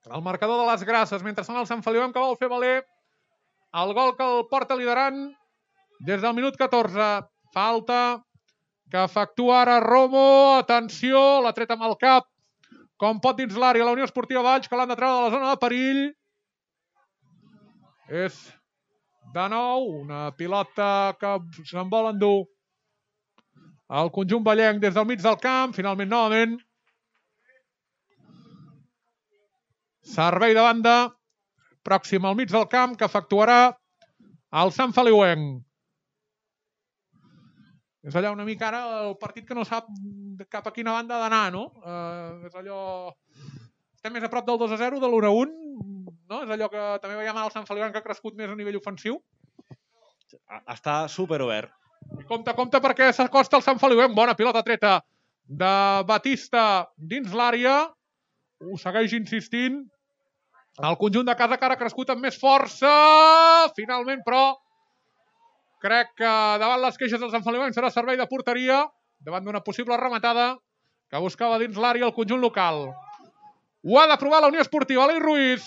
El marcador de les Grasses, mentre són el Sant Feliuenc que vol fer valer el gol que el porta liderant des del minut catorze. Falta que efectua ara Romo. Atenció, l'ha tret amb el cap. Com pot dins l'àrea la Unió Esportiva Valls, que l'han de treure de la zona de perill. És de nou una pilota que se'n vol endur el conjunt vallenc des del mig del camp. Finalment, novament. Servei de banda pròxim al mig del camp que efectuarà el Sant Feliuenc. És allò una mica ara el partit que no sap cap a quina banda d'anar, no? Uh, és allò... Estem més a prop del dos a zero, de l'u a un, no? És allò que també veiem al Sant Feliuenc que ha crescut més a nivell ofensiu. Està superobert. I compte, compte, perquè s'acosta el Sant Feliuenc. Bona pilota treta de Batista dins l'àrea. Ho segueix insistint. El conjunt de casa que ara ha crescut amb més força. Finalment, però, crec que davant les queixes del Sant Feliuenc serà servei de porteria, davant d'una possible rematada que buscava dins l'àrea el conjunt local. Ho ha de provar la Unió Esportiva. Alei Ruiz.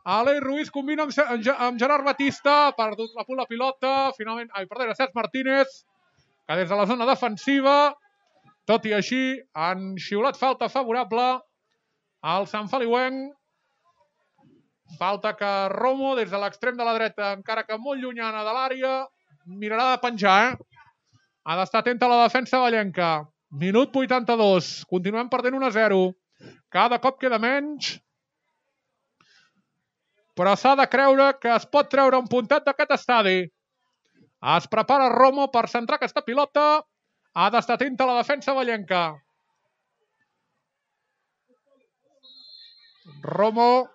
Alei Ruiz combina amb Gerard Batista. Ha perdut la la pilota. Finalment, ai, perdó, era Cesc Martínez, que des de la zona defensiva, tot i així, han xiulat falta favorable al Sant Feliuenc. Falta que Romo, des de l'extrem de la dreta, encara que molt llunyana de l'àrea, mirarà de penjar, eh? Ha d'estar atenta a la defensa vallenca. Minut vuitanta-dos. Continuem perdent un a zero. Cada cop queda menys. Però s'ha de creure que es pot treure un puntet d'aquest estadi. Es prepara Romo per centrar aquesta pilota. Ha d'estar atenta a la defensa vallenca. Romo.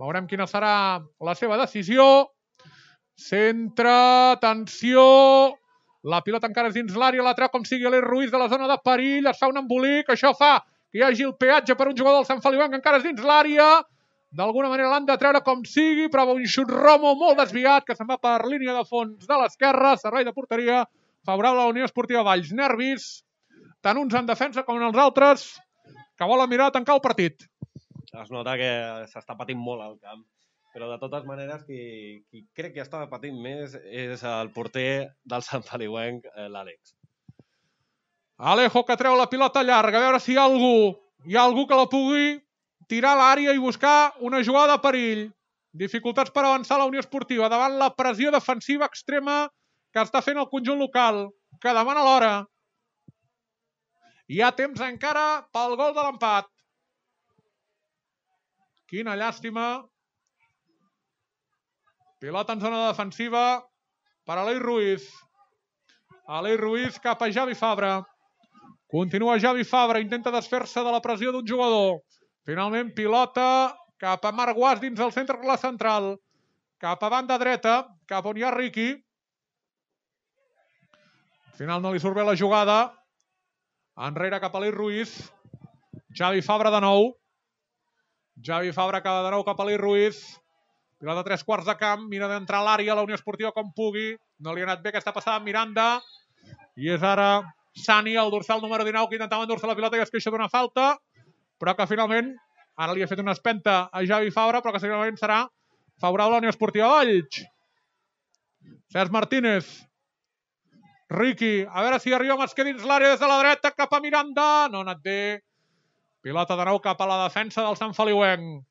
Veurem quina serà la seva decisió. Centre, atenció. La pilota encara és dins l'àrea, la treu com sigui Alei Ruiz de la zona de perill. Es fa un embolic, això fa que hi hagi el peatge per un jugador del Sant Feliuenc, encara és dins l'àrea. D'alguna manera l'han de treure com sigui, però un xut Romo molt desviat, que se'n va per línia de fons de l'esquerra. Servei de porteria favorable a la Unió Esportiva Valls. Nervis, tant uns en defensa com els altres, que volen mirar a tancar el partit. Es nota que s'està patint molt al camp, però de totes maneres qui, qui crec que està patint més és el porter del Sant Feliuenc, l'Àlex. Alejo, que treu la pilota llarga, a veure si hi ha algú, hi ha algú que la pugui tirar a l'àrea i buscar una jugada de perill. Dificultats per avançar la Unió Esportiva davant la pressió defensiva extrema que està fent el conjunt local, que demana l'hora. Hi ha temps encara pel gol de l'empat. Quina llàstima. Pilota en zona defensiva per Alei Ruiz. Aleix Ruiz cap a Javi Fabra. Continua Javi Fabra, intenta desfer-se de la pressió d'un jugador. Finalment pilota cap a Marc Guas dins el centre de la central. Cap a banda dreta, cap on hi ha Riqui. Al final no li surt bé la jugada. Enrere cap a Aleix Ruiz. Javi Fabra de nou. Javi Fabra acaba de nou cap a Aleix Ruiz. Pilota tres quarts de camp. Mira d'entrar a l'àrea, la Unió Esportiva com pugui. No li ha anat bé aquesta passada amb Miranda. I és ara Sani, el dorsal número dinou, que intentava endur-se la pilota i es queixa d'una falta, però que finalment ara li ha fet una espenta a Javi Fabra, però que finalment serà favorable a la Unió Esportiva Valls. Cesc Martínez. Riqui, a veure si arriba Masquer dins l'àrea des de la dreta, cap a Miranda. No ha anat bé. Pilota de nou cap a la defensa del Sant Feliuenc.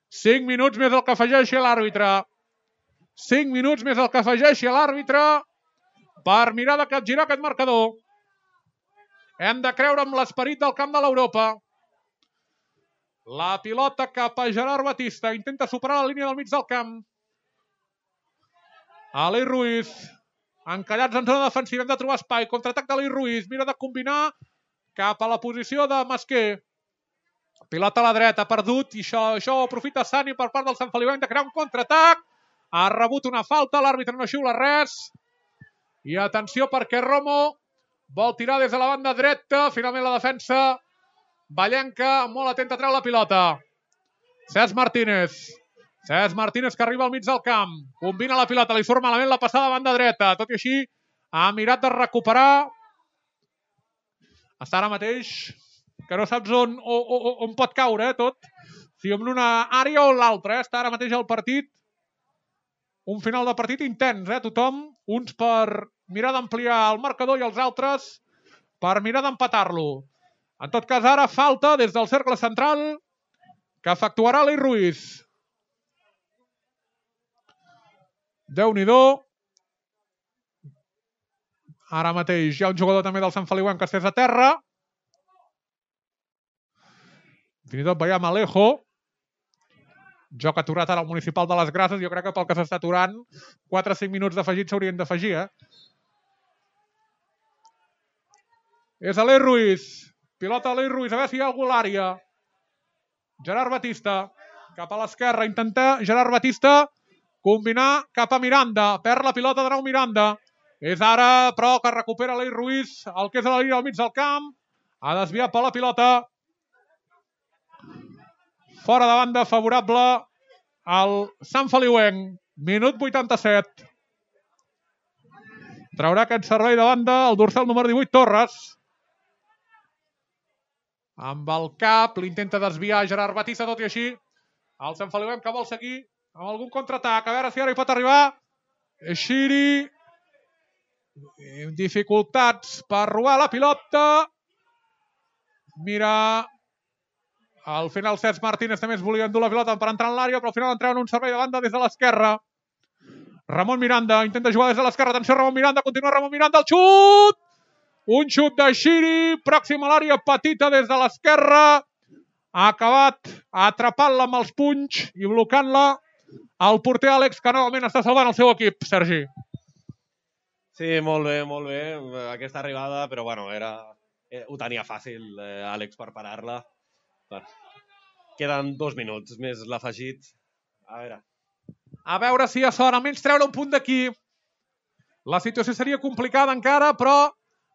cinc minuts més el que afegeixi l'àrbitre. cinc minuts més el que afegeixi l'àrbitre per mirar de capgirar aquest marcador. Hem de creure en l'esperit del camp de l'Europa. La pilota cap a Gerard Batista. Intenta superar la línia del mig del camp. Aleix Ruiz. Encallats en zona defensiva. Hem de trobar espai. Contraatac d'Aleix Ruiz. Mira de combinar cap a la posició de Masquer. Pilota a la dreta. Perdut. I això, això ho aprofita Sani per part del Sant Feliuenc de crear un contraatac. Ha rebut una falta. L'àrbitre no xiula res. I atenció perquè Romo vol tirar des de la banda dreta. Finalment la defensa vallenca, molt atenta a treure la pilota. Cesc Martínez. Cesc Martínez que arriba al mig del camp. Combina la pilota, li surt malament la passada a banda dreta. Tot i així, ha mirat de recuperar. Està ara mateix que no saps on, on, on pot caure, eh, tot. Si en una àrea o l'altra. Eh? Està ara mateix el partit. Un final de partit intens, eh? Tothom, uns per mirar d'ampliar el marcador i els altres per mirar d'empatar-lo. En tot cas, ara falta des del cercle central que efectuarà Aleix Ruiz. Déu-n'hi-do. Ara mateix hi ha un jugador també del Sant Feliuenc que estès a terra. Fins i tot veiem Alejo. Joc aturat ara al Municipal de les Grases. Jo crec que pel que s'està aturant, quatre o cinc minuts d'afegit s'haurien d'afegir, eh? És Aleix Ruiz. Pilota Aleix Ruiz. A veure si hi ha algú a l'àrea. Gerard Batista. Cap a l'esquerra. Intenta Gerard Batista combinar cap a Miranda. Perd la pilota de nou Miranda. És ara, però, que recupera Aleix Ruiz. El que és a la línia al mig del camp. Ha desviat per la pilota. Fora de banda favorable al Sant Feliuenc. Minut vuitanta-set. Traurà aquest servei de banda el dorsal número divuit, Torres. Amb el cap, l'intenta desviar Gerard Batista, tot i així. El Sant Feliuenc que vol seguir amb algun contraatac. A veure si ara hi pot arribar. Xiri. Dificultats per robar la pilota. Mira. Al final Cesc Martínez també es volia endur la pilota per entrar en l'àrea, però al final entrava en un servei de banda des de l'esquerra. Ramon Miranda intenta jugar des de l'esquerra. Atenció, Ramon Miranda. Continua Ramon Miranda. El xut! Un xut de Xiri. Pròxim a l'àrea petita des de l'esquerra. Ha acabat atrapant-la amb els punys i blocant-la el porter Àlex, que novament està salvant el seu equip, Sergi. Sí, molt bé, molt bé. Aquesta arribada, però bueno, era... ho tenia fàcil, eh, Àlex, per parar-la. Queden dos minuts, més l'afegit. A veure. A veure si a sort, almenys treure un punt d'aquí. La situació seria complicada encara, però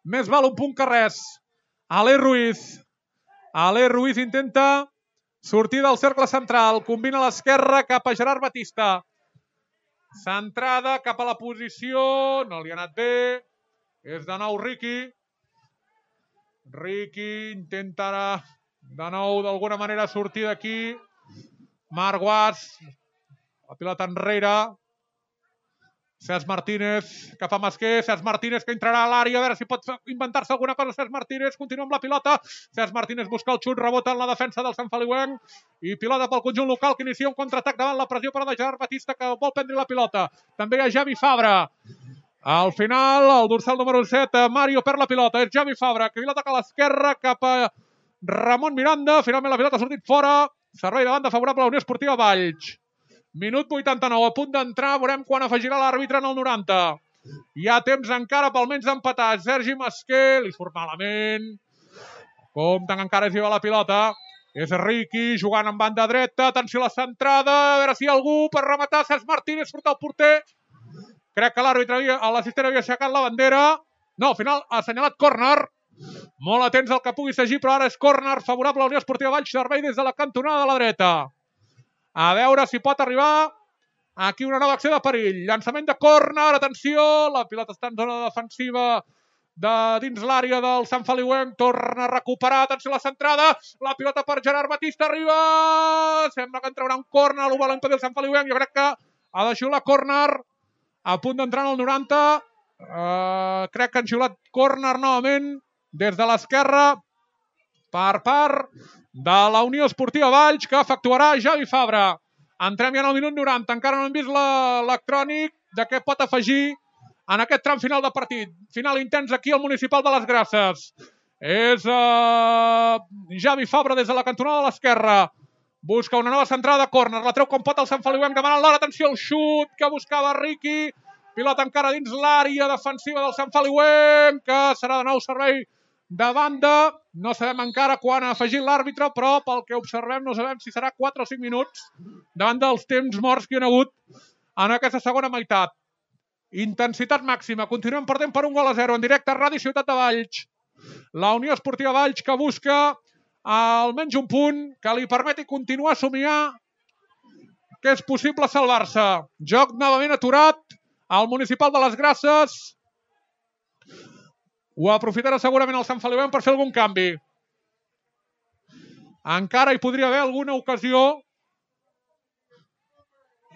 més val un punt que res. Aleix Ruiz. Aleix Ruiz intenta sortir del cercle central. Combina a l'esquerra cap a Gerard Batista. Centrada cap a la posició. No li ha anat bé. És de nou Riqui. Riqui intentarà de nou d'alguna manera sortir d'aquí. Marc Guas. La pilota enrere. Cesc Martínez cap a Masquer. Cesc Martínez que entrarà a l'àrea. A veure si pot inventar-se alguna cosa. Cesc Martínez continua amb la pilota. Cesc Martínez busca el xut. Rebota en la defensa del Sant Feliuenc. I pilota pel conjunt local que inicia un contraatac davant la pressió per a Gerard Batista que vol prendre la pilota. També hi ha Javi Fabra. Al final, el dorsal número set, Mario perd la pilota. És Javi Fabra que pilota a l'esquerra cap a Ramon Miranda. Finalment la pilota ha sortit fora. Servei de banda favorable a la Unió Esportiva Valls. Minut vuitanta-nou, a punt d'entrar. Veurem quan afegirà l'àrbitre en el noranta. Hi ha temps encara pel menys d'empatar. Sergi Masquer, li surt malament. Compten encara és la pilota. És Riqui jugant en banda dreta. Atenció a la centrada. A veure si hi ha algú per rematar. Cesc Martínez surt el porter. Crec que l'àrbitre, l'assistent havia aixecat la bandera. No, al final ha assenyalat córner. Molt atents al que pugui seguir, però ara és córner favorable a la Unió Esportiva Valls, servei des de la cantonada de la dreta. A veure si pot arribar aquí una nova acció de perill. Llançament de córner, atenció, la pilota està en zona defensiva de dins l'àrea del Sant Feliuenc, torna a recuperar, atenció a la centrada, la pilota per Gerard Batista, arriba, sembla que en traurà un córner, ho vol impedir el Sant Feliuenc, jo crec que ha de xiular córner, a punt d'entrar en el noranta, uh, crec que han xiulat córner novament, des de l'esquerra, per part de la Unió Esportiva Valls, que efectuarà Javi Fabra. Entrem ja en el minut noranta, encara no hem vist l'electrònic de què pot afegir en aquest tram final de partit. Final intens aquí al Municipal de les Grasses. És uh, Javi Fabra des de la cantonada de l'esquerra. Busca una nova centrada de córner, la treu com pot el Sant Feliuenc, demanant l'hora, atenció al xut que buscava Riqui. Pilota encara dins l'àrea defensiva del Sant Feliuenc, que serà de nou servei de banda. No sabem encara quan ha afegit l'àrbitre, però pel que observem no sabem si serà quatre o cinc minuts davant dels temps morts que hi ha hagut en aquesta segona meitat. Intensitat màxima, continuem perdent per un gol a zero en directe a Ràdio Ciutat de Valls. La Unió Esportiva Valls que busca almenys un punt que li permeti continuar a somiar que és possible salvar-se. Joc novament aturat al Municipal de les Grasses. Ho aprofitarà segurament el Sant Feliuenc per fer algun canvi. Encara hi podria haver alguna ocasió.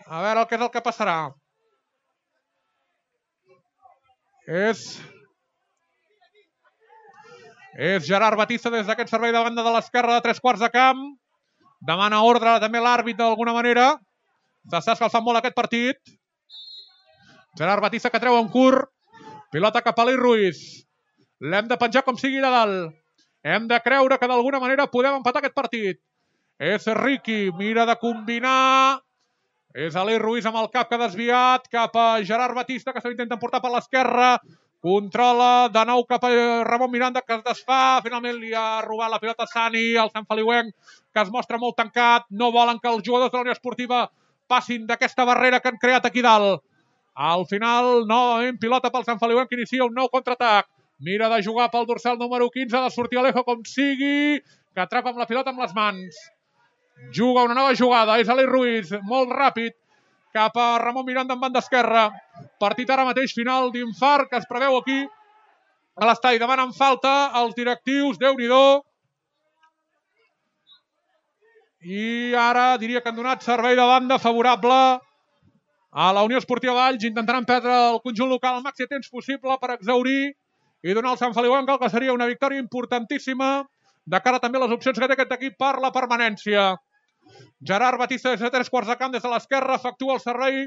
A veure què és el que passarà. És... És Gerard Batista des d'aquest servei de banda de l'esquerra de tres quarts de camp. Demana ordre també l'àrbit d'alguna manera. S'està escalfant molt aquest partit. Gerard Batista que treu en curt. Pilota cap a l'Eli Ruiz. L'hem de penjar com sigui de dalt. Hem de creure que d'alguna manera podem empatar aquest partit. És Riqui, mira de combinar. És l'Eli Ruiz amb el cap que ha desviat cap a Gerard Batista, que se l'intenta portar per l'esquerra. Controla de nou cap a Ramon Miranda, que es desfà. Finalment li ha robat la pilota a Sani, el Sant Feliuenc, que es mostra molt tancat. No volen que els jugadors de la Unió Esportiva passin d'aquesta barrera que han creat aquí dalt. Al final, novament, pilota pel Sant Feliuenc, que inicia un nou contraatac. Mira de jugar pel dorsal número quinze, ha de sortir Alejo com sigui, que atrapa amb la pilota amb les mans. Juga una nova jugada, és l'Eli Ruiz, molt ràpid, cap a Ramon Miranda en banda esquerra. Partit ara mateix final d'infart que es preveu aquí a l'estadi. Demanen falta els directius, Déu-n'hi-do. I ara diria que han donat servei de banda favorable a la Unió Esportiva Valls. Intentaran perdre el conjunt local al màxim temps possible per exaurir i donar al Sant Feliuenc el que seria una victòria importantíssima de cara també a les opcions que té aquest equip per la permanència. Gerard Batista des de tres quarts de camp des de l'esquerra efectua el servei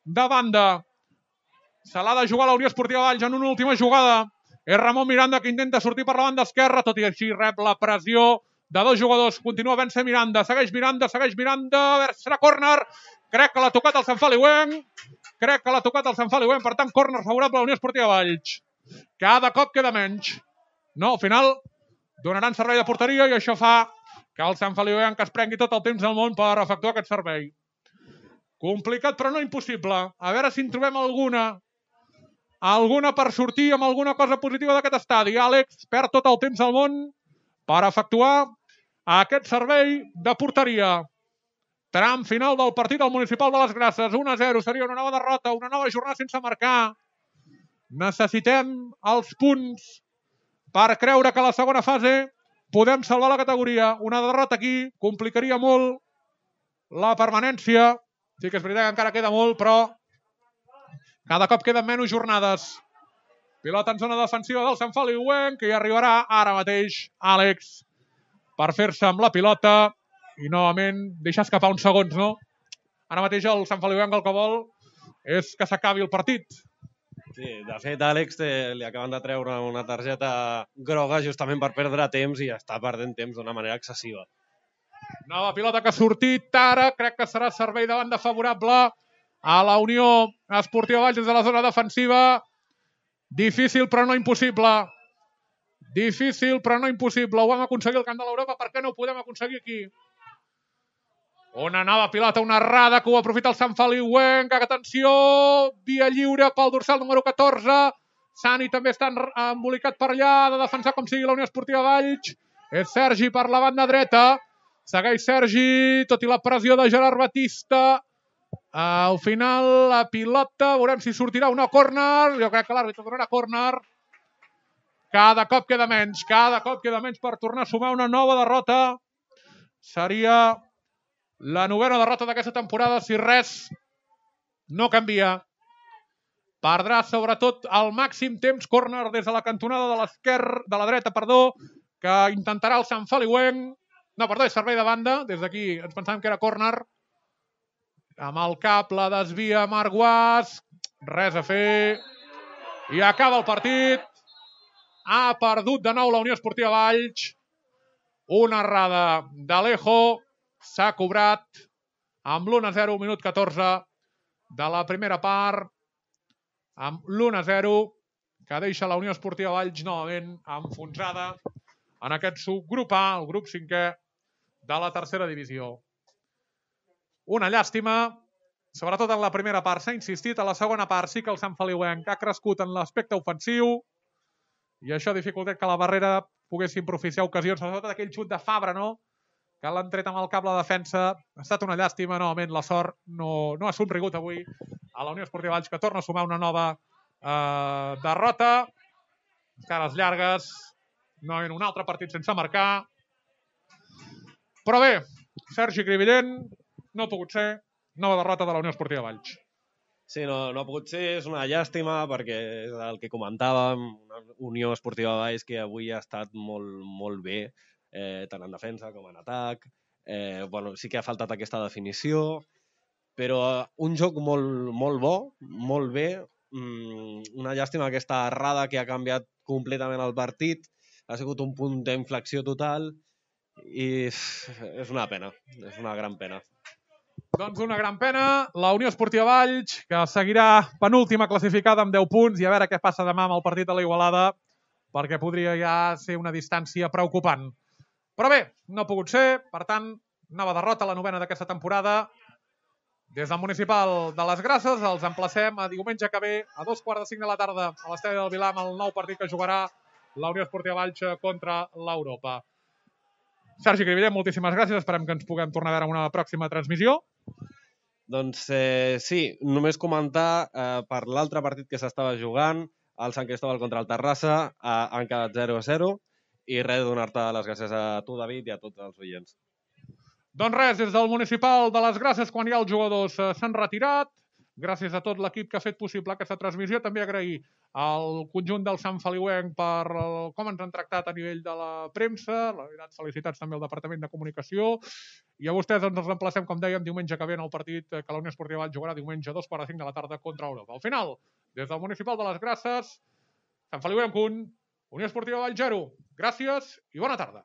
de banda. Se l'ha de jugar la Unió Esportiva Valls en una última jugada. És Ramon Miranda que intenta sortir per la banda esquerra, tot i així rep la pressió de dos jugadors. Continua vèncer Miranda, segueix Miranda, segueix Miranda, a veure si serà córner. Crec que l'ha tocat el Sant Feliuenc. Crec que l'ha tocat el Sant Feliuenc, per tant, córner favorable a la Unió Esportiva Valls. Cada cop queda menys. No, al final donaran servei de porteria i això fa que el Sant Feliuenc es prengui tot el temps del món per efectuar aquest servei. Complicat però no impossible. A veure si en trobem alguna. Alguna per sortir amb alguna cosa positiva d'aquest estadi. Àlex perd tot el temps del món per efectuar aquest servei de porteria. Tram final del partit al Municipal de les Grasses. un a zero seria una nova derrota, una nova jornada sense marcar. Necessitem els punts per creure que a la segona fase podem salvar la categoria. Una derrota aquí complicaria molt la permanència. Sí que és veritat que encara queda molt, però cada cop queden menys jornades. Pilota en zona defensiva del Sant Feliuenc, que hi arribarà ara mateix Àlex per fer-se amb la pilota i novament deixar escapar uns segons, no? Ara mateix el Sant Feliuenc el que vol és que s'acabi el partit. Sí, de fet, Àlex té, li acaben de treure una targeta groga justament per perdre temps i està perdent temps d'una manera excessiva. Nova pilota que ha sortit ara, crec que serà servei de banda favorable a la Unió Esportiva Valls des de la zona defensiva. Difícil però no impossible. Difícil però no impossible. Ho vam aconseguir al camp de l'Europa, per què no ho podem aconseguir aquí? Una nova pilota, una errada que ho aprofita el Sant Feliuenc. Atenció, via lliure pel dorsal número catorze. Sani també està embolicat per allà, de defensar com sigui la Unió Esportiva Valls. És Sergi per la banda dreta. Segueix Sergi, tot i la pressió de Gerard Batista. Al final, la pilota, veurem si sortirà o no córner. Jo crec que l'àrbitre donarà córner. Cada cop queda menys, cada cop queda menys per tornar a sumar una nova derrota. Seria la novena derrota d'aquesta temporada, si res no canvia. Perdrà sobretot el màxim temps, córner des de la cantonada de l'esquerra, de la dreta, perdó, que intentarà el Sant Feliuenc. No, perdó, és servei de banda. Des d'aquí ens pensàvem que era córner. Amb el cap la desvia Marc Guas. Res a fer. I acaba el partit. Ha perdut de nou la Unió Esportiva Valls. Una errada d'Alejo. S'ha cobrat amb l'u a zero, minut catorze de la primera part. Amb l'u a zero, que deixa la Unió Esportiva Valls novament enfonsada en aquest subgrup A, el grup cinquè de la tercera divisió. Una llàstima, sobretot en la primera part s'ha insistit, a la segona part sí que el Sant Feliuenc ha crescut en l'aspecte ofensiu i això ha dificultat que la Barrera poguessin propiciar ocasions, sobretot aquell xut de Fabra, no? Que l'han tret amb el cap la defensa. Ha estat una llàstima, novament la sort no, no ha somrigut avui a la Unió Esportiva Valls, que torna a sumar una nova eh, derrota. Cares llargues, no en un altre partit sense marcar. Però bé, Sergi Cribillent, no ha pogut ser, nova derrota de la Unió Esportiva Valls. Sí, no, no ha pogut ser, és una llàstima perquè és el que comentàvem, una Unió Esportiva Valls que avui ha estat molt, molt bé, eh, tant en defensa com en atac. Eh, bueno, sí que ha faltat aquesta definició, però un joc molt, molt bo, molt bé. Mm, una llàstima aquesta errada que ha canviat completament el partit. Ha sigut un punt d'inflexió total i és una pena, és una gran pena. Doncs una gran pena. La Unió Esportiva Valls, que seguirà penúltima classificada amb deu punts, i a veure què passa demà amb el partit de la Igualada, perquè podria ja ser una distància preocupant. Però bé, no ha pogut ser, per tant, nova derrota, la novena d'aquesta temporada. Des del municipal de les Grasses els emplacem a diumenge que ve a dos quarts de cinc de la tarda a l'Estadi del Vilar amb el nou partit que jugarà la Unió Esportiva Valls contra l'Europa. Sergi Cribillent, moltíssimes gràcies. Esperem que ens puguem tornar a veure en una pròxima transmissió. Doncs eh, sí, només comentar eh, per l'altre partit que s'estava jugant, el Sant Cristóbal contra el Terrassa, eh, han quedat zero a zero, i res, donar-te les gràcies a tu, David, i a tots els oients. Doncs res, des del municipal de les Grasses, quan ja els jugadors eh, s'han retirat, gràcies a tot l'equip que ha fet possible aquesta transmissió, també agrair al conjunt del Sant Feliuenc per el, com ens han tractat a nivell de la premsa, la veritat, felicitats també al Departament de Comunicació, i a vostès ens emplacem, com dèiem, diumenge que ve en el partit que la Unió Esportiva Valls jugarà diumenge a dos quarts de cinc de la tarda contra Europa. Al final, des del municipal de les Grasses, Sant Feliuenc un, Unió Esportiva Valls zero. Gràcies i bona tarda.